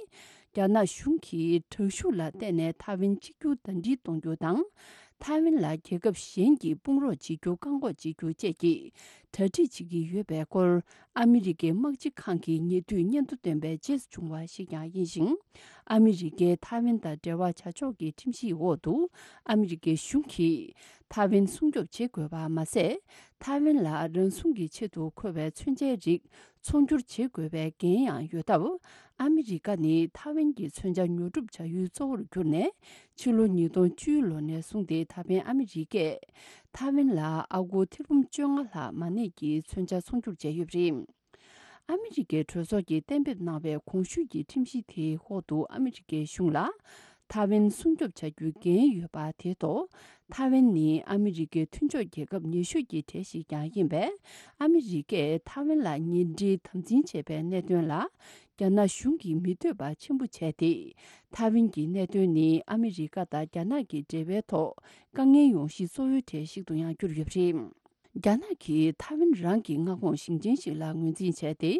རྒྱ་ནག་གཞུང་གིས་དྲག་ཤུགས་ལ་བརྟེན་ནས་ཐའེ་ཝན་གཅིག་གྱུར་ཟླ་སྒྲིལ་གཏོང་རྒྱུ་དང་། ཐའེ་ཝན་ལ་རྒྱལ་ཁབ་གཞན་གྱིས་དཔུང་རོགས་བྱེད་རྒྱུ་བཀག་འགོག་བྱེད་རྒྱུ་བཅས་ཀྱི་ གྲ་སྒྲིག་བྱེད་ཀྱི་ཡོད་པའི་སྐོར། ཨ་མི་རི་ཀའི་དམག་སྤྱི་ཁང་གི་ཉེ་དུས་སྙན་ཐོ་བཏོན་པའི་རྗེས་སུ་བྱུང་བ་ཞིག་ཀྱང་ཡིན་ཞིང་། ཨ་མི་རི་ཀས་ཐའེ་ཝན་དང་འབྲེལ་བ་བྱ་ཕྱོགས་ཀྱི་ཁྲིམས་གཞིའི་འོག་ཏུ། ཨ་མི་རི་ཀའི་གཞུང་གིས་ཐའེ་ཝན་སྲུང་སྐྱོབ་བྱེད་དགོས་པ་མ་ཟད། ཐའེ་ཝན་ལ་རང་སྲུང་གི་ཆེད་དུ་མཁོ་བའི་མཚོན་ཆའི་རིགས་ཚོང་སྒྱུར་བྱེད་དགོས་པའི་འགན་ཡང་ཡོད་སྟབས། ཨ་མི་རི་ཀ་ནི་ཐའེ་ཝན་གྱི་མཚོན་ཆ་ཉོ་སྒྲུབ་བྱ་ཡུལ་གཙོ་བོར་གྱུར་ནས། ཕྱི་ལོ་ཉིས་སྟོང་བཅུའི་ལོ་ནས་བཟུང་སྟེ། ད་ཕན་ཨ་མི་རི་ཀས་ཐའེ་ཝན་ལ་ཨ་སྒོར་ཐེར་འབུམ་བཅོ་ལྔ་ལྷག་མ་གནས་ཀྱི་མཚོན་ཆ་ཚོང་སྒྱུར་བྱས་ཡོད་པ་རེད། ཨ་མི་རི་ཀའི་གྲོས་ཚོགས་ཀྱིས་གཏན་འབེབས་གནང་བའི་གོང་ཞུས་ཀྱི་ཁྲིམས་གཞི་དེའི་འོག་ཏུ། ཨ་མི་རི་ཀའི་གཞུང་ལ་ཐའེ་ཝན་སྲུང་སྐྱོབ་བྱ་རྒྱུའི་འགན་ཡོད་པ་དེ་ཐོག་ཐའེ་ཝན་ནི་ཨ་མི་རི་ཀའི་མཐུན་ཕྱོགས་རྒྱལ་ཁབ་ཉེ་ཤོས་ཀྱི་གྲས་ཤིག་ཀྱང་ཡིན་པས། ཨ་མི་རི་ཀས་ཐའེ་ཝན་ལ་ཉེ་འབྲེལ་དམ་འཛིན་བྱས་པའི་གནད་དོན་ལ། རྒྱ་ནག་གཞུང་གིས་མི་འདོད་པ་ཆེན་པོ་བྱས་ཏེ། ཐའེ་ཝན་གྱི་གནད་དོན་ནི་ཨ་མི་རི་ཀ་དང་རྒྱ་ནག་གི་འབྲེལ་བའི་ཐོག་དཀའ་ངལ་ཡོང་གཞི་གཙོ་བོའི་གྲས་ཤིག་ཏུ་ཡང་གྱུར་ཡོད་པ་རེད། རྒྱ་ནག་གིས་ཐའེ་ཝན་རང་གི་མངའ་ཁོངས་ཞིང་ཆེན་ཞིག་ལ་ངོས་འཛིན་བྱས་ཏེ།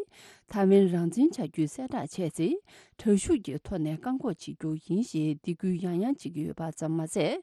ཐའེ་ཝན་རང་བཙན་བྱ་རྒྱུའི་གསལ་བསྒྲགས་བྱས་ཚེ། དྲག་ཤུགས་ཀྱི་ཐོག་ནས་བཀག་འགོག་བྱེད་རྒྱུ་ཡིན་ཞེས་སྡིགས་སྐུལ་ཡང་ཡང་བྱེད་ཀྱི་ཡོད་པ་ཙམ་མ་ཟད།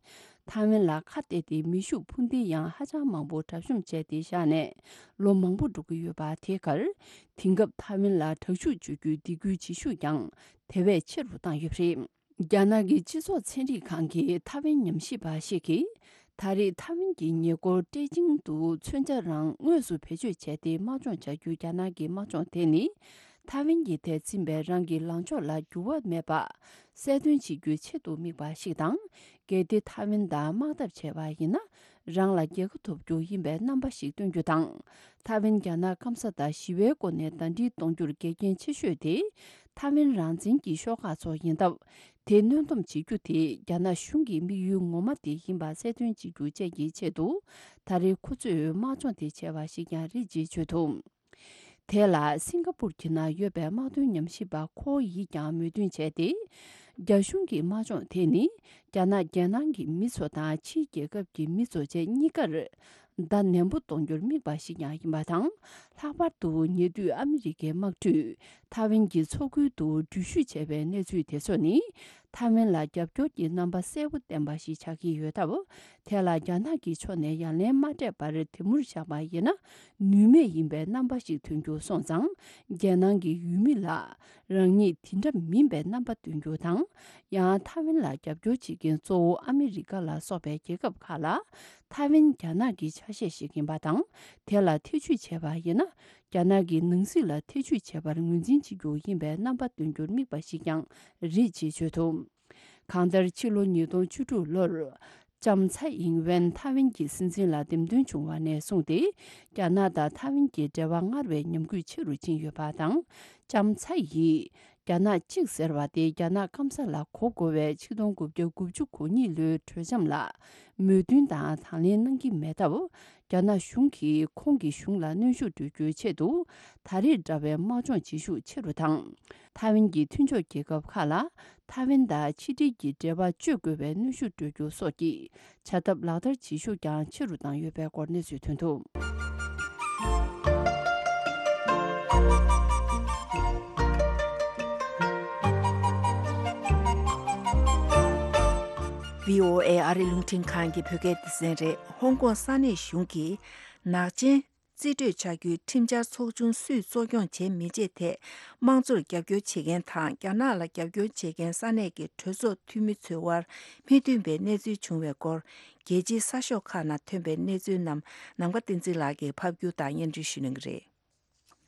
ཐའེ་ཝན་ལ་ཁ་གཏད་དེ་མེ་ཤུགས་འཕུར་མདེལ་ཡང་ཧ་ཅང་མང་པོ་གྲབས་གཤོམ་བྱས་ཏེ་བཞག་ནས་ལོ་མང་པོ་འགྲོ་གི་ཡོད་པ་དེའི་ཁར། དེང་སྐབས་ཐའེ་ཝན་ལ་དྲག་ཤུགས་སྤྱོད་རྒྱུའི་སྡིགས་སྐུལ་བྱེད་ཤུགས་ཀྱང་དེ་བས་ཆེ་རུ་བཏང་ཡོད་པ་རེད། རྒྱ་ནག་གི་སྤྱི་ཚོགས་ཚན་རིག་ཁང་གི་ཐའེ་ཝན་ཉམས་ཞིབ་པ་ཞིག་གིས། ད་རེས་ཐའེ་ཝན་གྱི་ཉེ་འཁོར་ཀྲེ་ཅིང་དུ་མཚོན་ཆ་རང་དངོས་སུ་བེད་སྤྱོད་བྱས་ཏེ་དམག་སྦྱོང་བྱ་རྒྱུའི་རྒྱ་ནག་གི་དམག་སྦྱོང་དེ་ནི། ཐའེ་ཝན་གྱི་ཐད་ཕྱིན་པའི་རང་གི་ལངས་ཕྱོགས་ལ་འགྱུར་བ་མེད་པ་གསལ་སྟོན་བྱེད་རྒྱུའི་ཆེད་དུ་དམིགས་པ་ཞིག་དང་། གལ་ཏེ་ཐའེ་ཝན་དང་དམག་འཐབ་བྱས་པ་ཡིན་ན། རང་ལ་རྒྱལ་ཁ་ཐོབ་རྒྱུ་ཡིན་པའི་རྣམ་པ་ཞིག་སྟོན་རྒྱུ་དང་། ཐའེ་ཝན་རྒྱ་ནག་སྐམ་ས་དང་ཞི་བའི་སྒོ་ནས་ཟླ་སྒྲིལ་གཏོང་རྒྱུར་འགལ་རྐྱེན་ཆེ་ཤོས་དེ། ཐའེ་ཝན་རང་བཙན་གྱི་ཤོག་ཁག་ཚོ་ཡིན་སྟབས། དེ་གནོན་སྡོམ་བྱེད་རྒྱུ་དེ་རྒྱ་ནག་གཞུང་གི་དམིགས་ཡུལ་ངོ་མ་དེ་ཡིན་པ་གསལ་སྟོན་བྱེད་རྒྱུ་བཅས་ཀྱི་ཆེད་དུ། ད་རེས་ཁོ་ཚོས་དམག་སྦྱོང་དེ་བྱས་པ་ཞིག་ཀྱང་རེད་ཅེས་བརྗོད་འདུག་དེ་ལ་སིང་ག་པུར་གྱི་ནང་ཡོད་པའི་དམག་དོན་ཉམས་ཞིབ་པ་ཁོ་ཡིས་ཀྱང་མོས་མཐུན་བྱས་ཏེ། རྒྱ་གཞུང་གི་དམག་སྦྱོང་དེ་ནི། རྒྱ་ནག་རྒྱལ་ནང་གི་མི་ཚོ་དང་ཕྱིའི་རྒྱལ་ཁབ་ཀྱི་མི་ཚོ་བཅས་གཉིས་ཀར་བརྡ་ནན་པོ་གཏོང་རྒྱུར་དམིགས་པ་ཞིག་ཀྱང་ཡིན་པ་དང་། ལྷག་པར་དུ་ཉེ་དུས་ཨ་མི་རི་ཀའི་དམག་གྲུས་ཐའེ་ཝན་གྱི་མཚོ་ཁུལ་དུ་འགྲུལ་བཞུད་བྱས་པའི་གནས་ཚུལ་དེ་ཚོ་ནི། ཐའེ་ཝན་ལ་རྒྱབ་སྐྱོར་གྱི་རྣམ་པ་གསལ་པོ་བསྟན་པ་ཞིག་ཆགས་ཀྱི་ཡོད་སྟབས། དེ་ལ་རྒྱ་ནག་གི་ཕྱོགས་ནས་ཡ་ལན་མ་སྤྲད་པར་དེ་མུར་བཞག་པ་ཡིན་ན། ནུས་མེད་ཡིན་པའི་རྣམ་པ་ཞིག་ཐོན་རྒྱུ་སོང་ཙང་། རྒྱལ་ནང་གི་ཡུལ་མི་ལ། རང་ཉིད་དེ་འདྲ་མིན་པའི་རྣམ་པ་སྟོན་རྒྱུ་དང་། ཡང་ཐའེ་ཝན་ལ་རྒྱབ་སྐྱོར་བྱེད་མཁན་གཙོ་བོ་ཨ་མི་རི་ཀ་ལ་སོགས་པའི་རྒྱལ་ཁབ་ཁག་ལ། ཐའེ་ཝན་རྒྱ་ནག་གི་ཆ་ཤས་ཤིག་ཡིན་པ་དང་། དེ་ལ་ཐེ་བྱུས་བྱས་པ་ཡིན་ན། རྒྱ་ནག་གི་ནང་སྲིད་ལ་ཐེ་བྱུས་བྱས་པར་ངོས་འཛིན་བྱེད་རྒྱུ་ཡིན་པའི་རྣམ་པ་སྟོན་རྒྱུར་དམིགས་པ་ཞིག་ཀྱང་རེད་ཅེས་བརྗོད་འདུག་གང་ལྟར། ཕྱི་ལོ་ཉིས་སྟོང་བཅུ་དྲུག་ལོར། ལྕམ་ཚའེ་ཨིང་ཝེན་ཐའེ་ཝན་གྱི་སྲིད་འཛིན་ལ་འདེམས་ཐོན་བྱུང་བ་ནས་བཟུང་སྟེ། རྒྱ་ནག་དང་ཐའེ་ཝན་གྱི་འབྲེལ་བ་སྔར་བས་ཉམས་རྒུད་ཆེ་རུ་ཕྱིན་ཡོད་པ་དང་། ལྕམ་ཚའེ་ཡིས། རྒྱ་ནག་གཅིག་ཟེར་བ་དེ་རྒྱ་ནག་སྐམ་ས་ལ་གོ་དགོས་པའི་ཆིག་སྟོང་དགུ་བརྒྱ་དགུ་བཅུ་གོ་གཉིས་ལོའི་གྲོས་འཆམ་ལ་མོས་མཐུན་དང་དང་ལེན་གནང་གི་མེད་སྟབས། རྒྱ་ནག་གཞུང་གིས་ཁོང་གི་གཞུང་ལ་གནོན་ཤུགས་སྤྲོད་རྒྱུའི་ཆེད་དུ། ད་རེས་འདྲ་བའི་དམག་སྦྱོང་བྱེད་ཤུགས་ཆེ་རུ་དང་། ཐའེ་ཝན་གྱི་མཐུན་ཕྱོགས་རྒྱལ་ཁབ་ཁག་ལ། ཐའེ་ཝན་དང་ཕྱི་འབྲེལ་གྱི་འབྲེལ་བ་གཅོད་དགོས་པའི་གནོན་ཤུགས་སྤྲོད་རྒྱུ་སོགས་ཀྱི་བྱ་ཐབས་ལག་བསྟར་བྱེད་ཤུགས་ཀྱང་ཆེ་རུ་བཏང་ཡོད་པའི་སྐོར་གནས་ཚུལ་ཐོན་འདུག་བྷི་ཨོ་ཨེ་ཨ་རི་རླུང་འཕྲིན་ཁང་གི་བོད་སྐད་སྡེ་ཚན་རེད། ཧོང་ཀོང་ས་གནས་གཞུང་གིས་ནག་ཅན་རྩིས་སྤྲོད་བྱ་རྒྱུའི་ཁྲིམས་འཆར་ཚོགས་ཆུང་སུས་གཙོ་སྐྱོང་བྱེད་མི་བྱེད་ཐད་དམངས་གཙོར་རྒྱབ་སྐྱོར་བྱེད་མཁན་དང་། རྒྱ་ནག་ལ་རྒྱབ་སྐྱོར་བྱེད་མཁན་ས་གནས་ཀྱི་གྲོས་ཚོགས་འཐུས་མི་ཚོའི་དབར་མི་མཐུན་པའི་གནས་ཚུལ་བྱུང་བའི་སྐོར། རྒྱལ་སྤྱིའི་གསར་ཤོག་ཁག་ནང་ཐོན་པའི་གནས་ཚུལ་རྣམས་ནམ་མཁའ་བསྟན་འཛིན་ལགས་ཀྱིས་ཕབ་སྒྱུར་དང་སྙན་སྒྲོན་ཞུ་གནང་གི་རེད།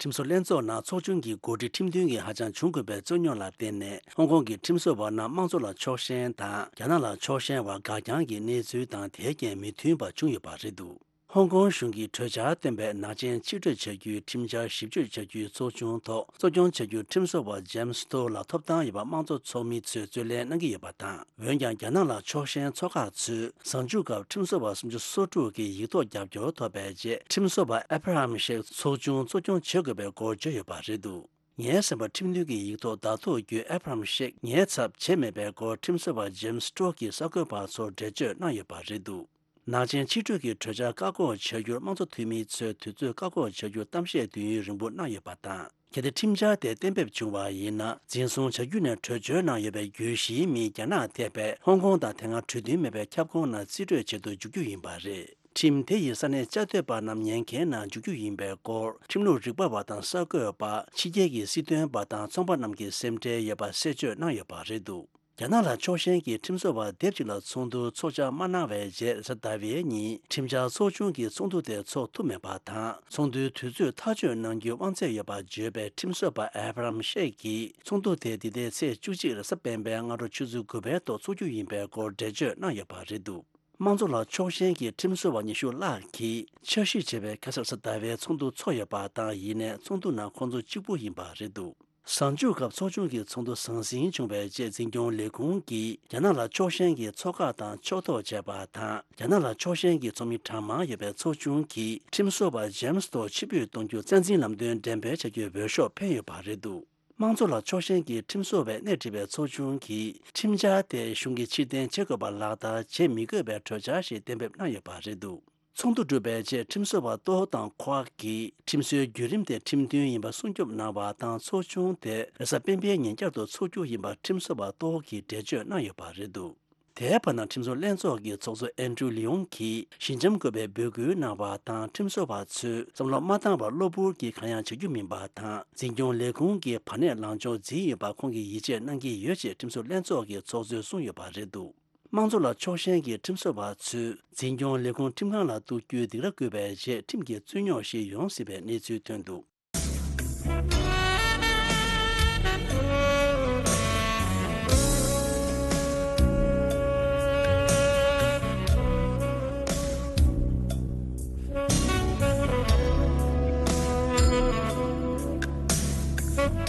ཁྲིམས་བཟོ་ལྷན་ཚོགས་ནང་ཚོགས་ཆུང་གི་འགོ་ཁྲིད་ཁྲིམས་མཐུན་གྱི་ཧ་ཅང་བྱུང་དགོས་པའི་རྩོད་རྙོག་ལ་བརྟེན་ནས། ཧོང་ཀོང་གི་ཁྲིམས་བཟོ་བ་རྣམས་དམངས་གཙོ་ལ་ཕྱོགས་ཞེན་དང་། རྒྱ་ནག་ལ་ཕྱོགས་ཞེན་བར་འགག་རྐྱང་གི་གནས་ཚུལ་དང་། དེའི་རྐྱེན་མི་མཐུན་པ་བྱུང་ཡོད་པ་རེད་འདུག་ཧོང་ཀོང་གཞུང་གིས་གྲོས་འཆར་བཏོན་པའི་ནག་ཅན་ཕྱིར་སྤྲོད་བྱ་རྒྱུའི་ཁྲིམས་འཆར་ཞིབ་དཔྱོད་བྱ་རྒྱུའི་ཚོགས་ཆུང་ཐོག་གཙོ་སྐྱོང་བྱ་རྒྱུར་ཁྲིམས་བཟོ་བ་ཇེམ་སི་ཏོ་ལ་ཐོབ་ཐང་ཡོད་པ་དམངས་གཙོ་ཚོགས་མི་ཚོས་རྩོད་ལེན་གནང་གི་ཡོད་པ་དང་། འོན་ཀྱང་། རྒྱ་ནག་ལ་ཕྱོགས་ཞེན་ཚོགས་ཁག་ཚོས་གཟའ་མཇུག་སྐབས་ཁྲིམས་བཟོ་བ་སུམ་ཅུ་སོ་དྲུག་གི་ཡིག་ཐོག་རྒྱབ་སྐྱོར་ཐོབ་པའི་རྗེས། ཁྲིམས་བཟོ་བ་ཨེ་བྷ་ར་ཧམ་ཤེག་ཚོགས་ཆུང་གཙོ་སྐྱོང་བྱེད་དགོས་པའི་སྐོར་བརྗོད་ཡོད་པ་རེད་འདུག་ངའི་སེམས་པར་ཁྲིམས་མཐུན་གྱི་ཡིག་ཐོག་བརྡ་ཐོ་བརྒྱུད་ཨེ་བྷ་ར་ཧམ་ཤེག་ངའི་ཚབ་བྱས་མེད་པའི་སྐོར་ཁྲིམས་བཟོ་བ་ཇེམ་སི་ཏོ་གིས་གསར་འགོད་པ་ཚོར་འགྲེལ་བརྗོད་གནང་ཡོད་པ་རེད་འདུག་ནག་ཅན་ཕྱིར་སྤྲོད་ཀྱི་གྲོས་འཆར་བཀག་འགོག་བྱ་རྒྱུར་དམངས་གཙོ་འཐུས་མི་ཚོས་དུས་ཚོད་བཀག་འགོག་བྱ་རྒྱུར་གཏམ་བཤད་དུས་ཡུན་རིང་པོ་གནང་ཡོད་པ་དང་། གལ་ཏེ་ཁྲིམས་འཆར་དེ་གཏན་འབེབས་བྱུང་བ་ཡིན་ན། འཛིན་བཟུང་བྱ་རྒྱུ་ནས་བྲོས་བྱོལ་གནང་ཡོད་པའི་བརྒྱུད་གཞིའི་མི་རྒྱ་ནག་ཐེ་བའི་ཧོང་ཀོང་དང་དེ་སྔ་གྲོས་མཐུན་མེད་པའི་ཁྱབ་ཁོངས་ནང་རྩིས་སྤྲོད་བྱེད་དུ་འཇུག་རྒྱུ་ཡིན་པ་རེད། ཁྲིམས་དེ་ཡིས་ས་གནས་བཅའ་སྡོད་པ་རྣམས་ཉེན་ཁའི་ནང་འཇུག་རྒྱུ་ཡིན་པའི་སྐོར། ཁྲིམས་ལུགས་རིག་པ་བ་དང་གསར་འགོད་པ། ཕྱི་རྒྱལ་གྱི་སྲིད་དོན་པ་དང་ཚོང་པ་རྣམས་ཀྱི་སེམས་ཁྲལ་ཡོད་པ་གསལ་བརྗོད་གནང་ཡོད་པ་རེད་འདུག་རྒྱ་ནག་ལ་ཕྱོགས་ཞེན་གྱི་ཁྲིམས་བཟོ་བ་སྡེབ་གཅིག་ལ་ཚོགས་འདུ་ཚོགས་འཆར་མ་གནང་བའི་རྗེས། རེས་གཟའ་ཟླ་བའི་ཉིན་ཁྲིམས་འཆར་ཚོགས་ཆུང་གིས་ཚོགས་འདུ་དེ་ཚོགས་ཐུབ་མེད་པ་དང་། ཚོགས་འདུའི་དུས་ཚོད་ཐག་གཅོད་གནང་རྒྱུའི་དབང་ཚད་ཡོད་པ་བརྗོད་པའི་ཁྲིམས་བཟོ་བ་ཨེབ་རམ་ཤེ་གིས། ཚོགས་འདུ་དེ་འདི་ཟླའི་ཚེས་བཅུ་གཅིག་རེས་གཟའ་སྤེན་པའི་སྔ་དྲོ་ཆུ་ཚོད་དགུ་པའི་ཐོག་འཚོགས་རྒྱུ་ཡིན་པའི་སྐོར་འགྲེལ་བརྗོད་གནང་ཡོད་པ་རེད་འདུག་དམངས་གཙོ་ལ་ཕྱོགས་ཞེན་གྱི་ཁྲིམས་བཟོ་བ་ཉི་ཤུ་ལྷག་གིས་འཆར་གཞི་བྱས་པའི་ཁ་སང་རེས་གཟའ་ཟླ་བའི་ཚོགས་འདུ་ཚོགས་ཡོད་པ་དང་། ཡིན་ནའི་ཚོགས་འདུ་ནང་ཁོང་ཚོ་གཅིག་པུ་ཡིན་པ་རེད་འདུག་གཟའ་མཇུག་སྐབས་ཚོགས་ཆུང་གི་ཚོགས་འདུ་ཟང་ཟིང་བྱུང་བའི་རྗེས། འཛིན་སྐྱོང་ལས་ཁུངས་ཀྱིས་རྒྱ་ནག་ལ་ཕྱོགས་ཞེན་གྱི་ཚོགས་ཁག་དང་ཕྱོགས་གཏོགས་བྱས་པ་དང་། རྒྱ་ནག་ལ་ཕྱོགས་ཞེན་གྱི་ཚོགས་མི་གྲངས་མང་ཡོད་པའི་ཚོགས་ཆུང་གིས་ཁྲིམས་བཟོ་བ་ཇེམ་སི་ཐོག་ཕྱིར་འབུད་གཏོང་རྒྱུ་རྩ་འཛིན་ལམ་སྟོན་འགྲེམས་སྤེལ་བྱ་རྒྱུའི་འོས་ཤོག་འཕེན་ཡོད་པ་རེད་འདུག་དམངས་གཙོ་ལ་ཕྱོགས་ཞེན་གྱི་ཁྲིམས་བཟོ་བས་སྣེ་ཁྲིད་པའི་ཚོགས་ཆུང་གིས་ཁྲིམས་འཆར་དེ་གཞུང་གིས་ཕྱིར་འཐེན་བྱེད་དགོས་པ་ལག་བསྟར་བྱེད་མི་དགོས་པའི་གྲོས་འཆར་ཞིག་གཏན་འབེབས་གནང་ཡོད་པ་རེད་འདུག་ཚོགས་འདུ་གྲུབ་པའི་རྗེས། ཁྲིམས་བཟོ་བ་ཏོ་ཧོ་དང་ཁོ་ཨ་གིས་ཁྲིམས་བཟོའི་བརྒྱུད་རིམ་དེ་ཁྲིམས་མཐུན་ཡིན་པ་སྲུང་སྐྱོབ་གནང་བ་དང་། ཚོགས་ཆུང་དེ་རེས་གཟའ་སྤེན་པའི་ཉིན་བསྐྱར་དུ་འཚོགས་རྒྱུ་ཡིན་པ་ཁྲིམས་བཟོ་བ་ཏོ་ཧོ་གིས་འགྲེལ་བརྗོད་གནང་ཡོད་པ་རེད་འདུག་དེའི་བར་ན། ཁྲིམས་བཟོ་ལྷན་ཚོགས་ཀྱི་ཚོགས་གཙོ་ཨན་ཌྲུ་ལི་ཡོང་གིས་ཞི་འཇམ་དགོས་པའི་འབོད་སྐུལ་གནང་བ་དང་། ཁྲིམས་བཟོ་བ་ཚོས་བསམ་བློ་མ་བཏང་བར་གློ་བུར་གྱིས་གང་ཡང་བྱ་རྒྱུ་མིན་པ་དང་། འཛིན་སྐྱོང་ལས་ཁུངས་ཀྱིས་བར་གནས་ལངས་ཕྱོགས་འཛིན་ཡོད་པ་ཁོང་གིས་ཡིད་ཆེས་གནང་གི་ཡོད་ཅེས་ཁྲིམས་བཟོ་ལྷན་ཚོགས་ཀྱི་ཚོགས་གཙོས་གསུངས་ཡོད་པ་རེད་འདུག་དམངས་གཙོ་ལ་ཕྱོགས་ཞེན་གྱི་ཁྲིམས་བཟོ་བ་ཚོས་འཛིན་སྐྱོང་ལས་ཁུངས་ཁྲིམས་ཁང་ལ་གཏུག་རྒྱུའི་སྡིགས་ར་བསྐུལ་བའི་རྗེས། ཁྲིམས་ཀྱི་རྩོད་རྙོག་ཞིག་ཡོང་སྲིད་པའི་གནས་ཚུལ་ཐོན་འདུག་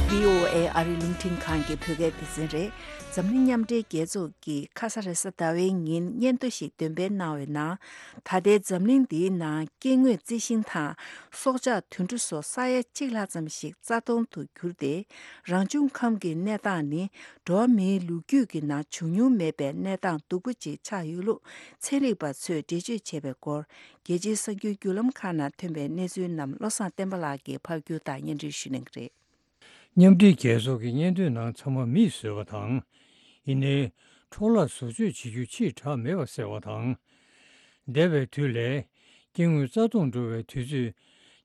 བྷི་ཨོ་ཨེ་ཨ་རིའི་རླུང་འཕྲིན་ཁང་གི་བོད་སྐད་སྡེ་ཚན་རེད། འཛམ་གླིང་མཉམ་འབྲེལ་རྒྱལ་ཚོགས་ཀྱིས་ཁ་སང་རེས་གཟའ་ཟླ་བའི་ཉིན་སྙན་ཐོ་ཞིག་འདོན་སྤེལ་གནང་བའི་ནང་། ད་ལྟའི་འཛམ་གླིང་འདིའི་ནང་སྐྱེ་དངོས་རྩི་ཤིང་དང་སྲོག་ཆགས་དུད་འགྲོ་སོགས་ས་ཡ་གཅིག་ལྷག་ཙམ་ཞིག་རྩ་སྟོང་དུ་གྱུར་ཏེ། རང་བྱུང་ཁམས་ཀྱི་གནས་སྟངས་ནི་འགྲོ་བ་མིའི་ལོ་རྒྱུས་ཀྱི་ནང་བྱུང་མྱོང་མེད་པའི་གནས་སྟངས་སྡུག་པོ་ཅིག་ཆགས་ཡོད་ལུགས་ཚན་རིག་པ་ཚོས་འགྲེལ་བརྗོད་བྱས་པའི་སྐོར། རྒྱལ་སྤྱིའི་གསར་འགྱུར་བརྒྱུད་ལམ་ཁག་ནང་ཐོན་པའི་གནས་ཚུལ་རྣམས་བློ་བཟང་བསྟན་པ་ལགས་ཀྱིས་ཕབ་སྒྱུར་དང་སྙན་སྒྲོན་ཞུ་གནང་གི་རེད། མཉམ་འབྲེལ་རྒྱལ་ཚོགས་ཀྱི་སྙན་ཐོའི་ནང་ཚང་མ་མིས་བཟོས་པ་དང་། ཡིན་ནའི་འཕྲོ་བརླག་བཟོ་བཅོས་བྱེད་རྒྱུ་ཕྱིར་བསྒྲགས་མེད་པ་ཟེར་བ་དང་། འདས་པའི་དུས་ལས་སྐྱེ་དངོས་རྩ་སྟོངས་འགྲོ་བའི་དུས་ཚོད་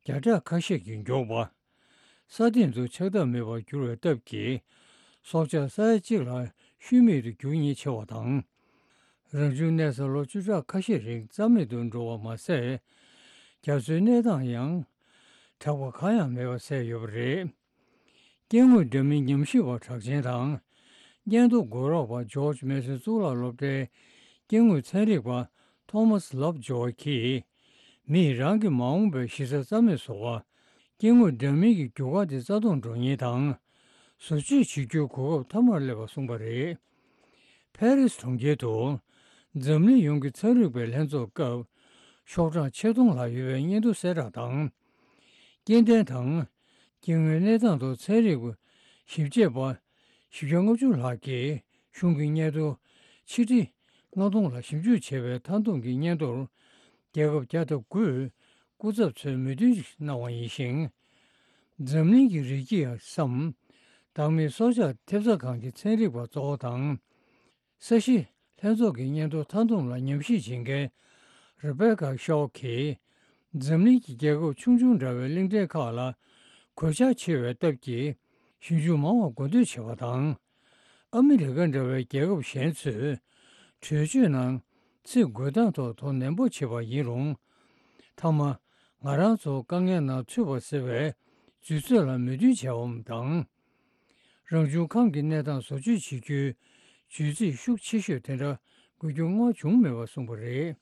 བརྒྱ་ཕྲག་ཁ་ཤས་ཀྱིས་མགྱོགས་པ། ས་སྟེང་དུ་ཆགས་ཐབས་མེད་པར་གྱུར་བའི་སྟབས་ཀྱིས། སྲོག་ཆགས་ས་ཡ་གཅིག་ལ་ཤུལ་མེད་དུ་འགྱུར་ཉེན་ཆེ་བ་དང་། རང་བྱུང་གནས་ས་ལོ་བཅུ་ཕྲག་ཁ་ཤས་རིང་རྩ་མེད་དུ་འགྲོ་བ་མ་ཟད། རྒྱ་མཚོའི་གནས་སྟངས་ཡང་དྲག་པ་གང་ཡང་མེད་པ་གསལ་ཡོད་པ་རེད། སྐྱེ་དངོས་འདྲ་མིན་ཉམས་ཞིབ་པ་གྲགས་ཅན་དང་། སྙན་ཐོ་འགོད་རོགས་པ་ཇོརྗ་མེ་སོན་གཙུག་ལག་སློབ་གྲྭའི་སྐྱེ་དངོས་ཚན་རིག་པ་ཐོ་མཱས་ལབ་ཇོར་གྱིས། མིས་རང་གི་མ་འོངས་པའི་གཞི་རྩ་རྩ་མེད་བཟོ་བ། སྐྱེ་དངོས་འདྲ་མིན་གྱི་རྒྱུ་སྐར་དེ་རྩ་སྟོངས་འགྲོ་ཉེན་དང་། བཟོ་བཅོས་བྱེད་རྒྱུའི་གོ་སྐབས་ཐ་མར་སླེབས་པ་གསུངས་པ་རེད། ཕ་རིས་གྲོང་ཁྱེར་དུ། འཛམ་གླིང་ཡོངས་ཀྱི་ཚན་རིག་པའི་ལྷན་ཚོགས་སྐབས། ཤོག་གྲངས་ཆེད་གཏོང་ལ་ཡོད་པའི་སྙན་ཐོ་གསལ་བསྒྲགས་དང་། སྐྱེ་ལྡན་དང་། སྐྱེ་དངོས་གནས་སྟངས་ཐོག་ཚན་རིག་པ་ཞིབ་དཔྱད་པ་བཞི་བརྒྱ་ལྔ་བཅུ་ལྷག་གིས་གཞུང་གི་སྙན་ཐོ་ཆིག་ཁྲི་ལྔ་སྟོང་ལ་ཞིབ་འཇུག་བྱས་པའི་མཐའ་བསྡོམས་ཀྱི་སྙན་ཐོར། རྒྱལ་ཁབ་བརྒྱ་དང་དགུའི་སྐུ་ཚབ་ཚོས་མོས་མཐུན་གནང་བ་ཡིན་ཞིང་། འཛམ་གླིང་གི་རི་སྐྱེས་སམ། བདག་མེད་སྲོག་ཆགས་ཐེབས་རྩ་ཁང་གི་ཚན་རིག་པ་གཙོ་བོ་དང་། ས་གཞི་ལྷན་ཚོགས་ཀྱི་སྙན་ཐོ་མཐའ་བསྡོམས་ལ་ཉམས་ཞིབ་བྱེད་མཁན་རེ་བེ་ཀ་ཤོག་གིས། འཛམ་གླིང་གི་རྒྱལ་ཁབ་ཆུང་ཆུང་འདྲ་བའི་གླིང་ཕྲན་ཁག་ལ་གོད་ཆག་ཆེ་བའི་སྟབས་ཀྱིས། ཞིབ་འཇུག་མང་བ་མགོ་འདོད་བྱས་པ་དང་། ཨ་མི་རི་ཀ་འདྲ་བའི་རྒྱལ་ཁབ་གཞན་ཚོས་གྲོས་ཆོད་ནང་ཚིག་འགོད་སྟངས་ཐོག་དོ་ནན་པོ་བྱས་པ་ཡིན་རུང་། མཐའ་མ་ང་རང་ཚོ་དཀའ་ངལ་ནང་ཚུད་པ་ཟེར་བའི་རྫུས་ཚོད་ལ་མོས་མཐུན་བྱས་པ་དང་། རང་བྱུང་ཁམས་ཀྱི་གནས་སྟངས་བཟོ་བཅོས་བྱེད་རྒྱུའི་བརྗོད་ཚིག་ཤུགས་ཆེ་ཤོས་དེ་འདྲ་དགོས་རྒྱུ་སྔོན་བྱུང་མེད་པ་གསུངས་པ་རེད།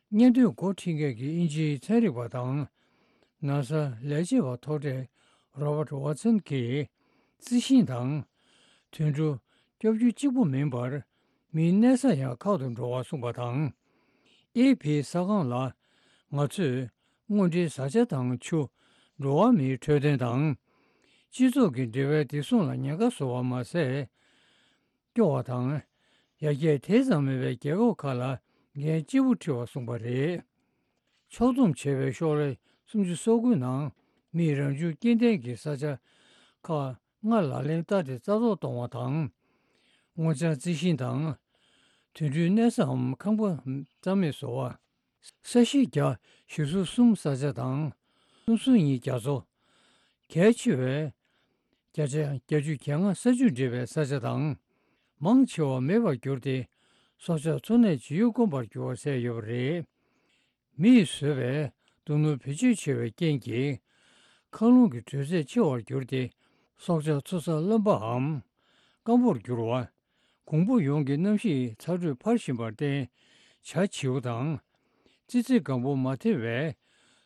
སྙན་ཐོའི་འགོ་ཁྲིད་མཁན་གྱི་དབྱིན་ཇིའི་ཚན་རིག་པ་དང་། ནཱ་སཱ་ལས་བྱེད་པ་མཐོ་གྲས་རོ་བར་ཝ་ཚན་གྱིས། རྩི་ཤིང་དང་། དུད་འགྲོ་སྐྱོབ་རྒྱུ་གཅིག་པུ་མིན་པར། མིའི་གནས་ས་ཡང་ཁག་ཏུ་འགྲོ་བར་གསུངས་པ་དང་། ཨེ་ཕིའི་ས་ཁང་ལ། ང་ཚོས་དངོས་འབྲེལ་བཟའ་བཅའ་དང་ཆུ། འགྲོ་བ་མིའི་འཕྲོད་བསྟེན་དང་། སྤྱི་ཚོགས་ཀྱི་འབྲེལ་བའི་བདེ་སྲུང་ལ་ཉེན་ཁ་བཟོ་བ་མ་ཟད། སྐྱོ་བ་དང་། ཡར་རྒྱས་དེ་ཙམ་མེད་པའི་རྒྱལ་ཁབ་ཁག་ལ་འགན་ལྕི་པོ་འཁྲི་བར་གསུངས་པ་རེད། ཕྱོགས་བསྡོམས་བྱས་པའི་ཤོག་ལྷེ་སུམ་ཅུ་སོ་དགུ་ནང་མིས་རང་བྱུང་སྐྱེ་ལྡན་གྱི་ས་ཆ་ཁག་ལྔ་ལག་ལེན་བསྟར་ཏེ་རྩ་གཏོར་གཏོང་བ་དང་། སྔོ་ལྗང་རྩི་ཤིང་དང་། དུད་འགྲོའི་གནས་སའམ་ཁང་པ་རྩ་མེད་བཟོ་བ། ས་གཞི་བརྒྱ་བཞི་སོ་གསུམ་ས་ཆ་དང་། སུམ་སོ་གཉིས་རྒྱ་མཚོ། གལ་ཆེ་བའི་བརྒྱ་ཆ་བརྒྱད་ཅུ་གྱ་ལྔ་ས་ཆུ་འདྲེས་པའི་ས་ཆ་དང་། མང་ཆེ་བ་མེད་པར་གྱུར་ཏེ། སྲོག་ཆགས་འཚོ་གནས་བྱེད་ཡུལ་དཀོན་པར་གྱུར་བ་གསལ་ཡོད་པ་རེད། མིས་བཟོས་པའི་རྡོ་སྣུམ་བེད་སྤྱོད་ཆེ་བའི་རྐྱེན་གྱིས། མཁའ་རླུང་གི་དྲོད་ཚད་ཆེ་བར་གྱུར་ཏེ། སྲོག་ཆགས་འཚོ་ས་རློན་པའམ་སྐམ་པོར་གྱུར་བ། གོང་བུ་ཡོངས་ཀྱི་གནམ་གཤིས་ཚ་དྲོད་འཕར་བཞིན་པར་བརྟེན། བྱ་བྱིའུ་དང་། ཙི་ཙི་སྒམ་པོ་མ་ཐེ་བའི་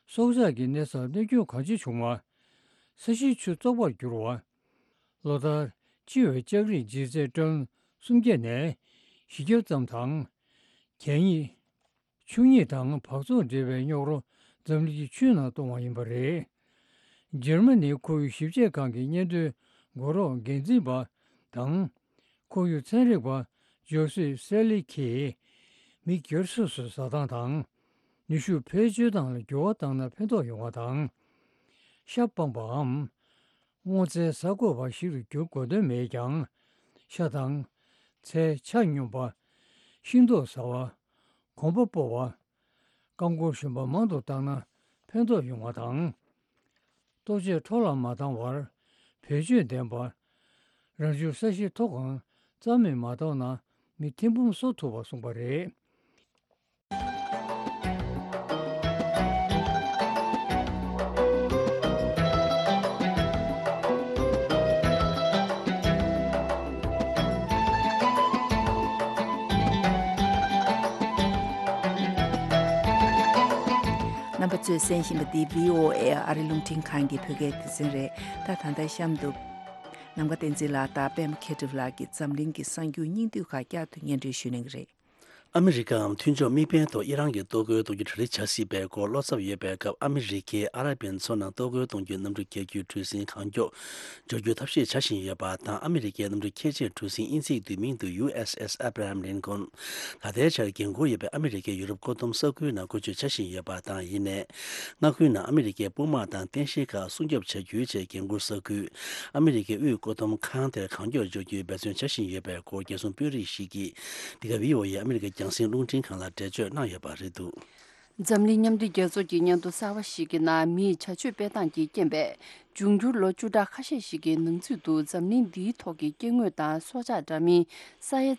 སྲོག་ཆགས་ཀྱི་གནས་སར་གནོད་སྐྱོན་གང་ཆེ་བྱུང་བ། ས་གཞིའི་ཆུ་བཙོག་པར་གྱུར་བ། ལོ་ལྟར་སྤྱི་བའི་ལྕགས་རིགས་ལྗིད་ཚད་ཊོན་སུམ་བརྒྱ་ནས་བཞི་བརྒྱ་ཙམ་དང་། གད་སྙིགས། ཆུ་སྙིགས་དང་འབག་བཙོག་འདྲེས་པའི་རྙོག་རོ་འཛམ་གླིང་གི་ཆུའི་ནང་གཏོང་བ་ཡིན་པ་རེད། འཇར་མ་ནིའི་ཁོར་ཡུག་ཞིབ་དཔྱད་ཁང་གི་སྙན་ཐོའི་འགོ་རོགས་འགན་འཛིན་པ་དང་། ཁོར་ཡུག་ཚན་རིག་པ་ཇོ་སེ་སེ་ལི་ཁིས། མི་སྒེར་སོ་སོའི་བཟའ་སྟངས་དང་། ནུས་ཤུགས་བེད་སྤྱོད་སྟངས་ལ་འགྱུར་བ་བཏང་ན་ཕན་ཐོགས་ཡོང་བ་དང་། ཤ་སྤངས་པའམ། སྔོ་ཚལ་ཟ་དགོས་པ་ཞིག་ཏུ་འགྱུར་དགོས་དོན་མེད་ཀྱང་། ཤ་དང་། ཚལ་ཆ་སྙོམས་པ། ཤིང་ཏོག་ཟ་བ། གོམ་པ་སྤོ་བ། རྐང་འཁོར་གཞོན་པ་མང་དུ་བཏང་ན་ཕན་ཐོགས་ཡོང་བ་དང་། ལྟོ་ཆས་འཕྲོ་བརླག་མ་བཏང་བར་བེད་སྤྱོད་ལྡན་པ། རང་བྱུང་ས་གཞིའི་མཐོ་སྒང་རྩ་མེད་མ་གཏོང་ན་མི་ཐེར་འབུམ་གསོ་ཐུབ་པ་གསུངས་པ་རེད། རྣམ་པ་ཚོས་གསན་བཞིན་པ་འདི་བྷི་ཨོ་ཨེ་ཨ་རི་རླུང་འཕྲིན་ཁང་གི་བོད་སྐད་སྡེ་ཚན་རེད། ད་ད་ལྟ་གཤམ་དུ། ནམ་མཁའ་བསྟན་འཛིན་ལགས་དང་པད་མ་མཁས་གྲུབ་ལགས་ཀྱིས་འཛམ་གླིང་གི་གསར་འགྱུར་སྙིང་བསྡུས་ཁག་བསྐྱར་དུ་སྙན་སྒྲོན་ཞུ་གནང་གི་རེད། ཨ་མི་རི་ཀའམ་མཐུན་ཕྱོགས་དམིགས་འབེན་ཐོག་ཨི་རན་གྱི་གཏོར་རྒོལ་གཏོང་རྒྱུ་གྲ་སྒྲིག་བྱ་སྲིད་པའི་སྐོར་བློ་འཚབ་ཡོད་པའི་སྐབས། ཨ་མི་རི་ཀས་ཨ་རབ་པའི་མཚོ་ནང་གཏོར་རྒོལ་གཏོང་རྒྱུའི་གནམ་གྲུ་རྒྱག་རྒྱུའི་གྲུ་གཟིངས་གང་མགྱོགས་འབྱོར་རྒྱུའི་ཐབས་ཤེས་བྱ་བཞིན་ཡོད་པ་དང་། ཨ་མི་རི་ཀའི་གནམ་གྲུ་ཁྱད་ཆོས་གྲུ་གཟིངས་དབྱིན་ཚིག་བསྡུས་མིང་དུ་ཡུ་ཨེས་ཨེས་Abraham Lincoln། ད་ལྟའི་ཆར་འགན་འཁུར་ཡོད་པའི་ཨ་མི་རི་ཀའི་ཡུ་རོབ་བཀོད་འདོམས་ས་ཁུལ་ནང་བཀོལ་སྤྱོད་བྱ་བཞིན་ཡོད་པ་དང་། ཡིན་ནའི། མངའ་ཁུལ་ནང་ཨ་མི་རི་ཀའི་དཔུང་དམག་དང་རྟེན་གཞིའི་ཁག་སྲུང་སྐྱོབ་བྱ་རྒྱུའི་ཆེད་འགན་འཁུར་ས་ཁུལ། ཨ་མི་རི་ཀའི་དབུས་བཀོད་འདོམས་ཁང་དེར་གང་མགྱོགས་འབྱོར་རྒྱུའི་འབད་བརྩོན་བྱ་བཞིན་ཡོད་པའི་སྐོར། རྒྱལ་སྲུང་དཔོན་རིགས་ཤིག་གིས་འདི་ག་བྷི་ཨོ་ཨེ་ཨ་མི་རི་ཀའི་རྒྱང་སྲིང་རླུང་འཕྲིན་ཁང་ལ་འགྲེལ་བརྗོད་གནང་ཡོད་པ་རེད་འདུག། འཛམ་གླིང་མཉམ་འབྲེལ་རྒྱལ་ཚོགས་ཀྱི་སྙན་ཐོ་གསར་བ་ཞིག་གི་ནང་། མིས་བྱ་སྤྱོད་སྤེལ་སྟངས་ཀྱི་རྐྱེན་པས། འབྱུང་འགྱུར་ལོ་བཅུ་ཕྲག་ཁ་ཤས་ཤིག་གི་ནང་ཚུད་དུ་འཛམ་གླིང་འདིའི་ཐོག་གི་སྐྱེ་དངོས་དང་སྲོག་ཆགས་འདྲ་མིན་ས་ཡ་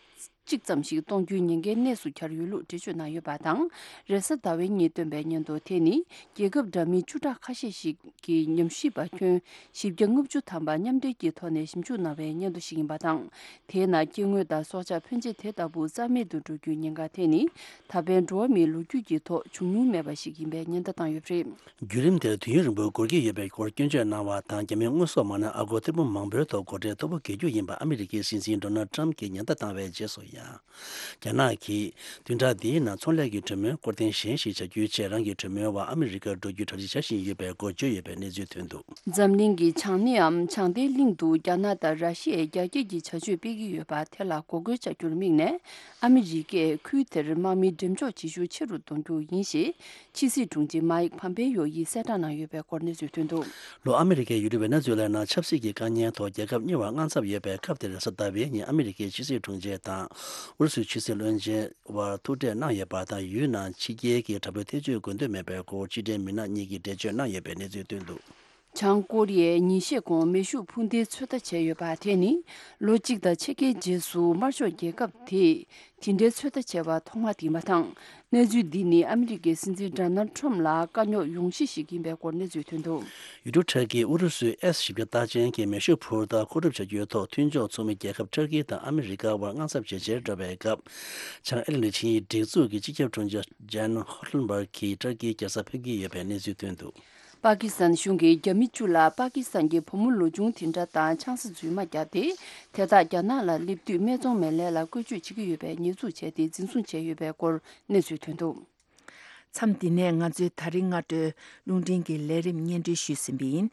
གཅིག་ཙམ་ཞིག་གཏོང་རྒྱུའི་ཉེན་ཁའི་གནས་སུ་གྱར་ཡོད་ལུགས་འགྲེལ་བརྗོད་གནང་ཡོད་པ་དང་། རེས་གཟའ་ཟླ་བའི་ཉིན་བཏོན་པའི་སྙན་ཐོ་དེ་ནི། རྒྱལ་ཁབ་འདྲ་མིན་བཅུ་ཕྲག་ཁ་ཤས་ཤིག་གི་ཉམས་ཞིབ་པ་ཁྱོན་བཞི་བརྒྱ་ལྔ་བཅུ་ཐམ་པ་མཉམ་འབྲེལ་གྱི་ཐོག་ནས་ཞིབ་འཇུག་གནང་བའི་སྙན་ཐོ་ཞིག་ཡིན་པ་དང་། དེའི་ནང་སྐྱེ་དངོས་དང་སྲོག་ཆགས་ཕོན་ཆེ་དེ་ལྟ་བུ་རྩ་མེད་དུ་འགྲོ་རྒྱུའི་ཉེན་ཁ་དེ་ནི། ད་ཕན་འགྲོ་བ་མིའི་ལོ་རྒྱུས་ཀྱི་ཐོག་བྱུང་མྱོང་མེད་པ་ཞིག་ཡིན་པའི་ཉེན་བརྡ་བཏང་ཡོད་པ་རེད། བརྒྱུད་རིམ་དེར་དུས་ཡུན་རིང་པོ་འགོར་གྱི་ཡོད་པའི་སྐོར་སྐྱོན་བརྗོད་གནང་བ་དང་། རྒྱ་མིའི་དངོས་ཟོག་མ་ཎི་ཨ་སྒོར་ཐེར་འབུམ་མང་པོའི་ཐོག་སྒོ་ཁྲལ་མཐོ་པོ་འགེལ་རྒྱུ་ཡིན་པ་ཨ་མི་རི་ཀའི་སྲིད་འཛིན་ཌོ་ནལ་ཌི་ཊམ་གྱིས་ཉེན་བརྡ་བཏང་བའི་རྗེས་སུ་ཡང་། རྒྱ་ནག་གིས་བདུན་ཕྲག་འདིའི་ནང་ཚོང་ལས་ཀྱི་གྲོས་མོལ་སྐོར་ཐེངས་གཞན་ཞིག་བྱ་རྒྱུའི་ཆེད། རང་གི་གྲོས་མོལ་བ་ཨ་མི་རི་ཀར་འགྲོ་རྒྱུའི་གྲ་སྒྲིག་བྱ་བཞིན་ཡོད་པའི་སྐོར་བརྗོད་ཡོད་པའི་གནས་ཚུལ་ཐོན་འདུག། འཛམ་གླིང་གི་བྱང་སྣེའམ་བྱང་མཐའི་གླིང་དུ་རྒྱ་ནག་དང་ར་ཤི་ཡས་རྒྱ་སྐྱེད་ཀྱི་བྱ་སྤྱོད་སྤེལ་གྱི་ཡོད་པ་དེ་ལ་འགོག་རྒོལ་བྱ་རྒྱུར་དམིགས་ནས། ཨ་མི་རི་ཀས་ཁུལ་དེར་དམག་མིའི་འགྲེམས་འཇོག་བྱེད་ཤུགས་ཆེ་རུ་གཏོང་རྒྱུ་ཡིན་ཞེས། ཕྱི་སྲིད་དྲུང་ཆེ་མཱིག་ཕམ་པེ་ཡོ་ཡིས་གསལ་བསྒྲགས་གནང་ཡོད་པའི་སྐོར་གནས་ཚུལ་ཐོན་འདུག། ལོ། ཨ་མི་རི་ཀའི་ཡུལ་གྲུ་ཝེ་ནེ་ཛུ་ལའི་ནང་ཆབ་སྲིད་ཀྱི་དཀའ་ངལ་ཐོག་རྒྱལ་ཁབ་གཉིས་བར་དངངས་འཚབ་ཡོད་པའི་སྐབས་དེར། རེས་གཟའ་ཟླ་བའི་ཉིན་ཨ་མི་རི་ཀའི་ཕྱི་སྲིད་དྲུང་ཆེ་དང་ཨུ་རུ་སུའི་ཕྱི་སྲིད་བློན་ཆེན་བར་ཐུག་འཕྲད་གནང་ཡོད་པ་དང་། ཡུལ་ནང་ཕྱི་རྒྱལ་གྱི་དྲག་པོའི་ཐེ་བྱུས་དགོས་འདུན་མེད་པའི་སྐོར་ཕྱི་འབྲེལ་མི་སྣ་གཉིས་ཀྱིས་འགྲེལ་བརྗོད་གནང་ཡོད་པའི་གནས་ཚུལ་ཐོན་འདུག། བྱང་ཀོ་རི་ཡས་ཉིན་ཤས་གོང་མེ་ཤུགས་འཕུར་མདེལ་ཚོད་ལྟ་བྱས་ཡོད་པ་དེ་ནི། ལོ་གཅིག་དང་ཕྱེད་ཀའི་རྗེས་སུ་དམར་ཤོག་རྒྱལ་ཁབ་དེས་དེ་འདྲའི་ཚོད་ལྟ་བྱས་པ་ཐོག་མ་དེ་ཡིན་པ་དང་། གནས་ཚུལ་འདི་ནི་ཨ་མི་རི་ཀའི་སྲིད་འཛིན་ཌོ་ནལ་ཊམ་ལ་དཀའ་རྙོག་ཡོང་གཞི་ཞིག་ཡིན་པའི་སྐོར་གནས་ཚུལ་ཐོན་འདུག། ཡུལ་གྲུ་ཊར་ཀིས་ཨུ་རུ་སུའི་ཨེས་བཞི་བརྒྱ་རྟགས་ཅན་གྱི་མེ་ཤུགས་འཕུར་མདའ་མཁོ་སྒྲུབ་བྱ་རྒྱུའི་ཐོག་མཐུན་ཕྱོགས་ཚོགས་མི་རྒྱལ་ཁབ་ཊར་ཀི་དང་ཨ་མི་རི་ཀ་བར་དངངས་འཚབ་ཇེ་ཆེར་འགྲོ་བའི་སྐབས། བྱང་ཨེ་ལན་ཌི་ཆིངས་ཡིག་སྒྲིག་འཛུགས་ཀྱི་སྤྱི་ཁྱབ་དྲུང་ཆེ་ཇན་ཧོ་ལན་བྷག་གིས་ཊར་ཀིའི་རྒྱལ་ས་ཕེབས་ཀྱི་ཡོད་པའི་གནས་ཚུལ་ཐོན་འདུག། པ་ཀི་སི་ཐན་གཞུང་གིས་རྒྱ་མི་བཅུ་ལ་པ་ཀི་སི་ཐན་གྱི་བུ་མོ་ལོ་ཆུང་དེ་འདྲ་དང་ཆང་ས་རྫུན་མ་བརྒྱབ་སྟེ། དེ་དག་རྒྱ་ནག་ལ་སླེབས་དུས་སྨད་འཚོང་མེད་ལས་ལ་བཀོལ་སྤྱོད་བྱེད་ཀྱི་ཡོད་པའི་ཉེས་འཛུགས་བྱས་ཏེ་འཛིན་བཟུང་བྱས་ཡོད་པའི་སྐོར་གནས་ཚུལ་ཐོན་འདུག། མཚམས་འདི་ནས་ང་ཚོའི་ད་རིང་སྔ་དྲོའི་རླུང་འཕྲིན་གྱི་ལས་རིམ་སྙན་སྒྲོན་ཞུས་ཟིན་པ་ཡིན།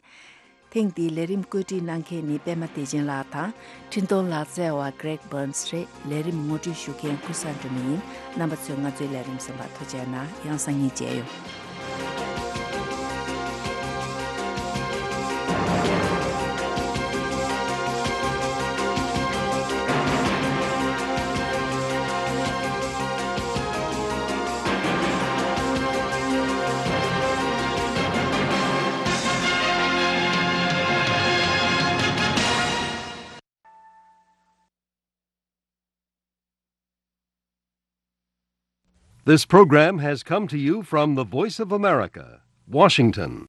ཐེངས་འདིའི་ལས་རིམ་བཀོད་སྒྲིག་གནང་མཁན་ནི་པད་མ་བདེ་ཆེན་ལགས་དང་། འཕྲིན་གཏོང་ལག་རྩལ་བ་Greg Burns་རེད། ལས་རིམ་ངོ་སྤྲོད་ཞུ་མཁན་ཀུན་བཟང་སྒྲོལ་མ་ཡིན། རྣམ་པ་ཚོས་ང་ཚོའི་ལས་རིམ་གསན་པར་ཐུགས་རྗེ་གནང་། ཡང་སང་ཉིན་མཇལ་ཡོང་། This program has come to you from the Voice of America, Washington.